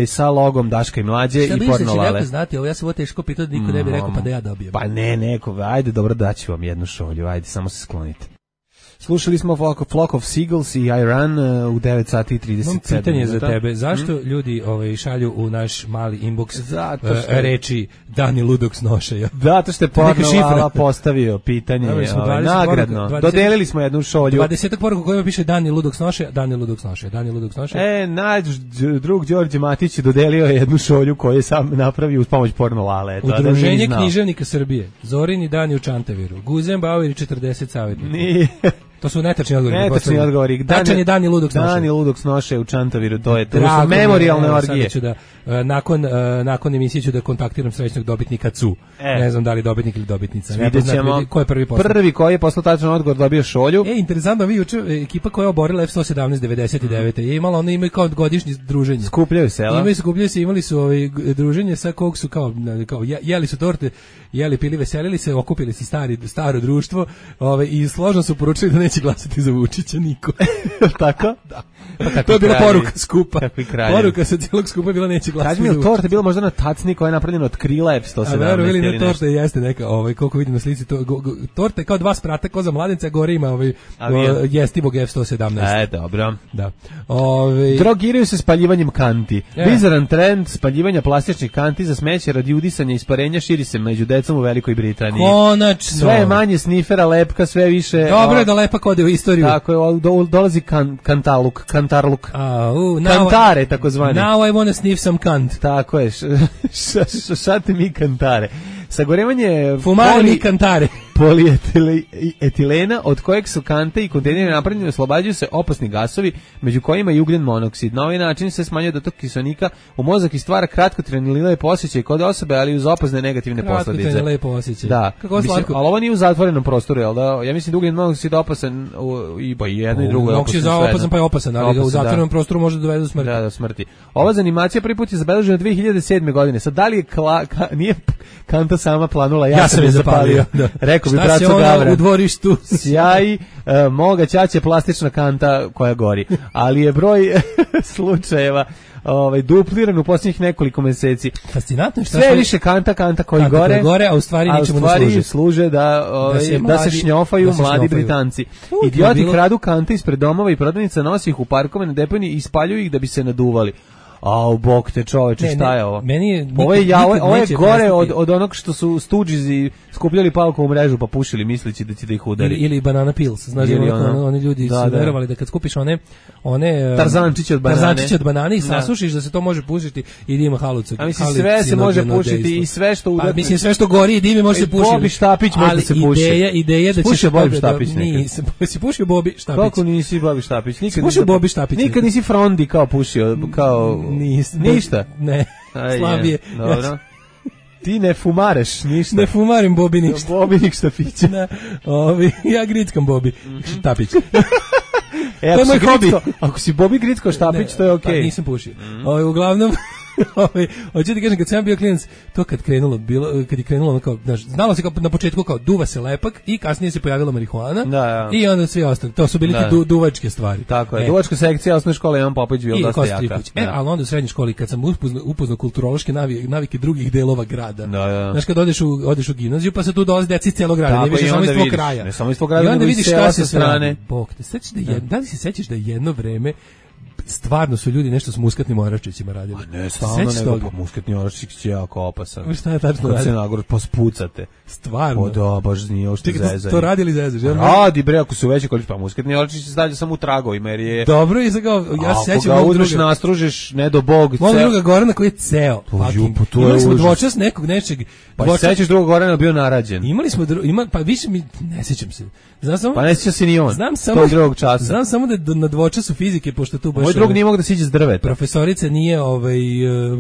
sa logom Daška i Mlađe i Pornolale. Šta misliš, neko znati, ja sam ovo teško pitao da niko ne bi rekao pa da ja dobijem. Pa ne, neko, ajde, dobro, daću vam jednu šolju, ajde, samo se sklonite. Slušali smo Flock of Seagulls i I Run u 9 sati i 37 minuta. Imam pitanje za tebe. Zašto ljudi šalju u naš mali inbox reči Dani Ludok snošaja? Zato što je Pornolala postavio pitanje nagradno. Dodelili smo jednu šolju. 20 poruka kojima piše Dani Ludok snošaja, Dani Ludok snošaja, Dani Ludok snošaja. Naš drug Đorđe Matić dodelio jednu šolju koju je sam napravio uz pomoć Pornolale. Udruženje književnika Srbije, Zorini Dani u Čantaviru, Guzen Bauer i 40 savjetnika. Nije. To su netačni odgovori. Netačni odgovori. Tačan je Dani Ludok snošaja. Dani Ludok snošaja u Čantaviru, to je memorijalne orgije. Nakon emisije ću da kontaktiram srećnog dobitnika CU. Ne znam da li dobitnik ili dobitnica. Vidjet ćemo. Ko je prvi poslao? Prvi koji je poslao tačan odgovor dobio šolju. Interesantno, vi juče, ekipa koja je oborila F-117 99. je imala, ono imaju kao godišnje druženje. Skupljaju se, jel? Skupljaju se, imali su druženje sa kog su kao jeli su torte, pili, veselili se, okupili se staro društvo i složno su poručili da neće glasati za Vučića niko. Tako? Da. Pa to je bila poruka skupa. Poruka sa cijelog skupa je bila neće glasati za Vučića. Kaži mi, torta je bila možda na tacni koja je napravljena od krila F-117. A veru ili ne, torta jeste neka, koliko vidim na slici, torta je kao dva sprata, ko za mladenca, gore ima jestivog F-117. Dobro. Da. Drogiraju se spaljivanjem kanti. Bizaran trend spaljivanja plastičnih kanti za smeće radi udisanja i isparenja širi se među decom u Velikoj Britaniji. Konačno. Sve je manje snifera, lepka, sve više... Dobro je da lepak ode u istoriju. Tako je, dolazi kantarluk. Kantare, takozvani. Now I wanna sniff some kant. Tako je, šate mi kantare. Sagorevanje... Fumare mi kantare. Polietilena, od kojeg su kante i kontejneri napravljeni, oslobađaju se opasni gasovi, među kojima i ugljen monoksid. Na ovaj način se smanjuje dotok kiselnika u mozak i stvara kratkotrajni lepo osjećaj kod osobe, ali uz opasne negativne posledice. Kratkotrajni lepo osjećaj. Da. Kako slatko. Ali ovo nije u zatvorenom prostoru, jel da? Ja mislim da ugljen monoksid opasan i jedno i drugo je opasan. Opasan pa je opasan, ali ga u zatvorenom prostoru može dovede do smrti. Da, do smrti. Ova zanimacija prvi put je zabeležena 2007. godine. Sad da li je nije kanta sama planula, ja sam je zapalio. Rekao bi braco Gavran. U dvorištu sjaj, moga ćaće plastična kanta koja gori, ali je broj slučajeva dupliran u posljednjih nekoliko meseci. Fascinantno što sve više kanta koji gore, a u stvari ničemu ne služe da se šnjofaju mladi Britanci. Idioti kradu kante ispred domova i prodavnica, nosi ih u parkove na deponiji i spaljuju ih da bi se naduvali. Au, bog te čoveče, šta je ovo? Ovo je gore od onog što su Stooges skupljali palkovu mrežu pa pušili misleći da će da ih udari. Ili banana pills, znaš, oni ljudi su verovali da kad skupiš one tarzančiće od banane i sasušiš da se to može pušiti i da ima halucu. A mislim, sve se može pušiti i sve što udari. Pa mislim, sve što gori i dimi može se pušiti. Bobi Štapić može se pušiti. Ideja da ćeš Bobi Štapić nekad. Si pušio Bobi Štapić? Kako nisi Bobi Štapić? Nikad nisi Frondi kao pušio, kao... Ništa? Ne, slabije. Dobro. Ti ne fumareš ništa. Ne fumarim Bobi ništa. Bobi ništa piće. Ja grickam Bobi Štapić. To je moj hobi. Ako si Bobi grickao Štapić, to je okej. Pa nisam pušio. Uglavnom... hoću ti kažem, kad sam bio klinac, to kad je krenulo kao, znalo se kao na početku kao duva se lepak i kasnije se pojavila marihuana i onda svi ostali, to su bili ti duvačke stvari. Tako je, duvačka sekcija osnovne škole Ivan Popović bio dosta jaka. Ali onda u srednjoj školi kad sam upoznao kulturološke navike drugih delova grada, znaš kad odeš u gimnaziju pa se tu dolazi deci iz cijelog grada, ne više samo iz tvog kraja. Ne samo iz tvog grada, nego iz sela sa strane. Bog te, da li se sećaš da je jedno vreme stvarno su ljudi nešto s muskatnim oraščićima radili. A ne, stvarno nego, pa muskatni oraščić je jako opasan. Šta je tačno radili? Kad se nagor, pa spucate. Stvarno? O da, baš nije ovo što zezanje. To radili zezaš? Radi bre, ako su veće količine, pa muskatni oraščić se stavlja samo u tragovima, jer je... Dobro, i sad kao, ja se sećam... Ako ga uzmeš, nastružiš, ne do Bog... Mog druga Gorana koji je ceo. Imali smo dvočas nekog nečeg... Pa se sećaš drugog Gorana bio narađen. Imali smo, pa više mi, ne sećam se. Pa ne sjeća se ni on. Znam samo da na dvočasu fizike, pošto tu baš... Moj drug nije mogu da siđe s drveta. Profesorica nije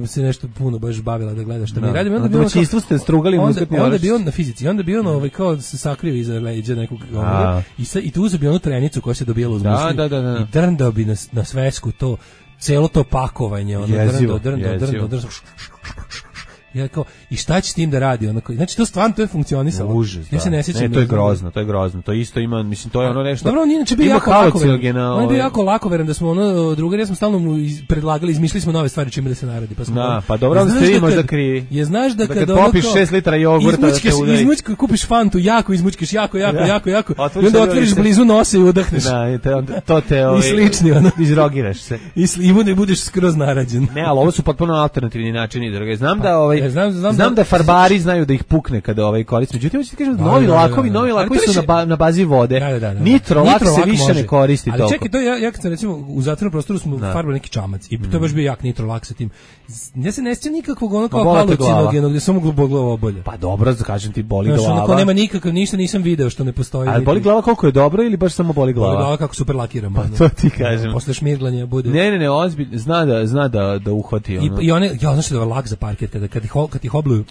se nešto puno baš bavila da gleda šta mi radimo. Na domaćinstvu ste strugali muskatni oraščić. Onda bi on na fizici, onda bi on kao se sakrio iza leđa nekog i tu uzeo bi onu trenicu koja se dobijala uz musli i drndao bi na svesku to, celo to pakovanje. Drndao. Ja kao, i šta će s tim da radi? Znači, to stvarno, to je funkcionisalo. Užas, ja se ne sjećam. Ne, to je grozno. To isto ima, mislim, to je ono nešto... Dobro, on je inače bio jako lakoveran. On je bio jako lakoveran da smo drugari, ja smo stalno predlagali, izmišljali smo nove stvari čime da se naradi. Pa dobro, onda ste vi možda krivi. Je, znaš da kad popiš 6 litara jogurta da te udari. Kupiš fantu, izmučkeš jako. I onda otvoriš blizu nose i udahneš. To te i slični, izrogiraš se. I budeš skroz narađen. Ne, ali ovo su potpuno alternativni načini, drage. Znam da farbari znaju da ih pukne kada koriste. Međutim, hoćete kažem, novi lakovi su na bazi vode. Nitro lak se više ne koristi toliko. Ali čekaj, to ja kad sam recimo u zatvorenom prostoru smo farbali neki čamac i to je baš bio jak nitro lak sa tim. Ja se ne sjećam nikakvog ono kao halucinogenog gdje samo glava obolje. Pa dobro, kažem ti, boli glava. Ono nema nikakav, ništa nisam video što ne postoji. Ali boli glava koliko je dobro ili baš samo boli glava? Boli glava kako super lakiram. Pa to ti kažem. Posle šmirglanja bude. Ne, ozbiljno, zna da uhvati ono. I one, ja znaš da je lak za parket kad ih obluju.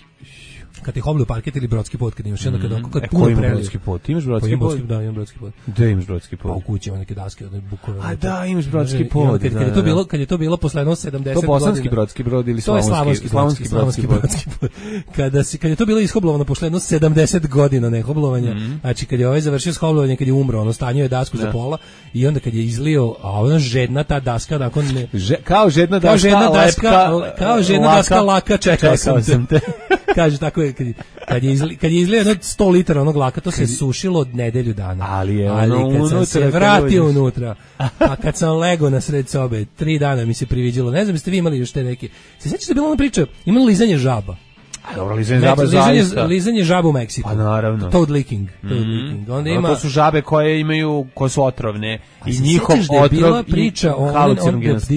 kad je hoblu parket ili brodski pot, kad imaš onda kad puno prelije. Brodski pot? Imaš brodski pot? Da, imam brodski pot. Da, imaš brodski pot. Pa u kući ima neke daske, one bukove. A da, imaš brodski pot. Kad je to bilo posle 70 godina. To bosanski brodski brod ili slavonski brodski pot. Kad je to bilo ishoblovano posle 70 godina nehoblovanja, znači kad je ovaj završio shoblovanje, kad je umro, ono stanjio je dasku za pola i onda kad je izlio, a ona žedna ta daska, nakon ne... Kao žedna daska laka, čekao sam te. Kaže tako je, kad je izlio jedno 100 litara onog laka, to se sušilo od nedelju dana. Ali kad sam se vratio unutra, a kad sam legao na sred sobe, 3 dana mi se priviđalo. Ne znam, jeste vi imali još te neke... Se sjećate bila ona priča, imali lizanje žaba. Dobro, lizanje žaba u Meksiku. Pa naravno. Toad licking. Onda ima... To su žabe koje su otrovne i njihov otrov priča o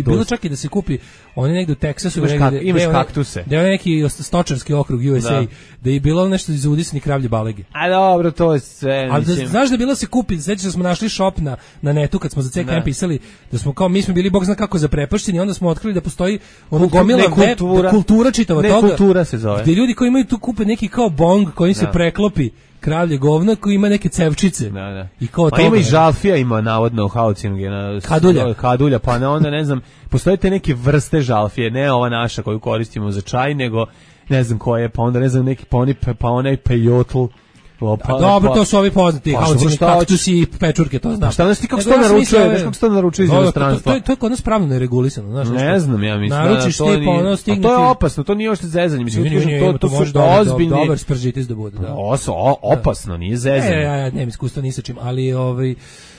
bilo čak i da se kupi oni negde u Teksasu imaš kaktuse. Da je neki stočarski okrug USA, da je bilo nešto iz udisani kravlje balege. A dobro, to je sve. Ali znaš da je bilo se kupi, sećaš da smo našli shop na netu kad smo za CKM pisali, da smo kao mi smo bili bog zna kako zaprepašćeni, onda smo otkrili da postoji ono gomila kultura čitava toga. Kultura se zove. Gde ljudi koji imaju tu kupe neki kao bong koji se preklopi kravlje govno koji ima neke cevčice. Da. I kao pa ima i žalfija, ima navodno u Haucingena. Kadulja, pa onda ne znam, postoje te neke vrste žalfije, ne ova naša koju koristimo za čaj, nego ne znam koje, pa onda ne znam neki pa onaj pejotl. Dobro, to su ovi poznati Haucingeni kaktusi i pečurke, to znam. Šta znaš ti kako se to naručuje, znaš kako se to naručuje iz inostranstva? To je kod nas pravno neregulisano, znaš. Ne znam, ja mislim naručiš da to nije. Naručiš ti, to je opasno, to nije ošte zezanje, mislim to su ozbiljni. Dobar spržitis da bude, da. Opasno, nije zezanje. Ja nemam iskustva ni sa čim, ali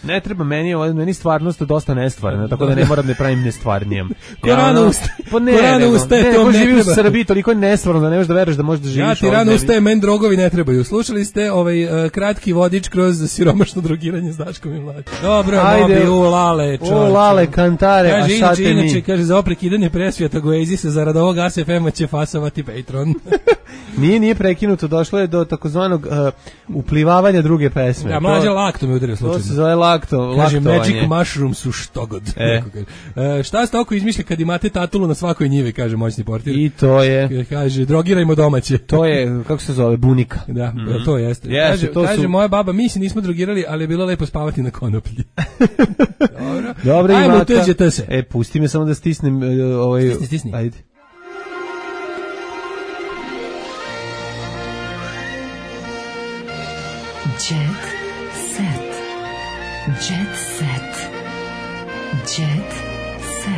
ne treba meni stvarnost dosta nestvarna, tako da ne moram da pravim nestvarnijem. Ko rano ustaje, to ne treba. U Srbiji toliko je nestvarno da ne možeš da veruješ da možeš da živiš. Ja ti rano ustaje, men drogovi ne trebaju. Slušali ste kratki vodič kroz siromašno drogiranje s Daškom i Mlađom. Dobro, mobi, ulale, čovječe. Ulale, kantare, a šta te mi? Inače, kaže, za oprekidanje presvijeta Goezisa, zarad ovog ASFM-a će fasovati Patreon. Nije prekinuto, došlo je do takozvanog uplivavanja druge pesme. Ja, Mlađa lakto me udario slučajno. To se zove laktovanje. Kaže, Magic Mushroom su štogod. Šta ste oko izmišlja kad imate tatulu na svakoj njivi, kaže moćni portir. I to je. Kaže, drogirajmo domaće. To je, kako se zove, bunika. Da, to jeste. Kaže, moja baba, mi se nismo drogirali, ali je bilo lepo spavati na konoplji. Dobro, ajmo, tuđete se. Pusti me samo da stisnem Stisni. Ajde. Jet set. Jet set. Jet set.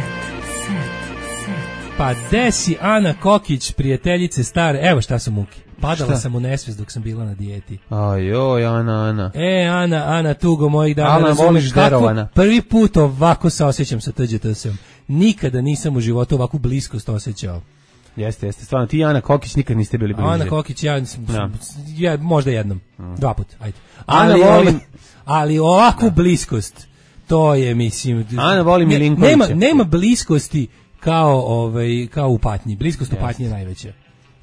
Pa desi Ana Kokić, prijateljice stare, evo šta su muke. Padala sam u nesvijest dok sam bila na dijeti. Ajoj, Ana. Ana, tugo mojih dana. Ana, voliš derovana. Prvi put ovako se osjećam sa TGT-om. Nikada nisam u životu ovakvu bliskost osjećao. Jeste, stvarno, ti i Ana Kokić nikad niste bili bliže. Ana Kokić, ja možda jednom, 2 puta, ajde. Ali ovakvu bliskost, to je, mislim... Ana voli Milinkovića. Nema bliskosti kao u patnji. Bliskost u patnji je najveća.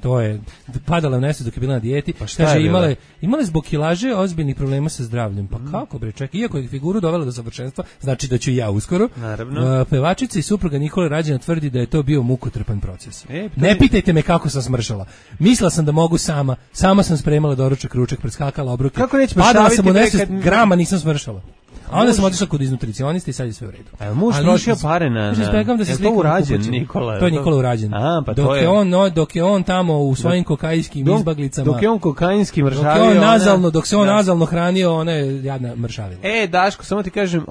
To je, padala u nesvijest dok je bila na dijeti. Pa šta kaže, je imale zbog kilaže ozbiljnih problema sa zdravljem. Pa kako bre, čekaj, iako je figuru dovela do savršenstva, znači da ću ja uskoro. Naravno. Pevačica i supruga Nikole Rađena tvrdi da je to bio mukotrpan proces. Ne pitajte me kako sam smršala. Mislila sam da mogu sama sam spremala doručak, ručak, preskakala obroke. Kako neće padala sam u nesvijest, grama nisam smršala. A onda sam otišla kod iznutricionista i sad je sve u redu. A muž trošio pare na... Je to urađen, Nikola? To je Nikola urađen. Pa dok je on tamo u svojim kokainskim izbaglicama... Dok je on kokainskim mršavio... Dok se on nazalno hranio, ona je jadna mršavila. Daško, samo ti kažem,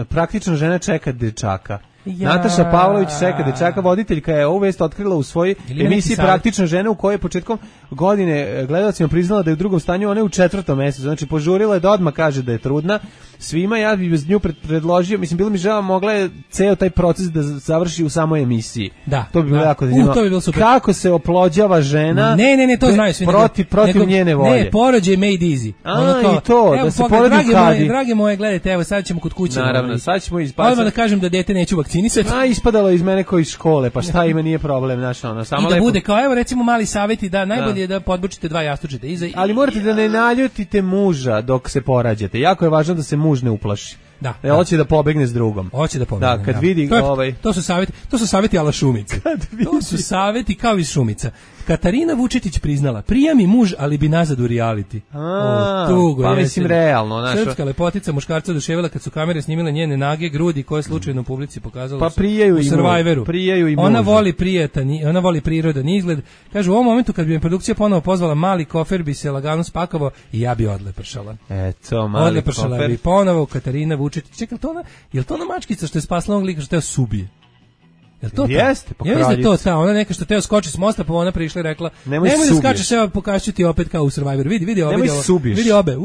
praktična žena čeka dečaka. Nataša Pavlović čeka dečaka, voditeljka je ovu vest otkrila u svojoj emisiji Praktična žena, u kojoj je početkom godine gledalcima priznala da je u drugom stanju, ona je u 4. mesecu, znači požurila je da odmah kaže da je trudna. Svima ja bih bez nju predložio, mislim, bilo mi žao, mogla je ceo taj proces da završi u samoj emisiji. Da. To bi bilo jako zanimljivo. To bi bilo super. Kako se oplođava žena? Ne, to znaju svi. Protiv njene volje. Ne, porođaj made easy. I to, da se porodi u kadi. Drage moje, gledajte, evo sad ćemo kod kuće. Naravno, sad ćemo ispasati. Odmah da kažem da dete neću vakcinisati. Ispadalo iz mene koji iz škole, pa šta ima, nije problem, znaš, samo lepo. I da bude kao, evo recimo mali savjeti, da najbolje je da podbučite 2 jastučeta iza. Ali morate da ne naljutite muža dok se porađate. Jako je važno da se muž ne uplaši. Da. Hoće da pobegne s drugom. Hoće da pobegne. Da, kad vidi to su saveti ala Šumice. To su saveti kao iz Šumica. Katarina Vučetić priznala, prija mi muž, ali bi nazad u reality. Tugo, pa mislim realno. Srpska lepotica muškarca oduševila kad su kamere snimile njene nage, grudi koje slučajno u publici pokazalo pa prijaju u Survivoru. Ona voli prirodan izgled. Kaže, u ovom momentu kad bi me produkcija ponovo pozvala, mali kofer bi se lagano spakavao i ja bi odlepršala. Eto, mali odlepršala kofer. Bi ponovo Katarina Vučetić. Čekaj, je li to ona mačkica što je spasla onog lika što teo subije? Jel to jeste, ja mislim da to ta, ona neka što teo skoči s mosta, pa ona prišla i rekla, nemoj da skačeš, evo pokažu ti opet kao u Survivoru, vidi obe,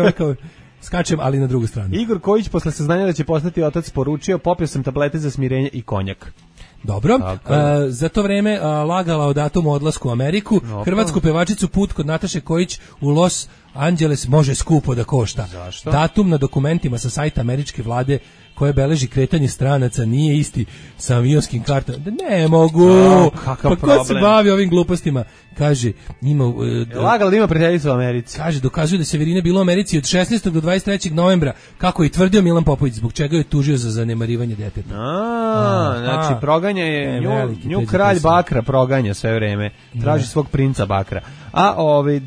i kao, skačem, ali na drugu stranu. Igor Kojić posle saznanja da će postati otac poručio, popio sam tablete za smirenje i konjak. Dobro, za to vreme lagala o datumu odlasku u Ameriku. Hrvatsku pevačicu put kod Nataše Kojić u Los Angeles može skupo da košta. Zašto? Datum na dokumentima sa sajta američke vlade koje beleži kretanje stranaca nije isti sa avionskim kartama. Ne mogu. Kakav problem. Ko se bavi ovim glupostima? Kaže, ima... lagala da ima prijateljicu u Americi. Kaže, dokazuje da Severina bila u Americi od 16. do 23. novembra, kako je tvrdio Milan Popović, zbog čega je tužio za zanemarivanje deteta. Znači, proganja je nju kralj Bakra, proganja sve vreme. Traži svog princa Bakra. A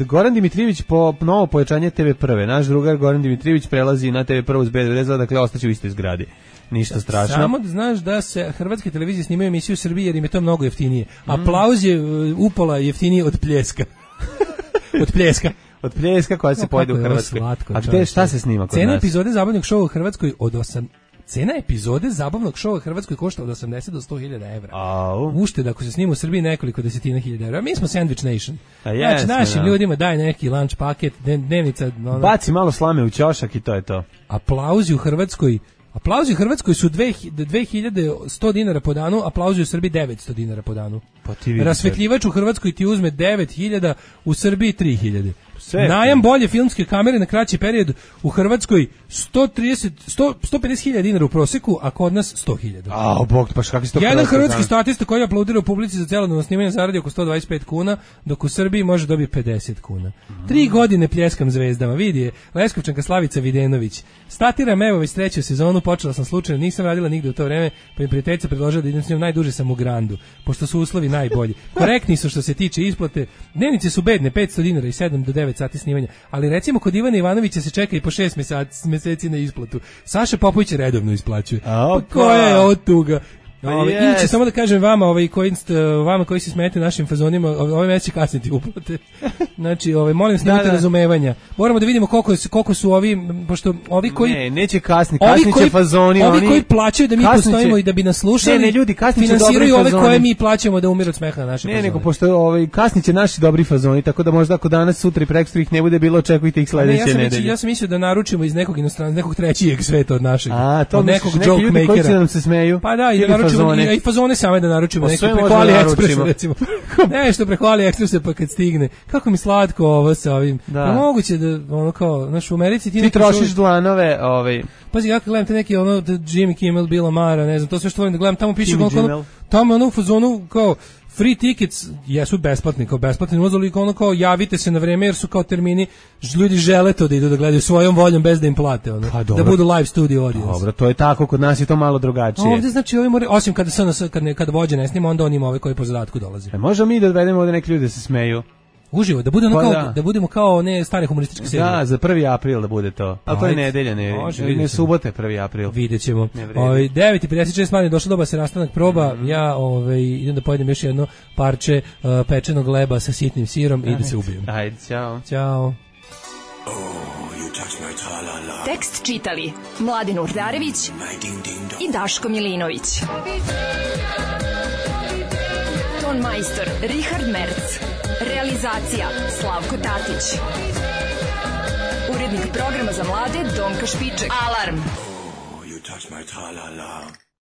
Goran Dimitrijević po novo pojačanje TV1. Naš drugar Goran Dimitrijević prelazi na TV1 uz B92, dakle ostaće u istoj zgradi. Ništa strašno. Samo da znaš da se hrvatske televizije snimaju emisiju u Srbiji jer im je to mnogo jeftinije. Aplauz je upola jeftiniji od Pljeska. Od Pljeska koja se pojede u Hrvatskoj. A gde, šta se snima kod nas? Cena epizode zabavnog šova u Hrvatskoj Cena epizode zabavnog šova u Hrvatskoj košta od 80 do 100.000 evra. Ušteda ako se snima u Srbiji nekoliko desetina hiljada evra. Mi smo Sandwich Nation. Znači našim ljudima daj neki lunch paket, dnevnica. Baci malo slame u ćošak i to je to. Aplauzi u Hrvatskoj su 2100 dinara po danu, aplauzi u Srbiji 900 dinara po danu. Rasvetljivač u Hrvatskoj ti uzme 9.000, u Srbiji 3.000. Najam bolje filmske kamere na kraći period u Hrvatskoj 150.000 dinara u proseku, a kod nas 100.000. Jedan hrvatski statista koji aplaudira u publici za celodnevno snimanje zaradi oko 125 kuna, dok u Srbiji može dobiti 50 kuna. 3 godine pljeskam zvezdama, vidi je Leskovčanka Slavica Videnović. Statiram evo već 3. sezonu, počela sam slučajno, nisam radila nigde u to vreme, pa mi prijateljica predložila da idem s njom, najduže sam u Grandu, pošto su uslovi najbolji. Korektni su što se tiče isplate, dnevnice su bedne, 500 dinara i 7 do 9 sati snimanja, ali recimo kod Ivana Ivanovića se čeka i po 6 meseci na isplatu. Saša Popović redovno isplaćuje. Pa koja je od tuga? Inače, samo da kažem vama, vama koji se smete našim fazonima, ove mesec će kasniti uplate. Znači, molim se, nemate razumevanja. Moramo da vidimo koliko su ovi, pošto ovi koji... neće kasnit će fazoni. Ovi koji plaćaju da mi postojimo i da bi nas slušali, ljudi, finansiraju ove koje mi plaćamo da umiru od smeha na naše fazone. Nego, pošto kasnit će naši dobri fazoni, tako da možda ako danas, sutra i prekstra ih ne bude bilo, očekujte ih sledeće nedelje. Ja sam mislio da naručimo iz nekog inostranstva, nekog trećijeg sveta od našeg. Od nekog joke makera. Pa da, i fazone same da naručimo neki preko AliExpressa recimo. Nešto preko AliExpressa pa kad stigne. Kako mi slatko ovo sa ovim. Pa moguće da ono kao naš u Americi ti trošiš dlanove, Pazi kako gledam te neki Jimmy Kimmel, Bill Maher, ne znam, to sve što volim da gledam, tamo piše tamo u fazonu kao free tickets jesu besplatni, kao besplatni ulaz, ono kao javite se na vreme jer su kao termini, ljudi žele to da idu da gledaju svojom voljom bez da im plate, da budu live studio audience. Dobro, to je tako, kod nas je to malo drugačije. Ovdje znači osim kada vođe ne snima, onda on ima ove koji po zadatku dolaze. Možemo mi da odvedemo ovdje neki ljudi da se smeju. Uživo, da budemo kao ne stare humorističke serije. Da, za 1. april da bude to. Ali to je nedelja, ne subote 1. april. Vidjet ćemo. 9:56 manje došlo doba se rastanak proba. Ja idem da pojedem još jedno parče pečenog leba sa sitnim sirom i da se ubijem. Ajde, ćao. Tekst čitali Mladin Urdarević i Daško Milinović. Ton majstor Richard Merc. Realizacija Slavko Tatić. Urednik programa za mlade Donka Špiček. Alarm! You touch my tra-la-la.